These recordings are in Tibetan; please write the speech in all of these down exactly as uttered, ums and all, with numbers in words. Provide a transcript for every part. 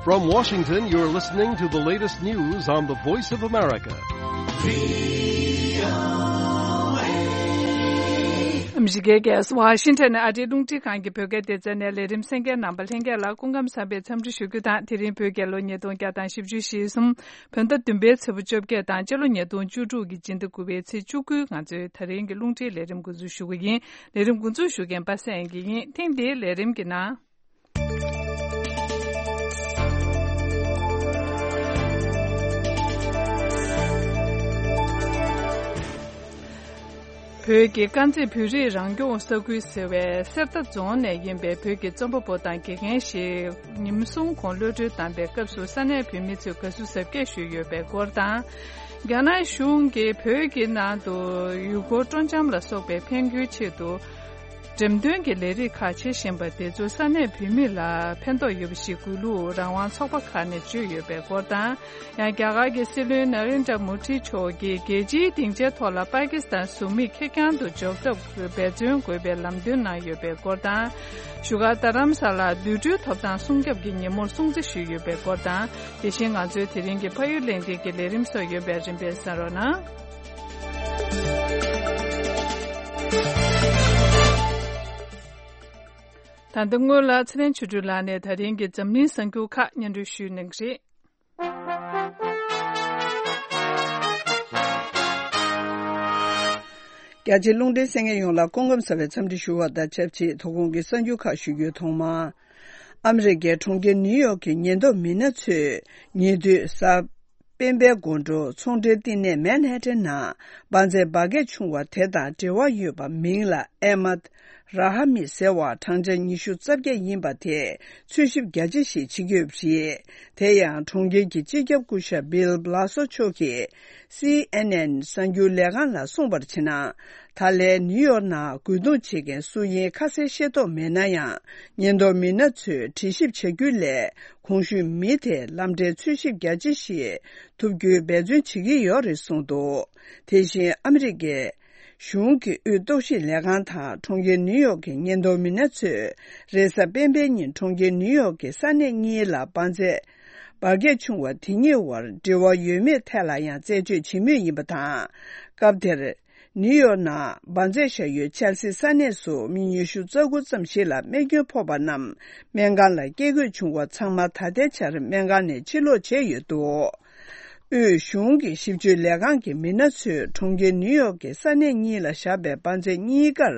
From Washington, you're listening to the latest news on the Voice of America. ཨ་མི་རི་ཀའི་རྒྱལ་ས་ཝ་ཤིང་ཊོན་ནས་ཨ་རིའི་རླུང་འཕྲིན་ཁང་གི་བོད་སྐད་སྡེ་ཚན་ནས་ལས་རིམ་གསན་མཁན་རྣམ་པ་ལྷན་རྒྱས་ལ་སྐུ་ཁམས་བཟང་བའི་འཚམས་འདྲི་ཞུ་རྒྱུ་དང་། དེ་རིང་བོད་རྒྱལ་ལོ་ཉིས་སྟོང་བརྒྱ་དང་བཞི་བཅུ་ཞེ་གསུམ། བོད་ཟླ་བདུན་པའི་ཚེས་པ་བཅོ་བརྒྱད་དང་སྤྱི་ལོ་ཉིས་སྟོང་བཅུ་དྲུག་གི་སྤྱི་ཟླ་དགུ་པའི་ཚེས་བཅུ་དགུའི་ང་ཚོའི་ད་རིང་གི་རླུང་འཕྲིན་ལས་རིམ་འགོ་འཛུགས་ཞུ་གི་ཡིན། ལས་རིམ་འགོ་འཛུགས་ཞུ་མཁན་པ་སངས་དབྱངས་སྐྱིད་ཡིན། ཐེངས་འདིའི་ལས་རིམ་གྱི་ནང་། བོད་ཀྱི་དཀར་མཛེས་བོད་རིགས་རང་སྐྱོང་ས་ཁུལ་ཟེར་བའི་གསེར་རྟ་རྫོང་ནས་ཡིན་པའི་བོད་ཀྱི་རྩོམ་པ་པོ་དང་དགེ་རྒན་ཞིག་ཉིན་གསུམ་གོང་གློད་གྲོལ་བཏང་པའི་སྐབས་སུ་ས་གནས་བོད་མི་ཚོས་དགའ་བསུ་གཟབ་རྒྱས་ཞུས་ཡོད་པའི་སྐོར་དང་། རྒྱ་ནག་གཞུང་གིས་བོད་ཀྱི་ནང་དུ་ཡུལ་སྐོར་སྤྲོ་འཆམ་ལ་སོགས་པའི་ཕན་རྒྱུའི་ཆེད་དུ། འགྲེམས་སྟོན་གྱི་ལས་རིགས་ཁག་བྱེད་བཞིན་པ་དེ་ཚོ་ས་གནས་བོད་མི་ལ་ཕན་ཐོགས་ཡོད་པ་ཞིག་དགོས་ལུགས་རང་དབང་ཚོགས་པ་ཁག་ནས་བརྗོད་ཡོད་པའི་སྐོར་དང་། ཡང་རྒྱ་གར་གྱི་སྲིད་བློན་ན་རེན་དྲ་མོ་ཌི་མཆོག་གིས་རྒྱལ་སྤྱིའི་སྡིངས་ཆའི་ཐོག་ལ་པ་ཀི་སི་ཐན་བཟོ་མིག་ཁེར་རྐྱང་དུ་འཇོག་ཐབས་འབད་བརྩོན་དགོས་པའི་ལམ་སྟོན་གནང་ཡོད་པའི་སྐོར་དང་། བཞུགས་སྒར་རྡ་རམ་ས་ལར་དུད་འགྲོའི་ཐོབ་ཐང་སྲུང་སྐྱོབ་ཀྱི་ཉིན་མོར་སྲུང་བརྩི་ཞུས་ཡོད་པའི་སྐོར་དང་། དེ་བཞིན་ང་ཚོའི་དེ་རིང་གི་ཕ་ཡུལ་གླེང་སྟེགས་ཀྱི་ལས་རིམ་སོགས་ཡོད་པའི་རིམ་པས་གསན་རོགས་གནང་། ད་ལྟ་སྔོན་ལ་ཚེ་རིང་ཆོས་སྒྲོན་ལགས་ནས་ད་རིང་གི་འཛམ་གླིང་གསར་འགྱུར་ཁག་སྙན་སྒྲོན་ཞུས་གནང་གི་རེད། རྒྱ་ཆེའི་རླུང་འཕྲིན་གསན་མཁན་ཡོངས་ལ་སྐུ་ཁམས་བཟང་བའི་འཚམས་འདྲི་ཞུ་བ་དང་ཆབས་ཅིག་དོ་དགོང་གི་གསར་འགྱུར་ཁག་ཞུ་རྒྱུའི་ཐོག་མར། ཨ་མི་རི་ཀའི་གྲོང་ཁྱེར་ནིའུ་ཡོག་གི་ཉེན་རྟོག་མི་སྣ་ཚོས་ཉེ་དུས་གཟའ་སྤེན་པའི་དགོང་དྲོ་ཚོང་འབྲེལ་བསྟི་གནས་མན་ཧ་ཏན་ནང་འབར་རྫས་འབར་གས་བྱུང་བ་དེ་དང་འབྲེལ་བ་ཡོད་པ་མིང་ལ་ཨེ་མད་ར་ཧ་མི་ཟེར་བ་བགྲང་བྱ་ཉི་ཤུ་རྩ་བརྒྱད་ཡིན་པ་དེས་འཚོལ་ཞིབ་རྒྱ་ཆེ་ཞིག་བྱེད་ཀྱི་ཡོད་པ་རེད། དེ་ཡང་གྲོང་ཁྱེར་གྱི་སྤྱི་ཁྱབ་སྐུ་ཞབས་བྷིལ་བྷ་ལ་སོ་མཆོག་གིས་སི་ཨེན་ཨེན་གསར་འགྱུར་ལས་ཁང་ལ་གསུངས་པར་བྱས་ན། ད་ལན་ནིའུ་ཡོག་ནང་རྒོལ་རྡུང་བྱེད་མཁན་སུ་ཡིན་ཁ་གསལ་ཤེས་རྟོགས་མེད་ན་ཡང་། ཉེན་རྟོག་མི་སྣ་ཚོས་དྲི་ཞིབ་བྱ་རྒྱུ་ལས། གོང་ཞུས་མི་དེ་ལམ་འབྲས་འཚོལ་ཞིབ་རྒྱ་ཆེ་ཞིག་ཐུབ་རྒྱུའི་འབད་བརྩོན་བྱེད་ཀྱི་ཡོད་རེད་གསུངས་འདུག་དེ་བཞིན་ཨ་མི་རི་ཀའི་གཞུང་གི་དབུས་རྟོག་ཞིབ་ལས་ཁང་དང་གྲོང་ཁྱེར་ནིའུ་ཡོག་གི་ཉེན་རྟོག་མི་སྣ་ཚོས་རེས་གཟའ་སྤེན་པའི་ཉིན་གྲོང་ཁྱེར་ནིའུ་ཡོག་གི་ས་གནས་གཉིས་ལ་འབར་རྫས་འབར་གས་བྱུང་བ་དེ་གཉིས་བར་འབྲེལ་བ་ཡོད་མེད་ཐད་ལ་ཡང་རྩད་གཅོད་བྱེད་མུས་ཡིན་པ་དང་། སྐབས་དེར། ནིའུ་ཡོག་ནང་འབར་རྫས་བཞག་ཡུལ་ཆེལ་སི་ས་གནས་སུ་མི་ཉི་ཤུ་རྩ་དགུ་ཙམ་ཞིག་ལ་རྨས་སྐྱོན་ཕོག་པ་རྣམས་སྨན་ཁང་ལ་སྐྱེལ་དགོས་བྱུང་བ་ཚང་མ་ད་ལྟའི་ཆར་སྨན་ཁང་ནས་ཕྱིར་ལོག་བྱས་ཡོད་འདུག་དབུས་གཞུང་གི་ཞིབ་དཔྱོད་ལས་ཁང་གི་མི་སྣ་ཚོས་གྲོང་ཁྱེར་ནིའུ་ཡོག་གི་ས་གནས་གཉིས་ལ་བཞག་པའི་འབར་རྫས་གཉིས་ཀར་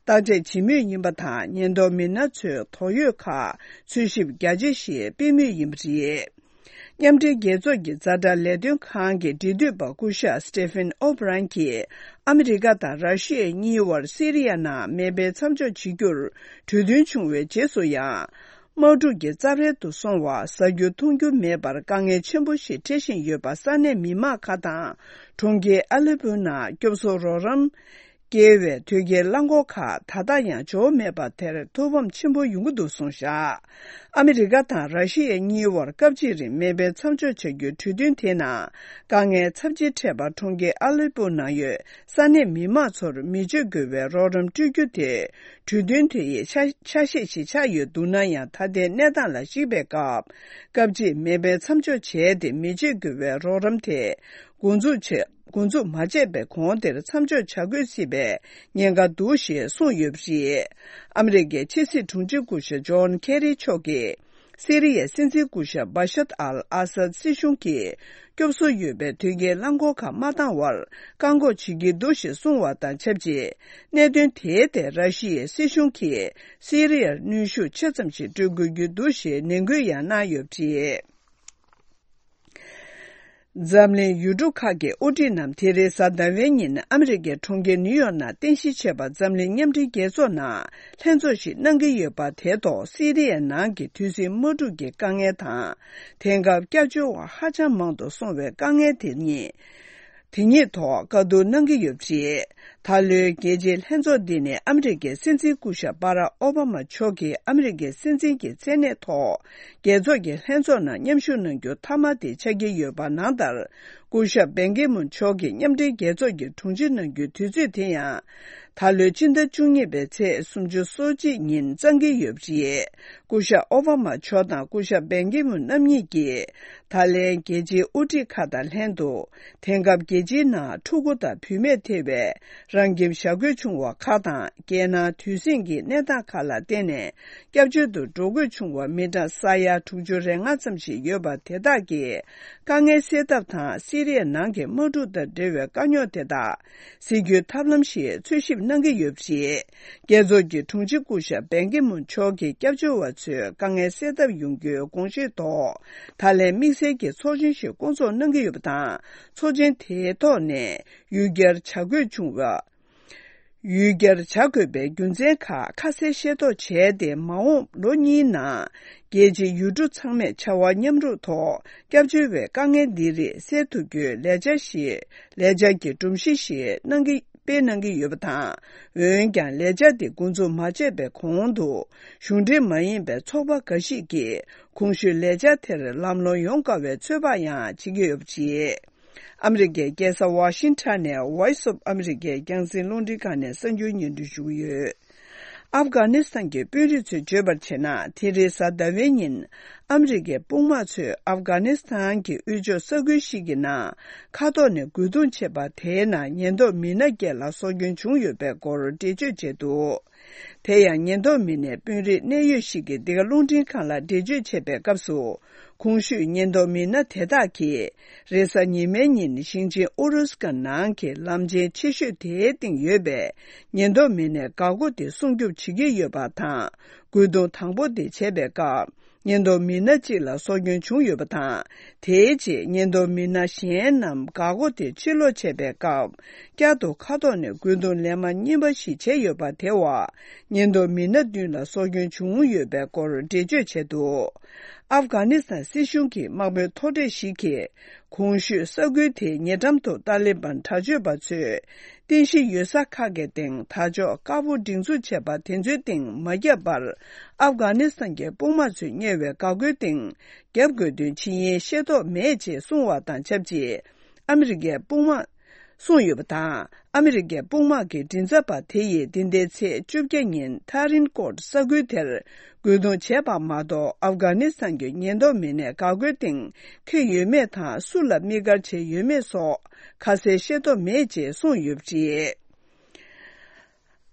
བརྟག་དཔྱད་བྱེད་མུས་ཡིན་པ་དང་། ཉེན་རྟོག་མི་སྣ་ཚོས་དོགས་ཡོད་ཁག་འཚོལ་ཞིབ་རྒྱ་ཆེ་ཞིག་སྤེལ་མུས་ཡིན་པ་རེད། མཉམ་འབྲེལ་རྒྱལ་ཚོགས་ཀྱི་ཛ་དྲག་ལས་དོན་ཁང་གི་འབྲེལ་མཐུད་པ་སྐུ་ཞབས་Stephen O'Brien་གྱིས་ཨ་མི་རི་ཀ་དང་ར་ཤི་ཡ་གཉིས་བར་སི་རི་ཡ་ནང་མེ་འཕེན་མཚམས་འཇོག་བྱེད་རྒྱུར་གྲོས་མཐུན་བྱུང་བའི་རྗེས་སུ་ཡང་། དམག་འཁྲུག་གི་རྩབ་ཧྲལ་དུ་སོང་བ་ཟ་རྒྱུ་འཐུང་རྒྱུ་མེད་པར་དཀའ་ངལ་ཆེན་པོ་ཞིག་འཕྲད་བཞིན་ཡོད་པ་ས་གནས་མི་མང་ཁག་དང་གྲོང་ཁྱེར་ཨ་ལེ་པོ་ནང་སྐྱོབ་གསོ་རོགས་རམ། སྐྱེལ་བའི་དོས་སྐྱེལ་རླངས་འཁོར་ཁག་ད་ལྟ་ཡང་འབྱོར་མེད་པ་དེར་ཐུགས་ཕམ་ཆེན་པོ་ཡོང་གི་འདུག་གསུངས་བཞག་ཨ་མི་རི་ཀ་དང་ར་ཤི་ཡ་གཉིས་བར་སྐབས་གཅིག་རིང་མེ་འཕེན་མཚམས་འཇོག་བྱ་རྒྱུའི་གྲོས་མཐུན་དེའི་ནང་དཀའ་ངལ་ཚབས་ཆེ་འཕྲད་པར་གྲོང་ཁྱེར་ཨ་ལེ་པོ་ནང་ཡོད་ས་གནས་མི་མང་ཚོར་མི་སྤྱོད་དགོས་པའི་རོགས་རམ་སྤྲོད་རྒྱུ་དེ་གྲོས་མཐུན་དེ་ཡི་ཆ་ཆ་ཤས་ཤིག་ཆགས་ཡོད་འདུག་ན་ཡང་། ད་ལྟའི་གནས་སྟངས་ལ་གཞིགས་པའི་སྐབས། སྐབས་གཅིག་མེ་འཕེན་མཚམས་འཇོག་བྱས་ཏེ་མི་སྤྱོད་དགོས་པའི་རོགས་རམ་དེ་འགོ་འཛུགས་བྱས། འགོ་འཛུགས་མ་བྱས་པའི་གོང་དེར་མཚམས་འཇོག་བྱ་དགོས་སྲིད་པའི་ཉེན་ཁ་འདུག་ཞེས་གསུངས་ཡོད་པ་རེད། ཨ་མི་རི་ཀའི་ཕྱི་སྲིད་དྲུང་ཆེ་སྐུ་ཞབས་ཇོན་ཁེ་རི་མཆོག་གིས་སི་རི་ཡའི་སྲིད་འཛིན་སྐུ་ཞབས་བ་ཤད་ཨལ་ཨ་སད་སྲིད་གཞུང་གིས་སྐྱོབ་གསོ་ཡོད་པའི་དོས་སྐྱེལ་རླངས་འཁོར་ཁག་མ་བཏང་བར་བཀག་འགོག་བྱེད་ཀྱི་འདུག་ཞེས་གསུངས་བ་དང་ཆབས་ཅིག་གནད་དོན་དེའི་ཐད་ར་ཤི་ཡའི་སྲིད་གཞུང་གིས་སི་རི་ཡར་གནོན་ཤུགས་ཆེ་ཙམ་ཞིག་སྤྲོད་དགོས་ཀྱི་འདུག་ཞེས་ནན་སྐུལ་ཡང་གནང་ཡོད་པ་རེད། འཛམ་གླིང་ཡུལ་གྲུ་ཁག་གི་དབུ་ཁྲིད་རྣམས་དེ་རིང་གཟའ་ཟླ་བའི་ཉིན་ཨ་མི་རི་ཀའི་གྲོང་ཁྱེར་ནིའུ་ཡོག་ནང་རྟེན་གཞི་བྱས་པ་འཛམ་གླིང་མཉམ་འབྲེལ་རྒྱལ་ཚོགས་ནང་ལྷན་ཚོགས་ཤིག་གནང་གི་ཡོད་པ་དེ་ཐོག་སི་རི་ཡའི་ནང་གི་དུས་ཟིང་དམག་འཁྲུག་གི་དཀའ་ངལ་དང་། དེང་སྐབས་སྐྱབས་བཅོལ་བ་ཧ་ཅང་མང་དུ་སོང་བའི་དཀའ་ངལ་དེ་ཉིད། དེ་ཉིད་ཐོག་བཀའ་བསྡུར་གནང་གི་ཡོད་པ་རེད། ད་ལོའི་རྒྱལ་སྤྱིའི་ལྷན་ཚོགས་འདི་ནི་ཨ་མི་རི་ཀའི་སྲིད་འཛིན་སྐུ་ཞབས་བྷ་རག་ཨོ་བྷ་མ་མཆོག་གིས་ཨ་མི་རི་ཀའི་སྲིད་འཛིན་གྱི་མཚན་གནས་ཐོག་རྒྱལ་ཚོགས་ཀྱི་ལྷན་ཚོགས་ནང་མཉམ་ཞུགས་གནང་རྒྱུ་མཐའ་མ་དེ་ཆགས་ཀྱི་ཡོད་པ་ནང་ལྟར། སྐུ་ཞབས་བན་ཀི་མུན་མཆོག་གིས་མཉམ་འབྲེལ་རྒྱལ་ཚོགས་ཀྱི་དྲུང་ཆེ་གནང་རྒྱུའི་དུས་ཚོད་དེ་ཡང་། ད་ལོའི་སྤྱི་ཟླ་བཅུ་གཉིས་པའི་ཚེས་སུམ་ཅུ་སོ་གཅིག་ཉིན་བརྩམས་ཀྱི་ཡོད་པ་རེད། སྐུ་ཞབས་ཨོ་བྷ་མ་མཆོག་དང་སྐུ་ཞབས་བན་ཀི་མུན་རྣམ་གཉིས་ཀྱིས། ད་ལན་རྒྱལ་སྤྱིའི་དབུ་ཁྲིད་ཁག་དང་ལྷན་དུ། དེང་སྐབས་རྒྱལ་སྤྱིའི་ནང་ཕྲུ་གུ་དང་བུད་མེད་ཐེ་བའི་རང་ཁྱིམ་བཞག་དགོས་བྱུང་བ་ཁག་དང་། རྒྱལ་ནང་དུས་ཟིང་གི་གནས་སྟངས་ཁག་ལ་བརྟེན་ནས། སྐྱབས་བཅོལ་དུ་འགྲོ་དགོས་བྱུང་བ་མི་གྲངས་ས་ཡ་དྲུག་ཅུ་རེ་ལྔ་ཙམ་ཞིག་ཡོད་པ་དེ་དག་གི་དཀའ་ངལ་སེལ་ཐབས་དང་། སི་རི་ཡའི་ནང་གི་དམག་འཁྲུག་དང་འབྲེལ་བའི་དཀའ་རྙོག་དེ་དག་སེལ་རྒྱུའི་ཐབས་ལམ་ཞིག་འཚོལ་ཞིབ་གནང་གི་ཡོད་པ་རེད། རྒྱལ་ཚོགས་ཀྱི་དྲུང་ཆེ་སྐུ་ཞབས་བན་ཀི་མུན་མཆོག་གིས་སྐྱབས་བཅོལ་བ་ཚོའི་དཀའ་ངལ་སེལ་ཐབས་ཡོང་རྒྱུའི་དགོངས་བཞེས་ཐོག་ད་ལན་དམིགས་བསལ་གྱི་ཚོགས་ཆེན་ཞིག་བསྐོང་ཚོགས་གནང་གི་ཡོད་པ་དང་། ཚོགས་ཆེན་དེའི་ཐོག་ནས་ཡུལ་གྱར་བྱ་དགོས་བྱུང་བ། ཡུལ་གྱར་བྱ་དགོས་པའི་རྒྱུ་མཚན་ཁག་ཁ་གསལ་ཤེས་རྟོགས་བྱས་ཏེ། མ་འོངས་ལོ་གཉིས་ནང་རྒྱལ་སྤྱིའི་ཡུལ་གྲུ་ཚང་མས་བྱ་བ་མཉམ་རུབ་ཐོག་སྐྱབས་བཅོལ་བའི་དཀའ་ངལ་འདི་རིགས་སེལ་ཐུབ་རྒྱུའི་ལས་འཆར་ཞིག་ལས་འཆར་གྱི་སྒྲོམ་གཞི་ཞིག་གནང་གི་སྤེལ་གནང་གི་ཡོད་པ་དང་། འོན་ཀྱང་ལས་འཆར་དེ་འགོ་འཛུགས་མ་བྱས་པའི་གོང་དུ། གཞུང་འབྲེལ་མ་ཡིན་པའི་ཚོགས་པ་འགའ་ཞིག་གིས་གོང་ཞུས་ལས་འཆར་དེར་ལམ་ལྷོང་ཡོང་དཀའ་བའི་ཚོད་དཔག་ཡང་བྱེད་ཀྱི་ཡོད་པ་རེད། ཨ་མི་རི་ཀའི་རྒྱལ་ས་ཝ་ཤིང་ཊོན་ནས་Voice of America རྒྱང་སྲིང་རླུང་འཕྲིན་ཁང་ནས་གསར་འགྱུར་སྙན་སྒྲོན་ཞུ་གི་ཡོད། ཨབ་གྷ་ནི་སི་ཐན་གྱི་དཔོན་རིགས་ཚོས་བརྗོད་པར་བྱས་ན། དེ་རིང་གཟའ་ཟླ་བའི་ཉིན། ཨ་མི་རི་ཀའི་དཔུང་དམག་ཚོས་ཨབ་གྷ་ནི་སི་ཐན་གྱི་དབུས་ཕྱོགས་ས་ཁུལ་ཞིག་གི་ནང་མཁའ་ཐོག་ནས་རྒོལ་རྡུང་བྱས་པ་དེའི་ནང་ཉེན་རྟོག་མི་སྣ་བརྒྱད་ལ་སྲོག་སྐྱོན་བྱུང་ཡོད་པའི་སྐོར་འགྲེལ་བརྗོད་བྱས་འདུག་དེ་ཡང་ཉེན་རྟོག་མི་སྣས་དཔོན་རིགས་གནད་ཡོད་ཞིག་གིས་འདི་ག་རླུང་འཕྲིན་ཁང་ལ་འགྲེལ་བརྗོད་བྱས་པའི་སྐབས་སུ། གོང་ཞུས་ཉེན་རྟོག་མི་སྣ་དེ་དག་གིས། རེས་གཟའ་ཉི་མའི་ཉིན་ཞིང་ཆེན་ཨུ་རུ་སི་ཀ་ནང་གི་ལམ་ཆེན་ཆེ་ཤོས་དེའི་སྟེང་ཡོད་པའི་ཉེན་རྟོག་མི་སྣའི་འགག་སྒོ་དེ་སྲུང་སྐྱོབ་བྱེད་ཀྱི་ཡོད་པ་དང་། རྒོལ་རྡུང་དང་པོ་དེ་བྱས་པའི་སྐབས། ཉེན་རྟོག་མི་སྣ་གཅིག་ལ་སྲོག་སྐྱོན་བྱུང་ཡོད་པ་དང་། དེའི་རྗེས་ཉེན་རྟོག་མི་སྣ་གཞན་རྣམས་འགག་སྒོ་དེ་ཕྱིར་ལོག་བྱས་པའི་སྐབས། བསྐྱར་དུ་མཁའ་ཐོག་ནས་རྒོལ་རྡུང་ལན་མ་གཉིས་པ་ཞིག་བྱས་ཡོད་པ་དེ་བ། ཉེན་རྟོག་མི་སྣ་བདུན་ལ་སྲོག་སྐྱོན་བྱུང་ཡོད་པའི་སྐོར་འགྲེལ་བརྗོད་བྱས་འདུག་ཨབ་གྷ་ནི་སི་ཐན་སྲིད་གཞུང་གི་དམག་དཔོན་མཐོ་གྲས་ཤིག་གིས། གོང་ཞུས་ས་ཁུལ་དེའི་ཉེ་འགྲམ་དུ་ཏཱ་ལི་བན་དྲག་སྤྱོད་པ་ཚོས་རྟེན་གཞི་ཡོད་ས་ཁག་གི་སྟེང་དར་ལྕོག་དཀར་པོ་སྒྲེང་འཛུགས་བྱས་པ་དེ་ཚོའི་སྟེང་མ་བརྒྱབ་པར། ཨབ་གྷ་ནི་སི་ཐན་གྱི་དཔུང་དམག་ཚོས་གཉེར་བའི་འགག་སྒོའི་སྟེང་བརྒྱབ་དགོས་དོན་ཇི་ཡིན་ཤེས་རྟོགས་མེད་ཅེས་གསུངས་བ་དང་ཆབས་ཅིག་ཨ་མི་རི་ཀའི་དཔུང་དམག་གསུངས་ཡོད་པ་དང་། ཨ་མི་རི་ཀའི་དཔུང་དམག་གི་མགྲིན་ཚབ་པ་དེ་ཡིས་འདི་ཟླའི་ཚེས་བཅོ་བརྒྱད་ཉིན་ཐ་རིན་ཀོར་ས་ཁུལ་དེར་རྒོལ་རྡུང་བྱས་པ་མ་གཏོགས། ཨབ་གྷ་ནི་སི་ཐན་གྱི་ཉེན་རྟོག་མི་སྣས་འགག་སྒོའི་སྟེང་འཁེལ་ཡོད་མེད་དང་། སུ་ལ་དམིགས་བཀར་བྱས་ཡོད་མེད་སོགས་ཁ་གསལ་ཤེས་རྟོགས་མེད་ཅེས་གསུངས་ཡོད་པ་རེད།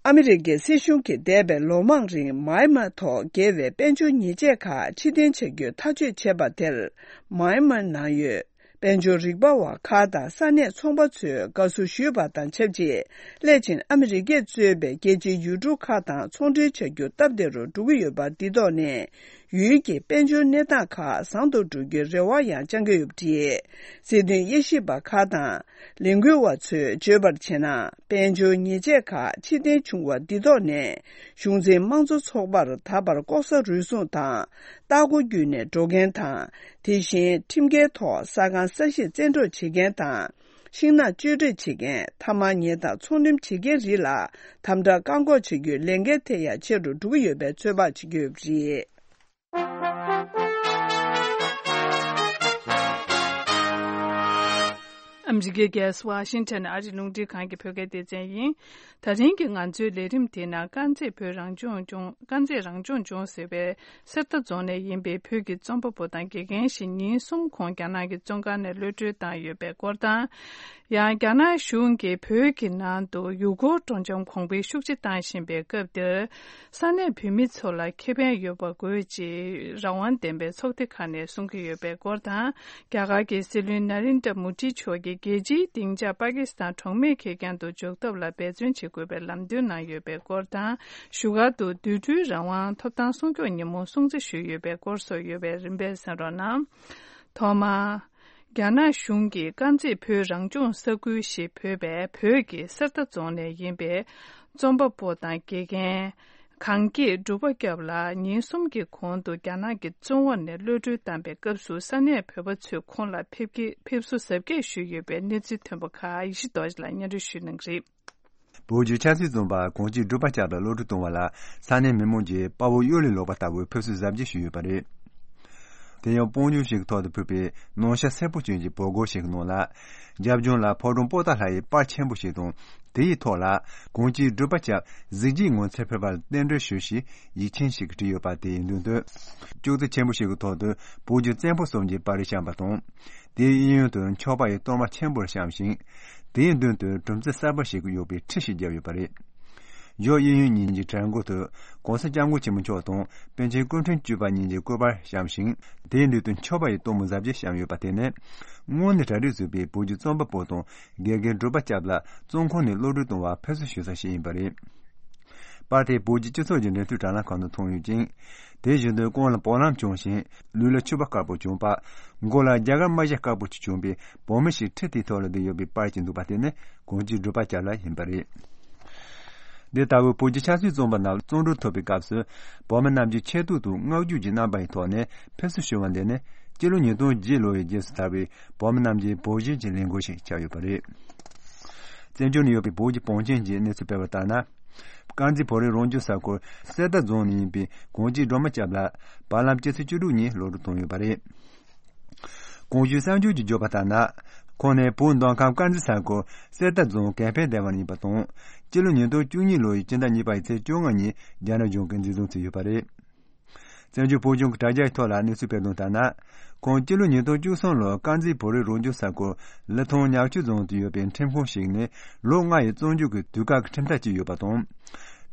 ཨ་མི་རི་ཀའི་སྲིད་གཞུང་གིས་འདས་པའི་ལོ་མང་རིང་མཱ་ཡན་མཱ་ཐོག་འགེལ་བའི་དཔལ་འབྱོར་ཉེས་ཆད་ཁག་ཕྱིར་འཐེན་བྱ་རྒྱུའི་ཐག་གཅོད་བྱས་པ་དེར། མཱ་ཡན་མཱ་ནང་ཡོད་དཔལ་འབྱོར་རིག་པ་བ་ཁག་དང་ས་གནས་ཚོང་པ་ཚོས་དགའ་བསུ་ཞུས་པ་དང་ཆབས་ཅིག་སླད་ཕྱིན་ཨ་མི་རི་ཀས་གཙོས་པའི་རྒྱལ་སྤྱིའི་ཡུལ་གྲུ་ཁག་དང་ཚོང་འབྲེལ་བྱ་རྒྱུ་སྟབས་བདེ་རུ་འགྲོ་གི་ཡོད་པ་འདི་ཐོག་ནས། ཡུལ་གྱི་དཔལ་འབྱོར་གནས་སྟངས་ཁག་བཟང་དུ་འགྲོ་རྒྱུའི་རེ་བ་ཡང་བཅང་གི་ཡོད་པ་རེད། སྲིད་དོན་དབྱེ་ཞིབ་པ་ཁག་དང་ལས་འགུལ་བ་ཚོས་བརྗོད་པར་བྱས་ན། དཔལ་འབྱོར་ཉེས་ཆད་ཁག་ཕྱིར་འཐེན་བྱུང་བ་འདི་ཐོག་ནས། གཞུང་འཛིན་དམངས་གཙོ་ཚོགས་པར་ད་བར་ལྐོག་ཟ་རུལ་སུངས་དང་། ལྟག་སྒོ་བརྒྱུད་ནས་འགྲོ་མཁན་དང་། དེ་བཞིན་ཁྲིམས་འགལ་ཐོག་ས་ཁང་ས་གཞིར་བཙན་འཕྲོག་བྱེད་མཁན་དང་། ཤིང་ནགས་གཅོད་འབྲེག་བྱེད་མཁན། ཐ་མག་ཉོས་དང་ཚོང་ལེན་བྱེད་མཁན་རིགས་ལ་དམ་དྲག་བཀག་འགོག་བྱ་རྒྱུའི་ལས་འགན་དེ་ཡང་ཆེ་རུ་འགྲོ་གི་ཡོད་པའི་ཚོད་དཔག་བྱེད་ཀྱི་ཡོད་པ་རེད། ཨ་མི་རི་ཀའི་རྒྱལ་ས་ཝ་ཤིང་ཊོན་ཨ་རིའི་རླུང་འཕྲིན་ཁང་གི་བོད་སྐད་སྡེ་ཚན་ཡིན། ད་རིང་གི་ང་ཚོའི་ལས་རིམ་དེའི་ནང་དཀར་མཛེས་བོད་རང་སྐྱོང་ལྗོངས། དཀར་མཛེས་རང་སྐྱོང་ལྗོངས་ཟེར་བའི་གསེར་རྟ་རྫོང་ནས་ཡིན་པའི་བོད་ཀྱི་རྩོམ་པ་པོ་དང་དགེ་རྒན་ཞིག་ཉིན་གསུམ་གོང་རྒྱ་ནག་གི་བཙོན་ཁང་ནས་གློད་གྲོལ་བཏང་ཡོད་པའི་སྐོར་དང་། ཡང་རྒྱ་ནག་གཞུང་གིས་བོད་ཀྱི་ནང་དུ་ཡུལ་སྐོར་སྤྲོ་འཆམ་གོང་འཕེལ་ཤུགས་ཆེ་བཏང་བཞིན་པའི་སྐབས་འདིར། ས་གནས་བོད་མི་ཚོ་ལ་ཁེ་ཕན་ཡོད་པ་དགོས་ཅེས་རང་དབང་ལྡན་པའི་ཚོགས་སྡེ་ཁག་ནས་གསུང་གི་ཡོད་པའི་སྐོར་དང་། རྒྱ་གར་གྱི་སྲིད་བློན་ན་རེན་དྲ་མོ་དི་མཆོག་གིས་རྒྱལ་སྤྱིའི་སྡིངས་ཆར་པ་ཀི་སི་ཐན་གྲོགས་མེད་ཁེ་རྐྱང་དུ་འཇོག་ཐབས་ལ་འབད་བརྩོན་བྱེད་དགོས་པའི་ལམ་སྟོན་གནང་ཡོད་པའི་སྐོར་དང་། བཞུགས་སྒར་དུ་འདུས་འཕྲོད་རང་དབང་ཐོབ་ཐང་སྲུང་སྐྱོབ་ཉིན་མོ་སྲུང་བརྩི་ཞུས་ཡོད་པའི་སྐོར་སོགས་ཡོད་པས་རིམ་པས་གསན་རོགས་གནང་། ཐོག་མར། རྒྱ་ནག་གཞུང་གིས་དཀར་མཛེས་བོད་རང་སྐྱོང་ས་ཁུལ་ཞེས་འབོད་པའི་བོད་ཀྱི་གསེར་རྟ་རྫོང་ནས་ཡིན་པའི་རྩོམ་པ་པོ་དང་དགེ་རྒན་གངས་སྐྱིད་འབྲུག་པ་སྐྱབས་ལགས་ཉིན་གསུམ་གྱི་གོང་དུ་རྒྱ་ནག་གི་བཙོན་འོག་ནས་གློད་གྲོལ་བཏང་པའི་སྐབས་སུ་ས་གནས་བོད་པ་ཚོས་ཁོང་ལ་ཕེབས་སྐྱེལ་ཕེབས་བསུ་གཟབ་རྒྱས་ཞུས་ཡོད་པའི་གནས་ཚུལ་ཐོན་པ་ཁག་ཡེ་ཤེས་རྡོ་རྗེ་ལགས་སྙན་སྒྲོན་ཞུ་གནང་གི་རེད། བོད་ཀྱི་ཆབ་སྲིད་བཙོན་པ་གངས་སྐྱིད་འབྲུག་པ་སྐྱབས་ལ་གློད་གྲོལ་བཏང་བ་ལ་ས་གནས་མི་མང་གིས་དཔའ་བོ་གཡུ་ལས་ལོག་པ་ལྟ་བུའི་ཕེབས་བསུ་གཟབ་རྒྱས་ཞུས་ཡོད་པ་རེད། དེ་ཡང་སྤང་ལྗོངས་ཤིག་གི་ཐོག་ཏུ་ཕུབ་པའི་ནམ་ཞག་སེར་པོ་ཅན་གྱི་བོད་སྒར་ཞིག་གི་ནང་ལ། རྒྱབ་ལྗོངས་ལ་ཕོ་བྲང་པོ་ཏཱ་ལ་ཡི་པར་ཆེན་པོ་ཞིག་དང་། དེ་ཡི་ཐོག་ལ་གངས་ཅན་སྒྲུབ་པ་སྐྱབས་གཟི་བརྗིད་ངོ་མཚར་ཕུལ་བར་རྟེན་འབྲེལ་ཞུ་ཞེས་ཡིག་ཆེན་ཞིག་བྲིས་ཡོད་པ་དེ་ཡི་མདུན་དུ། ཅོག་ཙེ་ཆེན་པོ་ཞིག་གི་ཐོག་ཏུ་བོད་ཀྱི་བཙན་པོ་གསུམ་གྱི་པར་རིས་བཤམས་པ་དང་། དེའི་གཡས་གཡོན་དུ་མཆོད་པ་ཡི་གཏོར་མ་ཆེན་པོར་བཤམས་ཤིང་། དེའི་མདུན་དུ་གྲུམ་ཙེ་གསར་པ་ཞིག་གཡོགས་པའི་ཁྲི་ཞིག་བརྒྱབ་ཡོད་པ་རེད། གཡོན་གཡས་གཡོན་གཉིས་ཀྱི་གྲལ་མགོ་དུ་༸གོང་ས་༸སྐྱབས་མགོན་ཆེན་པོ་མཆོག་དང་པཎ་ཆེན་སྐུ་ཕྲེང་བཅུ་པ་གཉིས་ཀྱི་སྐུ་པར་བཤམས་ཤིང་། དེའི་མདུན་དུ་མཆོད་པ་ཡི་གཏོར་མ་གཟབ་རྒྱས་བཤམས་ཡོད་པ་དེ་ནི། སྔོན་ནས་གྲ་སྒྲིག་བཟོས་པའི་བོད་ཀྱི་རྩོམ་པ་པོ་དང་དགེ་རྒན་སྒྲུབ་པ་སྐྱབས་ལ་བཙོན་ཁང་ནས་གློད་གྲོལ་གཏོང་བར་ཕེབས་བསུ་ཞུ་ས་ཞིག་ཡིན་པ་རེད། པར་དེ་བོད་ཀྱི་སྤྱི་ཚོགས་ཀྱི་འབྲེལ་མཐུད་དྲ་ལམ་ཁག་ནང་མཐོང་ཡོད་ཅིང་། དེ་བཞིན་དུ་རྐང་ལ་བ་ལང་གྱོན་ཞིང་ལུས་ལ་ཕྱུ་པ་དཀར་པོ་གྱོན་པ། མགོ་ལ་རྒྱ་གར་རྨ་བྱ་དཀར་པོ་ཞིག་གྱོན་པའི་བོད་མི་ཞིག་ཁྲི་དེའི་ཐོག་ལ་བསྡད་ཡོད་པའི་པར་ཅིག་འདུག་པ་དེ་ནི་གངས་ཅན་སྒྲུབ་པ་སྐྱབས་ལགས་ཡིན་པ་རེད། འདི་ལྟ་བུའི་བོད་ཀྱི་ཆབ་སྲིད་བཙོན་པ་རྣམས་བཙོན་གྲོལ་ཐོབ་པའི་སྐབས་སུ། བོད་མི་རྣམས་ཀྱིས་ཆེ་བསྟོད་དང་བསྔགས་བརྗོད་ཀྱི་རྣམ་པ་ཡི་ཐོག་ནས་ཕེབས་བསུ་ཞུ་བ་འདི་ནི་སྤྱི་ལོ་ཉིས་སྟོང་བརྒྱད་ལོ་ཡི་རྗེས་སུ་དར་བའི་བོད་མི་རྣམས་ཀྱི་བོད་བཞིན་གྱི་ལས་འགུལ་ཞིག་ཆགས་ཡོད་པ་རེད། བཙན་བྱོལ་ནང་ཡོད་པའི་བོད་ཀྱི་བང་ཆེན་གྱིས་གནས་ཚུལ་སྤེལ་བ་ལྟར་ན། དཀར་མཛེས་བོད་རིགས་རང་སྐྱོང་ས་ཁུལ་གསེར་རྟ་རྫོང་ནས་ཡིན་པའི་གངས་ཅན་སྒྲོལ་མ་སྐྱབས་ལགས་བར་ལམ་སྤྱི་ཚེས་བཅུ་དྲུག་ཉིན་གློད་གྲོལ་བཏང་ཡོད་པ་རེད། གོང་ཞུས་གསར་འགྱུར་གྱིས་བརྗོད་པ་ལྟར་ན། ཁོང་ནི་བོད་མདོ་ཁམས་དཀར་མཛེས་ས་ཁུལ་གསེར་རྟ་རྫོང་གན་ཕན་སྡེ་བ་ནས་ཡིན་པ་དང་། སྤྱི་ལོ་ཉིས་སྟོང་བཅུ་གཉིས་ལོ་ཡི་སྤྱི་ཟླ་གཉིས་པ་ཡི་ཚེས་བཅོ་ལྔ་ཉིན་རྒྱ་ནག་གཞུང་གིས་འཛིན་བཟུང་བྱས་ཡོད་པ་རེད། བཙན་བྱོལ་བོད་གཞུང་གི་དྲ་རྒྱའི་ཐོག་ལ་གནས་ཚུལ་སྤེལ་དོན་ལྟར་ན། ཁོང་སྤྱི་ལོ་ཉིས་སྟོང་བཅུ་གསུམ་ལོར་དཀར་མཛེས་བོད་རིགས་རང་སྐྱོང་ས་ཁུལ་ལི་ཐང་ཉག་ཆུ་རྫོང་དུ་ཡོད་པའི་ཁྲིམས་ཁང་ཞིག་ནས་ལོ་ལྔ་ཡི་བཙོན་འཇུག་གི་དུས་བཀག་གི་ཁྲིམས་ཐག་བཅད་ཡོད་པ་དང་།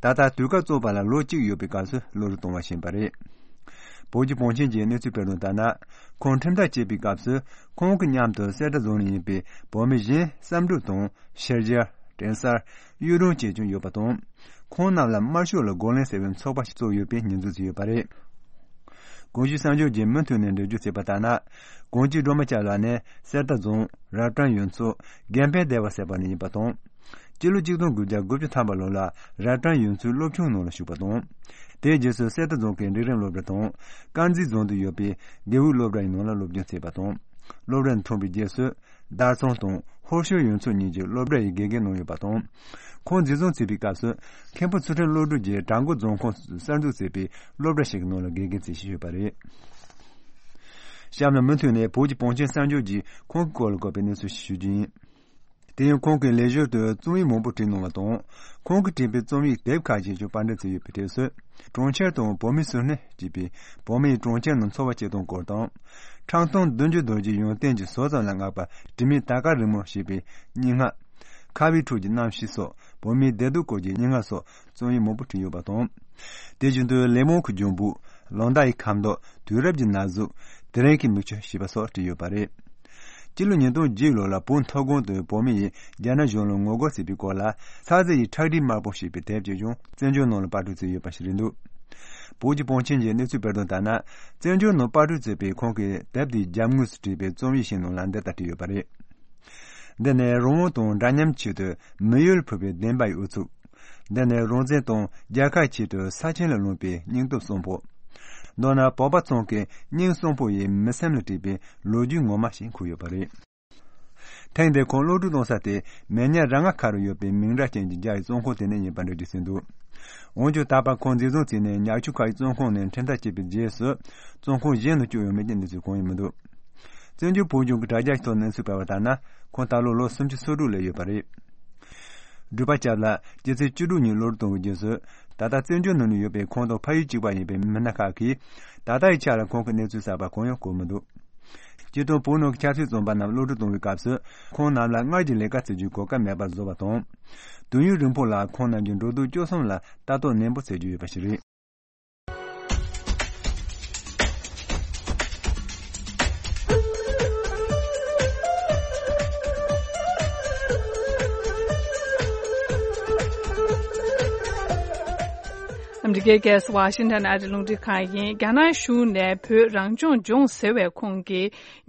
ད་ལྟ་དུས་བཀག་རྫོགས་པ་ལ་ལོ་གཅིག་ཡོད་པའི་སྐབས་སུ་གློད་གྲོལ་བཏང་བ་ཞིག་ཡིན་པ་རེད། བོད་ཀྱི་བང་ཆེན་གྱིས་གནས་ཚུལ་སྤེལ་དོན་ལྟར་ན། ཁོང་ཁྲིམས་ཐག་བཅད་པའི་སྐབས་སུ་ཁོང་གི་མཉམ་དུ་གསེར་རྟ་རྫོང་ནས་ཡིན་པའི་བོད་མི་གཞན་བསམ་གྲུབ་དང་ཤེར་རྒྱལ། དྲན་གསར། གཡུ་སྒྲོན་བཅས་ཀྱང་ཡོད་པ་དང་། ཁོང་རྣམས་ལ་དམར་ཤོག་ལ་རྒོལ་ལན་ཟེར་བའི་ཚོགས་པ་ཞིག་བཙུགས་ཡོད་པའི་ཉེས་འཛུགས་བྱས་ཡོད་པ་རེད། གོང་ཞུས་གསར་འགྱུར་གྱིས་མུ་མཐུད་ནས་འགྲེལ་བརྗོད་བྱས་པ་ལྟར་ན། གངས་ཅན་སྒྲོལ་མ་སྐྱབས་ལགས་ནི་གསེར་རྟ་རྫོང་རབ་བཀྲ་ཡུལ་ཚོ་དགེ་འཕེལ་སྡེ་བ་ཟེར་བ་ནས་ཡིན་པ་དང་། སྤྱི་ལོ་གཅིག་སྟོང་དགུ་བརྒྱ་དགུ་བཅུ་ཐམ་པ་ལོ་ལ་རབ་བཀྲ་ཡུལ་ཚོའི་སློབ་ཆུང་ནང་ལ་ཞུགས་པ་དང་། དེའི་རྗེས་སུ་གསེར་རྟ་རྫོང་གི་འབྲིང་རིམ་སློབ་གྲྭ་དང་། དཀར་མཛེས་རྫོང་དུ་ཡོད་པའི་དགེ་འོས་སློབ་གྲྭ་ཡི་ནང་ལ་སློབ་སྦྱོང་བྱས་པ་དང་། སློབ་གྲྭ་ནས་ཐོན་པའི་རྗེས་སུ། དར་ཚང་དང་ཧོར་ཤོད་ཡུལ་ཚོ་གཉིས་ཀྱི་སློབ་གྲྭ་ཡི་དགེ་རྒན་གནང་ཡོད་པ་དང་། ཁོང་འཛིན་བཟུང་བྱས་པའི་སྐབས་སུ་མཁན་པོ་ཚུལ་ཁྲིམས་བློ་གྲོས་ཀྱིས་བྲག་འགོ་རྫོང་ཁོངས་སུ་གསར་འཛུགས་བྱས་པའི་སློབ་གྲྭ་ཞིག་གི་ནང་ལ་དགེ་རྒན་བྱས་བཞིན་ཡོད་པ་རེད། གཤམ་ལ་མུ་མཐུད་ནས་བོད་ཀྱི་བང་ཆེན་གསར་འགྱུར་གྱིས་ཁོང་གི་སྐོར་ལ་བཀོད་པའི་གནས་ཚུལ་ཞིག་ཞུ་རྒྱུ་ཡིན། དེ་ཡང་ཁོང་གིས་ལས་ཞོར་དུ་རྩོམ་ཡིག་མང་པོ་བྲིས་གནང་བ་དང་། ཁོང་གིས་བྲིས་པའི་རྩོམ་ཡིག་དེབ་ཁག་ཅིག་ཀྱང་པར་འགྲེམས་བྱས་ཡོད་པའི་གྲས་སུ། གྲོང་ཁྱེར་དང་བོད་མིའི་སྲོག་སྣེ་ཅེས་པའི་བོད་མི་ཡིས་གྲོང་ཁྱེར་ནང་འཚོ་བ་སྐྱེལ་སྟངས་སྐོར་དང་། ཁྲག་འཐུང་བདུན་ཅུ་རྡོ་རྗེ་ཡོན་ཏན་གྱི་ཟོལ་ཙམ་ལ་བསྔགས་པ་དྲི་མེད་དར་དཀར་རིང་མོ་ཞེས་པའི་སྙན་ངག་ཁ་བའི་ཁྲོད་ཀྱི་རྣམ་ཤེས་སོགས། བོད་མིའི་བདེ་སྡུག་སྐོར་གྱི་སྙན་ངག་སོགས་རྩོམ་ཡིག་མང་པོ་བྲིས་ཡོད་པ་དང་། དེ་བཞིན་དུ་ལེགས་སྨོན་གྱི་ལྗོན་པོ། ལོ་ཟླ་ཡི་ཁ་མདོག་དུས་རབས་ཀྱི་ན་ཟུག་དེ་རིང་གི་མིག་ཆུ་ཞེས་པ་སོགས་བྲིས་ཡོད་པ་རེད། སྤྱི་ལོ་ཉིས་སྟོང་བརྒྱད་ལོ་ལ་བོད་མཐོ་སྒང་དུ་བོད་མི་ཡིས་རྒྱ་ནག་གཞུང་ལ་ངོ་རྒོལ་བྱས་པའི་སྐོར་ལ། ཚ་ཟེར་ཡི་ཁྲག་དྲི་དམར་པོ་ཞེས་པའི་དེབ་ཅིག་ཀྱང་བཙན་བྱོལ་ནང་ལ་པར་སྐྲུན་བྱས་ཡོད་པ་ཞིག་རེད་འདུག་བོད་ཀྱི་བང་ཆེན་གྱིས་གནས་ཚུལ་སྤེལ་དོན་ལྟར་ན། བཙན་བྱོལ་ནང་པར་སྐྲུན་བྱས་པའི་ཁོང་གི་དེབ་དེའི་རྒྱབ་ངོས་སུ་བྲིས་པའི་རྩོམ་ཡིག་ཞིག་ནང་ལ་འདི་ལྟར་བྲིས་ཡོད་པ་རེད། འདི་ནི་རང་དབང་དང་འདྲ་མཉམ་ཆེད་དུ་མི་ཡུལ་ཕུལ་བའི་བདེན་པ་ཡི་ཨུ་ཚུགས། འདི་ནི་རང་བཙན་དང་རྒྱལ་ཁ་ཆེད་དུ་ས་ཆེན་ལ་ལོངས་པའི་སྙིང་སྟོབས་གསོན་པོ། མདོར་ན་བོད་པ་ཚང་གི་སྙིང་གསོན་པོ་ཡི་མི་སེམས་ལ་བྲིས་པའི་ལོ་རྒྱུས་ངོ་མ་ཞིག་འཁོད་ཡོད་པ་རེད། ཐེངས་འདིར་ཁོང་གློད་གྲོལ་གཏོང་ས་དེ་མེ་ཉ་ར་ང་ཁ་རུ་ཡོད་པའི་མིང་སྒྲ་ཅན་གྱི་རྒྱ་ཡི་བཙོན་ཁང་དེ་ནས་ཡིན་པ་འགྲེལ་བརྗོད་བྱས་འདུག་འོན་ཀྱང་ད་བར་ཁོང་འཛིན་བཟུང་བྱས་ནས་ཉག་ཆུ་ཁ་ཡི་བཙོན་ཁང་ནས་ཁྲིམས་ཐག་བཅད་པའི་རྗེས་སུ། བཙོན་ཁང་གཞན་དུ་བསྐྱོད་ཡོད་མེད་ཀྱི་གནས་ཚུལ་གང་ཡང་མི་འདུག་བཙན་བྱོལ་བོད་གཞུང་གི་དྲ་རྒྱ་ཞིག་ཐོག་གནས་ཚུལ་སྤེལ་བ་ལྟར་ན། ཁོང་ད་ལོ་ལོ་སུམ་ཅུ་སོ་དྲུག་ལ་ཡོད་པ་རེད། སྒྲུབ་པ་སྐྱབས་ལགས་སྤྱི་ཚེས་བཅུ་དྲུག་ཉིན་གློད་གཏོང་བའི་རྗེས་སུ། ད་ལྟ་བཙན་བྱོལ་ནང་ནས་ཡོད་པའི་ཁོང་དང་ཕ་ཡུལ་གཅིག་པ་ཡིན་པའི་མི་སྣ་ཁག་གིས། ད་ལྟ་ཡི་ཆ་ལ་ཁོང་གི་གནས་ཚུལ་གསར་པ་གང་ཡང་གོ་མི་འདུག་སྤྱིར་བཏང་བོད་ནང་གི་ཆབ་སྲིད་བཙོན་པ་རྣམས་གློད་གྲོལ་གཏོང་བའི་སྐབས་སུ། ཁོང་རྣམས་ལ་སྔར་གྱི་ལས་ཀ་བྱེད་རྒྱུའི་གོ་སྐབས་མེད་པར་བཟོ་བ་དང་། དུས་ཡུན་རིང་པོ་ལ་ཁོང་རྣམས་ཀྱི་འགྲོ་འདུག་སྤྱོད་གསུམ་ལ་ལྟ་རྟོག་ནན་པོ་བྱེད་རྒྱུ་ཡོད་པ་ཞིག་རེད། ཨ་མི་རི་ཀའི་རྒྱལ་ས་ཝ་ཤིང་ཊོན་ཨ་རིའི་རླུང་འཕྲིན་ཁང་ཡིན། རྒྱ་ནག་གཞུང་ནས་བོད་རང་སྐྱོང་ལྗོངས་ཟེར་བའི་ཁོངས་ཀྱི་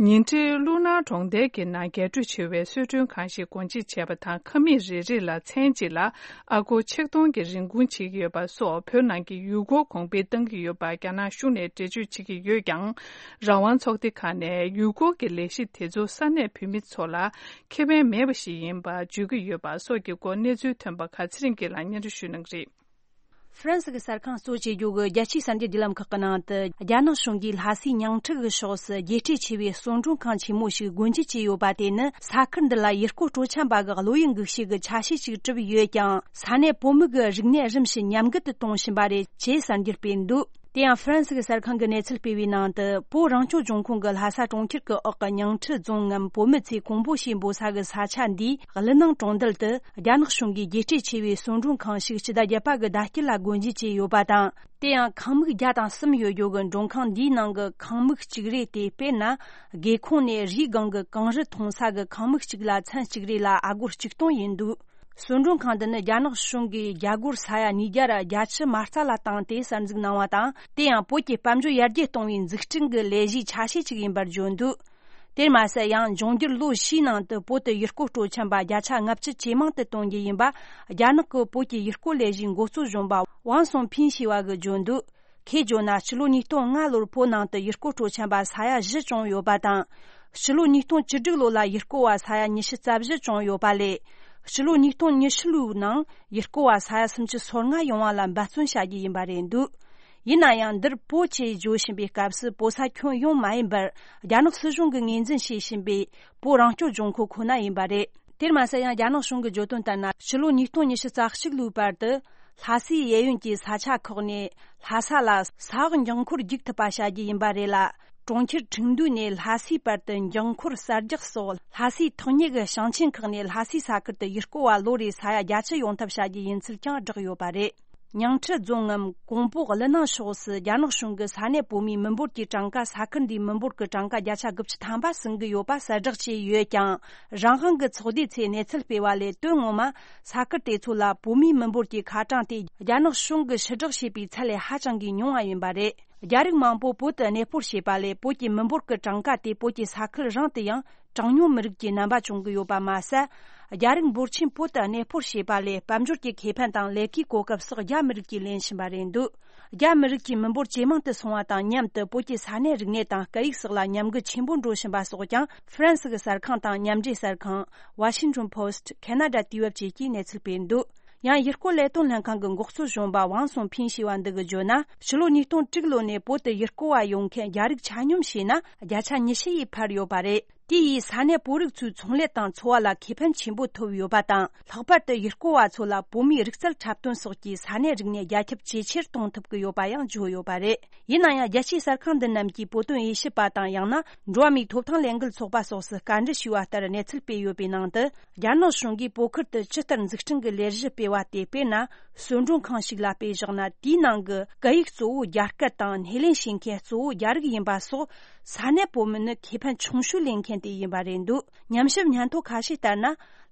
ཉིང་ཁྲིའི་ཀླུ་ནང་གྲོང་རྡལ་གྱི་ནང་རྒྱས་སྤྲོས་ཆེ་བའི་གསོལ་མགྲོན་ཁང་ཞིག་སྒོ་འབྱེད་བྱས་པ་དང་། ཁང་མིག་རེ་རེ་ལ་མཚན་གཅིག་ལ་ཨ་སྒོར་ཆིག་སྟོང་གི་རིན་གོང་བྱེད་ཀྱི་ཡོད་པ་སོགས། བོད་ནང་གི་ཡུལ་སྐོར་གོང་འཕེལ་གཏང་གི་ཡོད་པར་རྒྱ་ནག་གཞུང་ནས་འགྲེལ་བརྗོད་བྱེད་ཀྱི་ཡོད་ཀྱང་། རང་དབང་ཚོགས་སྡེ་ཁག་ནས་ཡུལ་སྐོར་གྱི་ལས་གཞི་དེ་ཚོ་ས་གནས་བོད་མི་ཚོ་ལ་ཁེ་ཕན་མེད་པ་ཞིག་ཡིན་པ་བརྗོད་ཀྱི་ཡོད་པ་སོགས་ཀྱི་སྐོར་གནས་ཚུལ་ཐོན་པ་ཁག་ཚེ་རིང་སྐྱིད་ལགས་སྙན་སྒྲོན་ཞུ་གནང་གི་རེད། ཧྥ་རན་སི་གི་གསར་ཁང་གཙོ་བྱེད་རྒྱུ་གི་རྒྱལ་སྤྱིའི་གསར་འགྱུར་བརྒྱུད་ལམ་ཁག་གི་ནང་དུ། རྒྱ་ནག་གཞུང་གིས་ལྷ་སའི་ཉིང་ཁྲི་གི་ཕྱོགས་སུ་རྒྱས་སྤྲོས་ཆེ་བའི་གསོལ་མགྲོན་ཁང་ཆེན་མོ་ཞིག་སྒོ་འབྱེད་བྱས་ཡོད་པ་དེ་ནི། ས་ཁུལ་འདི་ལ་ཡུལ་སྐོར་སྤྲོ་འཆམ་པ་གི་བློ་ཡུལ་འགུག་བྱེད་ཀྱི་ཆ་ཤས་ཤིག་གྲུབ་ཡོད་ཀྱང་། ས་གནས་བོད་མི་གི་རིག་གནས་རིམ་བཞིན་ཉམས་རྒུད་དུ་གཏོང་བཞིན་པ་རེད་ཅེས་གསར་འགྱུར་སྤེལ་འདུག་དེ་ཡང་ཧྥ་རན་སི་གི་གསར་ཁང་གིས་གནས་ཚུལ་སྤེལ་བའི་ནང་དུ། བོད་རང་སྐྱོང་ལྗོངས་ཁོངས་ཀྱི་ལྷ་ས་གྲོང་ཁྱེར་གྱི་འོག་གི་ཉིང་ཁྲི་རྫོང་ངམ། བོད་མི་ཚོས་ཀོང་པོ་ཞེས་འབོད་ས་གི་ས་ཆ་འདིའི་ཀླུ་ནང་གྲོང་རྡལ་དུ། རྒྱ་ནག་གཞུང་གིས་རྒྱས་སྤྲོས་ཆེ་བའི་གསོལ་མགྲོན་ཁང་ཞིག་སྤྱི་ཟླ་བརྒྱད་པ་གི་ཟླ་དཀྱིལ་ལ་སྒོ་འབྱེད་བྱས་ཡོད་པ་དང་། དེ་ཡང་ཁང་མིག་བརྒྱ་དང་གསུམ་ཡོད་རྒྱུ་གི་མགྲོན་ཁང་འདིའི་ནང་གི་ཁང་མིག་གཅིག་རེ་སྟེ། དཔེར་ན། སྒེའུ་ཁུང་ནས་རིའི་སྒང་གི་གངས་རི་མཐོང་ས་གི་ཁང་མིག་གཅིག་ལ་ཚན་གཅིག་རེ་ལ་ཨ་སྒོར་གཅིག་སྟོང་ཡིན་འདུག་སོན་སྒྲོན་ཁང་འདི་ནི་རྒྱ་ནག་གཞུང་གིས་རྒྱ་སྒོར་ས་ཡ་ཉིས་བརྒྱ་ར་བརྒྱད་ཅུ་མ་རྩ་ལ་བཏང་སྟེ་གསར་འཛུགས་གནང་བ་དང་། དེ་ཡང་བོད་ཀྱི་དཔལ་འབྱོར་ཡར་རྒྱས་གཏོང་བའི་འཛུགས་སྐྲུན་གྱི་ལས་གཞིའི་ཆ་ཤས་ཅིག་ཡིན་པར་བརྗོད་འདུག་དེར་མ་ཟད། ཡང་འབྱུང་འགྱུར་ལོ་བཞིའི་ནང་དུ་བོད་དུ་ཡུལ་སྐོར་སྤྲོ་འཆམ་པ་བརྒྱ་ཆ་ལྔ་བཅུ་ཇེ་མང་དུ་གཏོང་རྒྱུ་ཡིན་པ། རྒྱ་ནག་གི་བོད་ཀྱི་ཡུལ་སྐོར་ལས་གཞིའི་འགོ་གཙོ་གཞོན་པ་ཝང་སུང་ཕིན་ཞེས་པ་གིས་བརྗོད་འདུག་ཁོས་བརྗོད་ན། ཕྱི་ལོ་ཉིས་སྟོང་ལྔ་ལོར་བོད་ནང་དུ་ཡུལ་སྐོར་སྤྲོ་འཆམ་པ་ས་ཡ་བཞི་བྱུང་ཡོད་པ་དང་། ཕྱི་ལོ་ཉིས་སྟོང་བཅུ་དྲུག་ལོ་ལ་ཡུལ་སྐོར་བ་ས་ཡ་ཉི་ཤུ་རྩ་བཞི་བྱུང་ཡོད་པ་ལས། ཕྱི་ལོ་ཉིས་སྟོང་ཉི་ཤུ་ལོའི་ནང་ཡུལ་སྐོར་བ་ས་ཡ་སུམ་ཅུ་སོ་ལྔ་ཡོང་བ་ལ་འབད་བརྩོན་བྱ་རྒྱུ་ཡིན་པ་རེད་འདུག་ཡིན་ན་ཡང་། འདིར་བོད་ཅེས་བརྗོད་བཞིན་པའི་སྐབས་སུ་བོད་ས་ཁྱོན་ཡོངས་མ་ཡིན་པར། རྒྱ་ནག་སྲིད་གཞུང་གིས་ངོས་འཛིན་བྱེད་བཞིན་པའི་བོད་རང་སྐྱོང་ལྗོངས་མཁོ་ཁོ་ན་ཡིན་པ་རེད། དེར་མ་ཟད། ཡང་རྒྱ་ནག་གཞུང་གིས་བརྗོད་དོན་ལྟར་ན། ཕྱི་ལོ་ཉིས་སྟོང་ཉི་ཤུ་རྩ་གཅིག་ལོའི་བར་དུ། ལྷ་སའི་གཡས་གཡོན་གྱི་ས་ཆ་ཁག་ནས་ལྷ་ས་ལ་ས་འོག་འགྱིང་འཁོར་རྒྱུག་ཐུབ་པ་བྱ་རྒྱུ་ཡིན་པ་རེད་ལ། གྲོང་ཁྱེར་ཁྲིན་ཏུའུ་ནས་ལྷ་སའི་བར་དུ་འགྱིང་འཁོར་གསར་རྒྱག་སོགས། ལྷ་སའི་ཐག་ཉེ་གི་ཞིང་ཆེན་ཁག་ནས་ལྷ་སའི་ས་ཁུལ་དུ་ཡུལ་སྐོར་བ་ལོ་རེའི་ས་ཡ་བརྒྱད་ཅུ་ཡོང་ཐབས་བྱ་རྒྱུ་ཡིན་ཚུལ་ཀྱང་བསྒྲགས་ཡོད་པ་རེད། ཉིང་ཁྲི་རྫོང་ངམ་ཀོང་པོ་ཀླུ་ནང་ཕྱོགས་སུ་རྒྱ་ནག་གཞུང་གིས་ས་གནས་བོད་མིའི་མི་འབོར་གྱི་གྲངས་ཀ། ས་ཁུལ་འདིའི་མི་འབོར་གྱི་གྲངས་ཀ་བརྒྱ་ཆ་དགུ་བཅུ་ཐམ་པ་ཟིན་གྱི་ཡོད་པ་གསལ་བསྒྲགས་བྱས་ཡོད་ཀྱང་། རང་དབང་གི་ཚོགས་སྡེ་ཚོས་གནས་ཚུལ་སྤེལ་བ་ལས། དོན་ངོ་མ་ས་ཁུལ་དེ་ཚོ་ལ་བོད་མིའི་མི་འབོར་གྱི་ཁ་གྲངས་དེ་རྒྱ་ནག་གཞུང་གིས་ཕྱིར་བསྒྲགས་བྱས་པའི་ཚད་ལས་ཧ་ཅང་གི་ཉུང་བ་ཡིན་པ་རེད། རྒྱ་རིགས་མང་པོ་བོད་དུ་གནས་སྤོར་བྱས་པ་ལས། བོད་ཀྱི་མི་འབོར་གྱི་གྲངས་ཀ་དེ་བོད་ཀྱི་ས་ཁུལ་རང་དུ་ཡང་གྲངས་ཉུང་མི་རིགས་ཀྱི་རྣམ་པ་བྱུང་གི་ཡོད་པ་མ་ཟད། རྒྱ་རིགས་འབོར་ཆེན་བོད་དུ་གནས་སྤོར་བྱས་པ་ལས། དཔལ་འབྱོར་གྱི་ཁེ་ཕན་དང་ལས་ཀའི་གོ་སྐབས་སོགས་རྒྱ་མི་རིགས་ཀྱིས་ལེན་བཞིན་པ་རེད་འདུག་རྒྱ་མི་རིགས་ཀྱི་མི་འབོར་ཇེ་མང་དུ་སོང་བ་དང་མཉམ་དུ། བོད་ཀྱི་ས་གནས་རིག་གནས་དང་སྐད་ཡིག་སོགས་ལ་ཉམས་རྒུད་ཆེན་པོ་འགྲོ་བཞིན་པ་སོགས་ཀྱང་། ཧྥ་རན་སི་གི་གསར་ཁང་དང་མཉམ་འབྲེལ་གསར་ཁང་། Washington Post། Canada དུས་བབ་བཅས་ཀྱིས་གནས་ཚུལ་སྤེལ་འདུག་ཡང་། ཡུལ་སྐོར་ལས་དོན་ལྷན་ཁང་གི་འགོ་གཙོ་གཞོན་པ་ཝང་སུང་ཕིན་ཞེས་པ་འདི་གིས་བརྗོད་ན། ཕྱི་ལོ་ཉིས་སྟོང་དྲུག་ལོ་ནས་བོད་དུ་ཡུལ་སྐོར་བ་ཡོང་མཁན་རྒྱ་རིགས་ཆ་སྙོམས་བྱས་ན། བརྒྱ་ཆ་ཉི་ཤུ་ཡིས་འཕར་ཡོད་པ་རེད། དེ་ཡིས་ས་གནས་བོད་རིགས་ཚོའི་ཚོང་ལས་དང་འཚོ་བ་ལ་ཁེ་ཕན་ཆེན་པོ་ཐོབ་ཡོད་པ་དང་། ལྷག་པར་དུ་ཡུལ་སྐོར་བ་ཚོ་ལ་བོད་མིའི་རིག་རྩལ་འཁྲབ་སྟོན་སོགས་ཀྱིས་ས་གནས་རིག་གནས་རྒྱ་ཁྱབ་ཇེ་ཆེར་གཏོང་ཐུབ་ཀྱི་ཡོད་པ་ཡང་བརྗོད་ཡོད་པ་རེད། ཡིན་ན་ཡང་། རྒྱལ་སྤྱིའི་གསར་ཁང་འདི་རྣམས་ཀྱིས་བོད་དོན་དབྱེ་ཞིབ་པ་དང་། ཡང་ན། འགྲོ་བ་མིའི་ཐོབ་ཐང་ལས་འགུལ་ཚོགས་པ་སོགས་སུ་བཀའ་འདྲི་ཞུས་པ་ལྟར་གནས་ཚུལ་སྤེལ་ཡོད་པའི་ནང་དུ། རྒྱ་ནག་གཞུང་གིས་བོད་ཁུལ་དུ་ཇི་ལྟར་འཛུགས་སྐྲུན་གྱི་ལས་གཞི་སྤེལ་བ་དེ། དཔེར་ན། གསོལ་མགྲོན་ཁང་ཞིག་ལ་དཔེ་བཞག་ན། དེའི་ནང་གི་སྐད་ཡིག་གཙོ་བོ་རྒྱ་སྐད་དང་། སྣེ་ལེན་བྱེད་མཁན་གཙོ་བོ་རྒྱ་རིགས་ཡིན་པ་སོགས། ས་གནས་བོད་མི་ནི་ཁེ་ཕན་ཆུང་ཤོས་ལེན་མཁན་དེ་ཡིན་པ་རེད་འདུག་ཉམས་ཞིབ་སྙན་ཐོ་ཁ་ཤས་ལྟར་ན།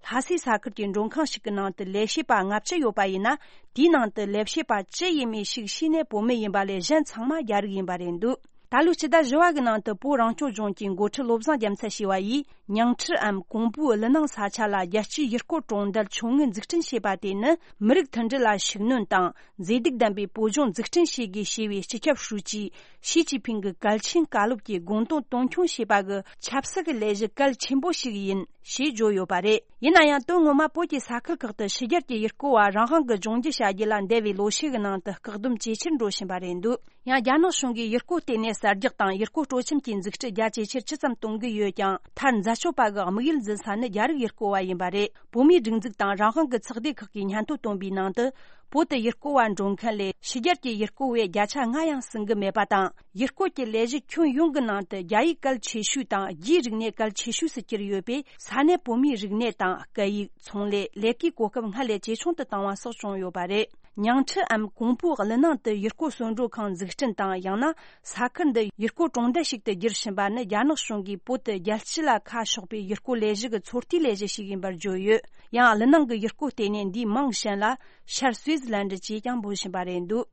ལྷ་སའི་ས་ཁུལ་གྱི་མགྲོན་ཁང་ཞིག་གི་ནང་དུ་ལས་བྱེད་པ་ལྔ་བཅུ་ཡོད་པ་ཡིན་ན། དེའི་ནང་དུ་ལས་བྱེད་པ་བཅུ་ཡས་མས་ཤིག་ཤེས་ནས་བོད་མི་ཡིན་པ་ལས། གཞན་ཚང་མ་རྒྱ་རིགས་ཡིན་པ་རེད་འདུག་ད་ལོའི་སྤྱི་ཟླ་བཞི་པ་གི་ནང་དུ། བོད་རང་སྐྱོང་ལྗོངས་ཀྱི་འགོ་ཁྲིད་བློ་བཟང་རྒྱལ་མཚན་ཞེས་པ་ཡིས། ཉིང་ཁྲིའམ་ཀོང་པོའི་ཀླུ་ནང་ས་ཆ་ལ་རྒྱལ་སྤྱིའི་ཡུལ་སྐོར་གྲོང་རྡལ་ཆུང་ངུ་འཛུགས་སྐྲུན་བྱས་པ་དེ་ནི། མི་རིགས་མཐུན་སྒྲིལ་ལ་ཤུགས་སྣོན་དང་། མཛེས་སྡུག་ལྡན་པའི་བོད་ལྗོངས་འཛུགས་སྐྲུན་བྱེད་དགོས་ཞེས་པའི་སྤྱི་ཁྱབ་ཧྲུའུ་ཅི་ཞི་ཅིན་ཕིང་གི་གལ་ཆེན་བཀའ་སློབ་ཀྱི་དགོངས་དོན་དོན་འཁྱོངས་བྱེད་པ་གི་ཆབ་སྲིད་ཀྱི་ལས་གཞི་གལ་ཆེན་པོ་ཞིག་ཡིན་ཞེས་བརྗོད་ཡོད་པ་རེད། ཡིན་ན་ཡང་། དོན་ངོ་མ་བོད་ཀྱི་ས་ཁུལ་ཁག་ཏུ་ཕྱི་རྒྱལ་གྱི་ཡུལ་སྐོར་བ་རང་དབང་གི་ལྗོངས་རྒྱུ་བྱ་རྒྱུ་ལ་འདས་པའི་ལོ་ཤས་ཀྱི་ནང་དུ་བཀག་སྡོམ་ཇེ་ཆེར་འགྲོ་བཞིན་པ་རེད་འདུག་ཡང་། རྒྱ་ནག་གཞུང་གིས་ཡུལ་སྐོར་ལྟེ་གནས་གསར་རྒྱག་དང་། ཡུལ་སྐོར་སྤྲོ་འཆམ་གྱི་འཛུགས་སྐྲུན་རྒྱ་ཇེ་ཆེར་ཇི་ཙམ་གཏོང་གི་ཡོད་ཀྱང་། མཐར་མཛའ་གཅོད་པ་གི་དམིགས་ཡུལ་འཛིན་ས་ནི་རྒྱ་རིགས་ཡུལ་སྐོར་བ་ཡིན་པ་རེད། བོད་མིའི་སྒྲིག་འཛུགས་དང་རང་དབང་གི་ཚོགས་སྡེ་ཁག་གིས་སྙན་ཐོ་བཏོན་པའི་ནང་དུ། བོད་དུ་ཡུལ་སྐོར་བ་འགྲོ་མཁན་ལས་ཕྱི་རྒྱལ་གྱི་ཡུལ་སྐོར་བས་བརྒྱ་ཆ་ལྔ་ཡང་ཟིན་གྱི་མེད་པ་དང་། ཡུལ་སྐོར་གྱི་ལས་གཞི་ཁྱོན་ཡོངས་ཀྱི་ནང་དུ་རྒྱ་ཡིག་གལ་ཆེ་ཤོས་དང་། རྒྱའི་རིག་གནས་གལ་ཆེ་ཤོས་སུ་གྱུར་ཡོད་པས། ས་གནས་བོད་མིའི་རིག་གནས་དང་། སྐད་ཡིག་ཚོང་ལས། ལས་ཀའི་གོ་སྐབས་སྔར་ལས་ཇེ་ཆུང་དུ་བཏང་བ་སོགས་བྱུང་ཡོད་པ་རེད། ཉིང་ཁྲིའམ་ཀོང་པོའི་ཀླུ་ནང་དུ་ཡུལ་སྐོར་གསོལ་མགྲོན་ཁང་འཛུགས་སྐྲུན་དང་། ཡང་ན་ས་ཁུལ་འདི་ཡུལ་སྐོར་གྲོང་རྡལ་ཞིག་ཏུ་བསྒྱུར་བཞིན་པ་ནི། རྒྱ་ནག་གཞུང་གིས་བོད་དུ་རྒྱལ་སྤྱི་ལ་ཁ་ཕྱོགས་པའི་ཡུལ་སྐོར་ལས་གཞི་གི་ཚོད་ལྟའི་ལས་གཞི་ཞིག་ཡིན་པར་བརྗོད་ཡོད། ཡང་། ཀླུ་ནང་གི་ཡུལ་སྐོར་ལྟེ་གནས་འདིའི་མིང་གཞན་ལ་ཤར་སུའེ་ཛི་ལན་ཌི་ཅེས་ཀྱང་འབོད་བཞིན་པ་རེད་འདུག་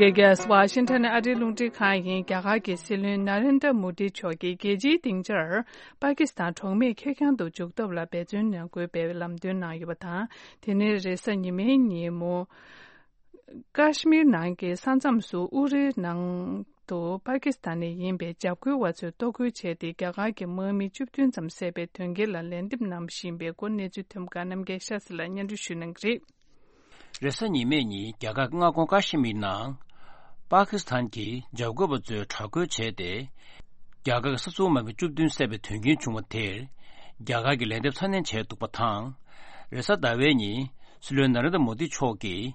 རྒྱལ་སྤྱི་ཝ་ཤིང་ཊོན་ཨ་རིའི་རླུང་འཕྲིན་ཁང་ཡིན། རྒྱ་གར་གྱི་སྲིད་བློན་ན་རེན་དྲ་མོ་དི་མཆོག་གིས་རྒྱལ་སྤྱིའི་སྡིངས་ཆར་པ་ཀི་སི་ཐན་གྲོགས་མེད་ཁེར་རྐྱང་དུ་འཇུག་ཐབས་ལ་འབད་བརྩོན་གནང་དགོས་པའི་ལམ་སྟོན་གནང་ཡོད་པ་དང་། དེ་ནི་རེས་གཟའ་ཉི་མའི་ཉིན་མོ། ཀ་ཤི་མིར་ནང་གི་ས་མཚམས་སུ་ཨུ་རིའི་ནང་དུ་པ་ཀི་སི་ཐན་ནས་ཡིན་པའི་འཇབ་རྒོལ་བ་ཚོས་གཏོར་རྒོལ་བྱས་ཏེ། རྒྱ་གར་གྱི་དམག་མི་བཅུ་བདུན་ཙམ་བསད་པའི་དོན་རྐྱེན་ལ་ལན་འདེབས་གནང་བཞིན་པའི་སྐོར་གནས་ཚུལ་ཐོན་པ་ཁག་རྣམ་རྒྱལ་ཤཱ་སི་ལགས་སྙན་སྒྲོན་ཞུ་གནང་གི་རེད། རེས་གཟའ་ཉི་མའི་ཉིན་རྒྱ་གར་མངའ་ཁོངས་ཀ་ཤི་མིར་ནང་པ་ཀི་སི་ཐན་གྱི་འཇབ་རྒོལ་བ་ཚོས་དྲག་རྒོལ་བྱས་ཏེ། རྒྱ་གར་གྱི་ས་ཚོང་མ་བུ་བཅུ་བདུན་བསད་པའི་དོན་རྐྱེན་བྱུང་བ་དེར། རྒྱ་གར་གྱིས་ལན་འདེབས་ཚ་ནན་བྱས་འདུག་པ་དང་། རེས་གཟའ་ཟླ་བའི་ཉིན་སྲིད་བློན་ན་རེན་དྲ་མོ་དི་མཆོག་གིས།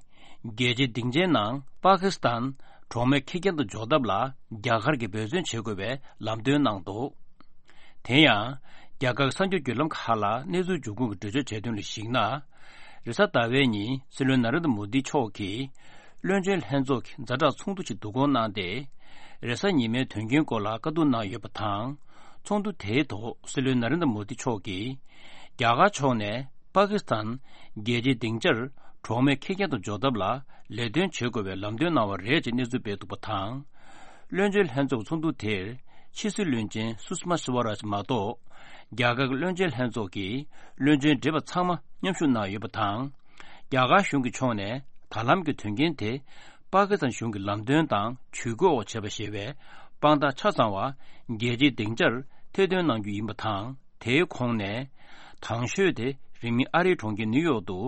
རྒྱལ་སྤྱིའི་སྡིངས་ཆའི་ནང་པ་ཀི་སི་ཐན་གྲོགས་མེད་ཁེར་རྐྱང་དུ་འཇོག་ཐབས་ལ་རྒྱ་གར་གྱིས་འབད་བརྩོན་བྱེད་དགོས་པའི་ལམ་སྟོན་གནང་འདུག་དེ་ཡང་། རྒྱ་གར་གསར་འགྱུར་བརྒྱུད་ལམ་ཁག་ལ་གནས་ཚུལ་འབྱུང་ཁུངས་ཀྱིས་འགྲེལ་བརྗོད་བྱས་དོན་ལ་གཞིགས་ན། རེས་གཟའ་ཟླ་བའི་ཉིན་སྲིད་བློན་ན་རེན་དྲ་མོ་དི་མཆོག་གིས། བློན་ཆེན་ལྷན་ཚོགས་ཀྱི་ཛ་དྲག་ཚོགས་འདུ་ཞིག་བསྡུ་སྐོང་གནང་སྟེ། རེས་གཟའ་ཉི་མའི་དོན་རྐྱེན་སྐོར་ལ་བཀའ་བསྡུར་གནང་ཡོད་པ་དང་། ཚོགས་འདུ་དེའི་ཐོག་སྲིད་བློན་ན་རེན་དྲ་མོ་དི་མཆོག་གིས། རྒྱ་གར་ཕྱོགས་ནས་པ་ཀི་སི་ཐན་རྒྱལ་སྤྱིའི་སྡིངས་ཆར་གྲོགས་མེད་ཁེར་རྐྱང་དུ་འཇོག་ཐབས་ལ་ལས་དོན་བྱེད་དགོས་པའི་ལམ་སྟོན་གནང་བ་རེད་ཅེས་གནས་ཚུལ་སྤེལ་འདུག་པ་དང་། བློན་ཆེན་ལྷན་ཚོགས་ཚོགས་འདུ་དེར་ཕྱི་སྲིད་བློན་ཆེན་སུ་ཤི་མ་སི་ཝ་རཱཇ་མ་གཏོགས། རྒྱ་གར་གྱི་བློན་ཆེན་ལྷན་ཚོགས་ཀྱི་བློན་ཆེན་བགྲེས་པ་ཚང་མ་མཉམ་ཞུགས་གནང་ཡོད་པ་དང་། རྒྱ་གར་གཞུང་གི་ཕྱོགས་ནས་ད་ལམ་གྱི་དོན་རྐྱེན་དེ་པ་ཀི་སི་ཐན་གཞུང་གི་ལམ་སྟོན་དང་ཇུས་འགོད་འོག་བྱས་པ་ཞེས་པའི་དཔང་རྟགས་ཆ་ཚང་བ་རྒྱལ་སྤྱིའི་སྡིངས་ཆར་ཐེར་འདོན་གནང་རྒྱུ་ཡིན་པ་དང་། དེའི་ཁོངས་ནས། དང་ཤོས་དེ་རིང་མིན་ཨ་རིའི་གྲོང་ཁྱེར་ནིའུ་ཡོག་ཏུ་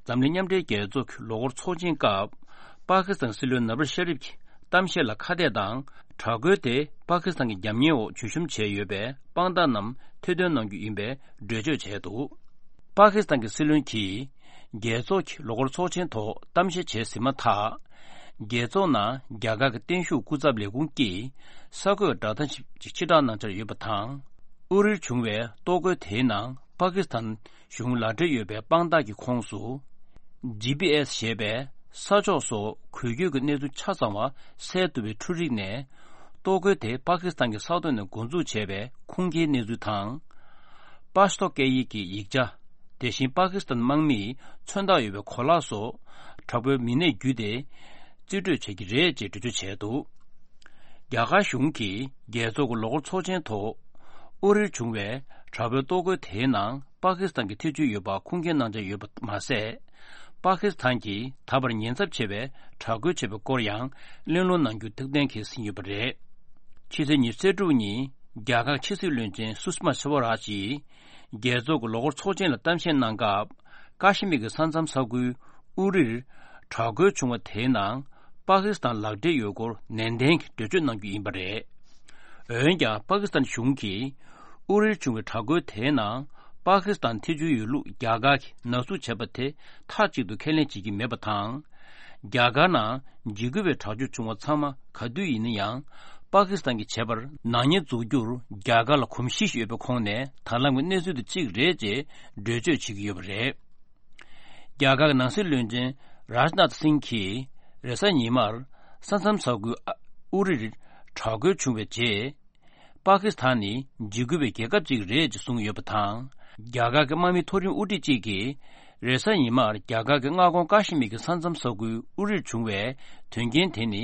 འཛམ་གླིང་མཉམ་འབྲེལ་རྒྱལ་ཚོགས་ཀྱི་ལོ་འཁོར་ཚོགས་ཆེན་སྐབས། པ་ཀི་སི་ཐན་སྲིད་བློན་ནབ་ཝ་ཤ་རིབ་ཀྱི་གཏམ་བཤད་ལ་ཁ་གཏད་དང་། དྲག་རྒོལ་དེ་པ་ཀི་སི་ཐན་གྱི་རྒྱབ་གཉེར་འོག་བརྗོད་གཤོམ་བྱས་ཡོད་པའི་དཔང་རྟགས་རྣམས་ཐེར་འདོན་གནང་རྒྱུ་ཡིན་པའི་འགྲེལ་བརྗོད་བྱས་འདུག་པ་ཀི་སི་ཐན་གྱི་སྲིད་བློན་གྱིས། རྒྱལ་ཚོགས་ཀྱི་ལོ་འཁོར་ཚོགས་ཆེན་ཐོག་གཏམ་བཤད་བྱས་ཟིན་མ་ཐག་རྒྱལ་ཚོགས་ནང་རྒྱ་གར་གྱི་བརྟན་བཞུགས་སྐུ་ཚབ་ལས་ཁུངས་ཀྱིས་གསར་འགོད་བརྡ་དོན་ཞིབ་ཅིག་ཕྱིར་བསྒྲགས་གནང་འཆར་ཡོད་པ་དང་། ཨུ་རིར་བྱུང་བའི་གཏོར་རྒོལ་དེའི་ནང་པ་ཀི་སི་ཐན་གཞུང་ལག་འབྲེལ་ཡོད་པའི་དཔང་རྟགས་ཀྱི་ཁོངས་སུ། ཇི་པི་ཨེ་སི་ཞེས་པའི་ས་ཕྱོགས་སོགས་འགུལ་སྐྱོད་ཀྱི་གནས་ཚུལ་ཆ་ཚང་བ་གསལ་ཐུབ་པའི་འཕྲུལ་རིག་ནས། གཏོར་རྒོལ་དེ་པ་ཀི་སི་ཐན་གྱི་ས་ཐོག་ནས་འགོ་འཛུགས་བྱས་པའི་ཁུངས་སྐྱེལ་གནས་ཚུལ་དང་། པ་ཤ་ཏོ་སྐད་ཡིག་གི་ཡིག་ཆ། དེ་བཞིན་པ་ཀི་སི་ཐན་དམག་མིའི་མཚོན་རྟགས་ཡོད་པའི་གོ་ལག་སོགས་དྲག་པོའི་མི་སྣས་བརྒྱུད་དེ་རྩིས་སྤྲོད་བྱེད་ཀྱི་རེད་ཅེས་འགྲེལ་བརྗོད་བྱས་འདུག་རྒྱ་གར་གཞུང་གིས་རྒྱལ་ཚོགས་ཀྱི་ལོ་འཁོར་ཚོགས་ཆེན་ཐོག་ཨུ་རིར་བྱུང་བའི་དྲག་པོའི་གཏོར་རྒོལ་དེའི་ནང་པ་ཀི་སི་ཐན་གྱི་ཐེ་བྱུས་ཡོད་པ་ཁུངས་སྐྱེལ་གནང་འཆར་ཡོད་པ་མ་ཟད། པ་ཀི་སི་ཐན་གྱིས་ད་བར་ཉེན་ཚབས་ཆེ་བའི་དྲག་རྒོལ་བྱས་པའི་སྐོར་ཡང་གླེང་སློང་གནང་རྒྱུ་ཐུགས་གཏན་འཁེལ་ཟིན་ཡོད་པ་རེད། ཕྱི་ཚེས་ཉི་ཤུ་རྩ་དྲུག་ཉིན་རྒྱ་གར་ཕྱི་སྲིད་བློན་ཆེན་སུ་ཤི་མ་སི་ཝ་རཱཇ་ཡིས། རྒྱལ་ཚོགས་ཀྱི་ལོ་འཁོར་ཚོགས་ཆེན་ལ་གཏམ་བཤད་གནང་སྐབས། ཀ་ཤི་མིར་གྱི་ས་མཚམས་ས་ཁུལ་ཨུ་རིར་དྲག་རྒོལ་བྱུང་བ་དེའི་ནང་པ་ཀི་སི་ཐན་ལག་འབྲེལ་ཡོད་སྐོར་ནན་ཏན་གྱིས་འགྲེལ་བརྗོད་གནང་རྒྱུ་ཡིན་པ་རེད། འོན་ཀྱང་པ་ཀི་སི་ཐན་གཞུང་གིས་ཨུ་རིར་བྱུང་བའི་དྲག་རྒོལ་དེའི་ནང་པ་ཀི་སི་ཐན་ཐེ་བྱུས་ཡོད་ལུགས་རྒྱ་གར་གྱིས་ནག་འཛུགས་བྱས་པ་དེ་མཐའ་གཅིག་ཏུ་ཁས་ལེན་བྱེད་ཀྱི་མེད་པ་དང་། རྒྱ་གར་ནང་འཇིགས་སྐུལ་བའི་དྲག་སྤྱོད་བྱུང་བ་ཚང་མ་ག་དུས་ཡིན་ན་ཡང་པ་ཀི་སི་ཐན་གྱིས་བྱས་པར་ནག་ཉེས་འཛུགས་རྒྱུར་རྒྱ་གར་ལ་གོམས་གཤིས་ཤིག་ཡོད་པའི་ཁོངས་ནས་ད་ལམ་གྱི་གནས་ཚུལ་དེ་གཅིག་རེད་ཅེས་འགྲེལ་བརྗོད་བྱེད་ཀྱི་ཡོད་པ་རེད། རྒྱ་གར་གྱི་ནང་སྲིད་བློན་ཆེན་རཱཇ་ནཱཐ་སིང་གིས་རེས་གཟའ་ཉི་མར་ས་མཚམས་ས་ཁུལ་ཨུ་རིར་དྲག་རྒོལ་བྱུང་བའི་རྗེས། པ་ཀི་སི་ཐན་ནི་འཇིགས་སྐུལ་བའི་རྒྱལ་ཁབ་ཅིག་རེད་ཅེས་གསུངས་ཡོད་པ་དང་། རྒྱ་གར་གྱི་དམག་མི་མཐོ་རིམ་དབུ་ཁྲིད་ཅིག་གིས་རེས་གཟའ་ཉི་མར་རྒྱ་གར་གྱི་མངའ་ཁོངས་ཀ་ཤི་མིར་གྱི་ས་མཚམས་ས་ཁུལ་ཨུ་རིར་བྱུང་བའི་དོན་རྐྱེན་དེ་ནི་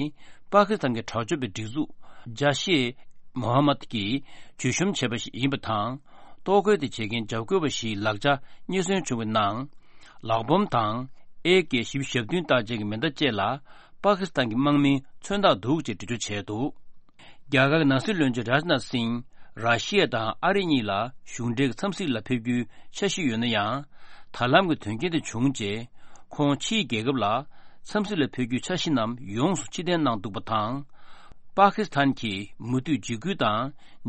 པ་ཀི་སི་ཐན་གྱི་དྲག་སྤྱོད་པའི་སྒྲིག་འཛུགས་ཇཱ་ཤེ་མོ་ཧམ་མད་ཀྱིས་བརྗོད་གཤོམ་བྱས་པ་ཞིག་ཡིན་པ་དང་། གཏོར་རྒོལ་དེ་བྱེད་མཁན་འཇབ་རྒོལ་བ་ཞིག་ལག་ཆ་རྙེད་སོན་བྱུང་བའི་ནང་། ལག་འབོམ་དང་། ཨེ་ཀེ་བཞི་བཅུ་ཞེ་བདུན་རྟགས་ཅན་གྱི་མེ་མདའ་བཅས་ལ་པ་ཀི་སི་ཐན་གྱི་དམག་མིའི་མཚོན་རྟགས་འདུག་ཅེས་འགྲེལ་བརྗོད་བྱས་འདུག་རྒྱ་གར་གྱི་ནང་སྲིད་བློན་ཆེན་རཱཇ་ནཱཐ་སིང་། ར་ཤི་ཡ་དང་ཨ་རི་གཉིས་ལ་གཞུང་འབྲེལ་གྱི་འཚམས་གཟིགས་ལ་ཕེབས་རྒྱུའི་འཆར་གཞི་ཡོད་ན་ཡང་། ད་ལམ་གྱི་དོན་རྐྱེན་དེ་བྱུང་རྗེས། ཁོང་ཕྱིའི་རྒྱལ་ཁབ་ལ་འཚམས་གཟིགས་ལ་ཕེབས་རྒྱུའི་འཆར་གཞི་རྣམས་ཡོངས་སུ་ཕྱིར་འཐེན་གནང་འདུག་པ་དང་། པ་ཀི་སི་ཐན་གྱིས་མུ་མཐུད་འཇིགས་སྐུལ་དང་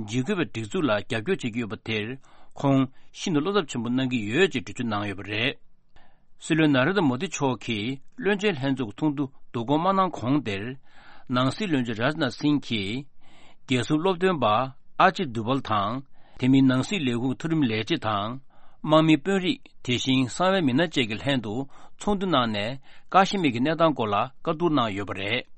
འཇིགས་སྐུལ་བའི་སྒྲིག་འཛུགས་ལ་རྒྱབ་སྐྱོར་བྱེད་ཀྱི་ཡོད་པ་དེར། ཁོང་ཤིན་ཏུ་བློ་འཚབ་ཆེན་པོ་གནང་གི་ཡོད་ཅེས་འགྲེལ་བརྗོད་གནང་ཡོད་པ་རེད། སྲིད་བློན་ན་རེན་དྲ་མོ་དི་མཆོག་གིས་བློན་ཆེན་ལྷན་ཚོགས་ཀྱི་ཚོགས་འདུ་བསྡུ་སྐོང་མ་གནང་གོང་དེར། ནང་སྲིད་བློན་ཆེན་རཱཇ་ནཱཐ་སིང་གིས། རྒྱལ་སྲུང་སློབ་སྟོན་པ་ཨ་ཇིད་དུ་བལ་དང་། དེ་མིན་ནང་སྲིད་ལས་ཁུངས་མཐོ་རིམ་ལས་བྱེད་དང་། དམག་མིའི་དཔོན་རིགས། དེ་བཞིན་གསང་བའི་མི་སྣ་བཅས་ཀྱི་ལྷན་དུ་ཚོགས་འདུ་གནང་ནས། ཀ་ཤི་མིར་གྱི་གནས་སྟངས་སྐོར་ལ་བཀའ་བསྡུར་གནང་ཡོད་པ་རེད།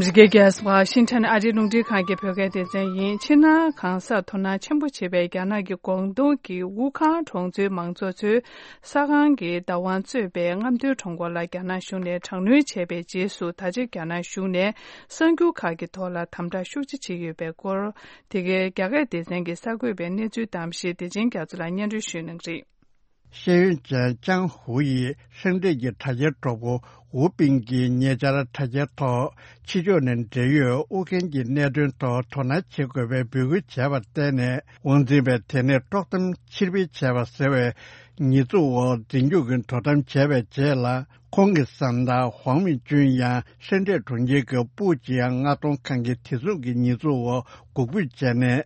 ཨ་མི་རི་ཀའི་རྒྱལ་ས་ཝ་ཤིང་ཊོན་ཨ་རིའི་རླུང་འཕྲིན་ཁང་གི་བོད་སྐད་སྡེ་ཚན་ཡིན། ཕྱི་ནང་གང་སར་དོ་སྣང་ཆེན་པོ་བྱེད་པའི་རྒྱ་ནག་གི་ཀོང་ཏུང་གི་ཝུ་ཁང་གྲོང་ཚོའི་མང་ཚོགས་ཚོས་ས་ཁང་གི་བདག་དབང་གཙོས་པའི་རྔམ་སྟོན་གྲངས་འབོར་ལ་རྒྱ་ནག་གཞུང་ནས་དྲག་གནོན་བྱས་པའི་རྗེས་སུ། ད་ཆ་རྒྱ་ནག་གཞུང་ནས་གསར་འགྱུར་ཁག་གི་ཐོག་ལ་དམ་དྲག་ཤུགས་ཆེ་བྱེད་ཀྱི་ཡོད་པའི་སྐོར། དེ་གའི་རྒྱ་སྐད་སྡེ་ཚན་གྱིས་གསར་འགོད་པའི་གནས་ཚུལ་གཏམ་བཤད་བདེ་ཆེན་རྒྱ་མཚོ་ལགས་སྙན་སྒྲོན་ཞུ་གནང་གི་རེད། ཤེས་ཡོན་ཅན་ཅང་ཧུའུ་ཡིས་ཧྲེང་ཀྲེན་གྱི་དྲ་རྒྱའི་གྲོགས་པོ་ཝུ་པིང་གིས་ཉེ་ཆར་དྲ་རྒྱའི་ཐོག་ཕྱི་ཕྱོགས་ནས་འབྲེལ་ཡོད་ཨུ་རྒྱན་གྱི་གནད་དོན་ཐོག་དོ་སྣང་བྱེད་དགོས་པའི་འབོད་སྐུལ་བྱས་པར་བརྟེན་ནས། དབང་འཛིན་པས་དེ་ནས་དཀྲོག་གཏམ་ཕྱིར་འབུད་བྱས་པ་ཟེར་བའི་ཉེས་འཛུགས་འོག་འཛིན་སྐྱོང་གིས་དོ་དམ་བྱས་པའི་རྗེས་ལ། ཁོང་གི་བཟའ་ཟླ་ཝང་མིང་ཅུན་ཡང་ཧྲེང་ཀྲེན་གྲོང་ཁྱེར་གྱི་པུའུ་ཅིང་མངགས་གཏོང་ཁང་གིས་དེ་མཚུངས་ཀྱི་ཉེས་འཛུགས་འོག་འགོག་འབུད་བྱས་ནས།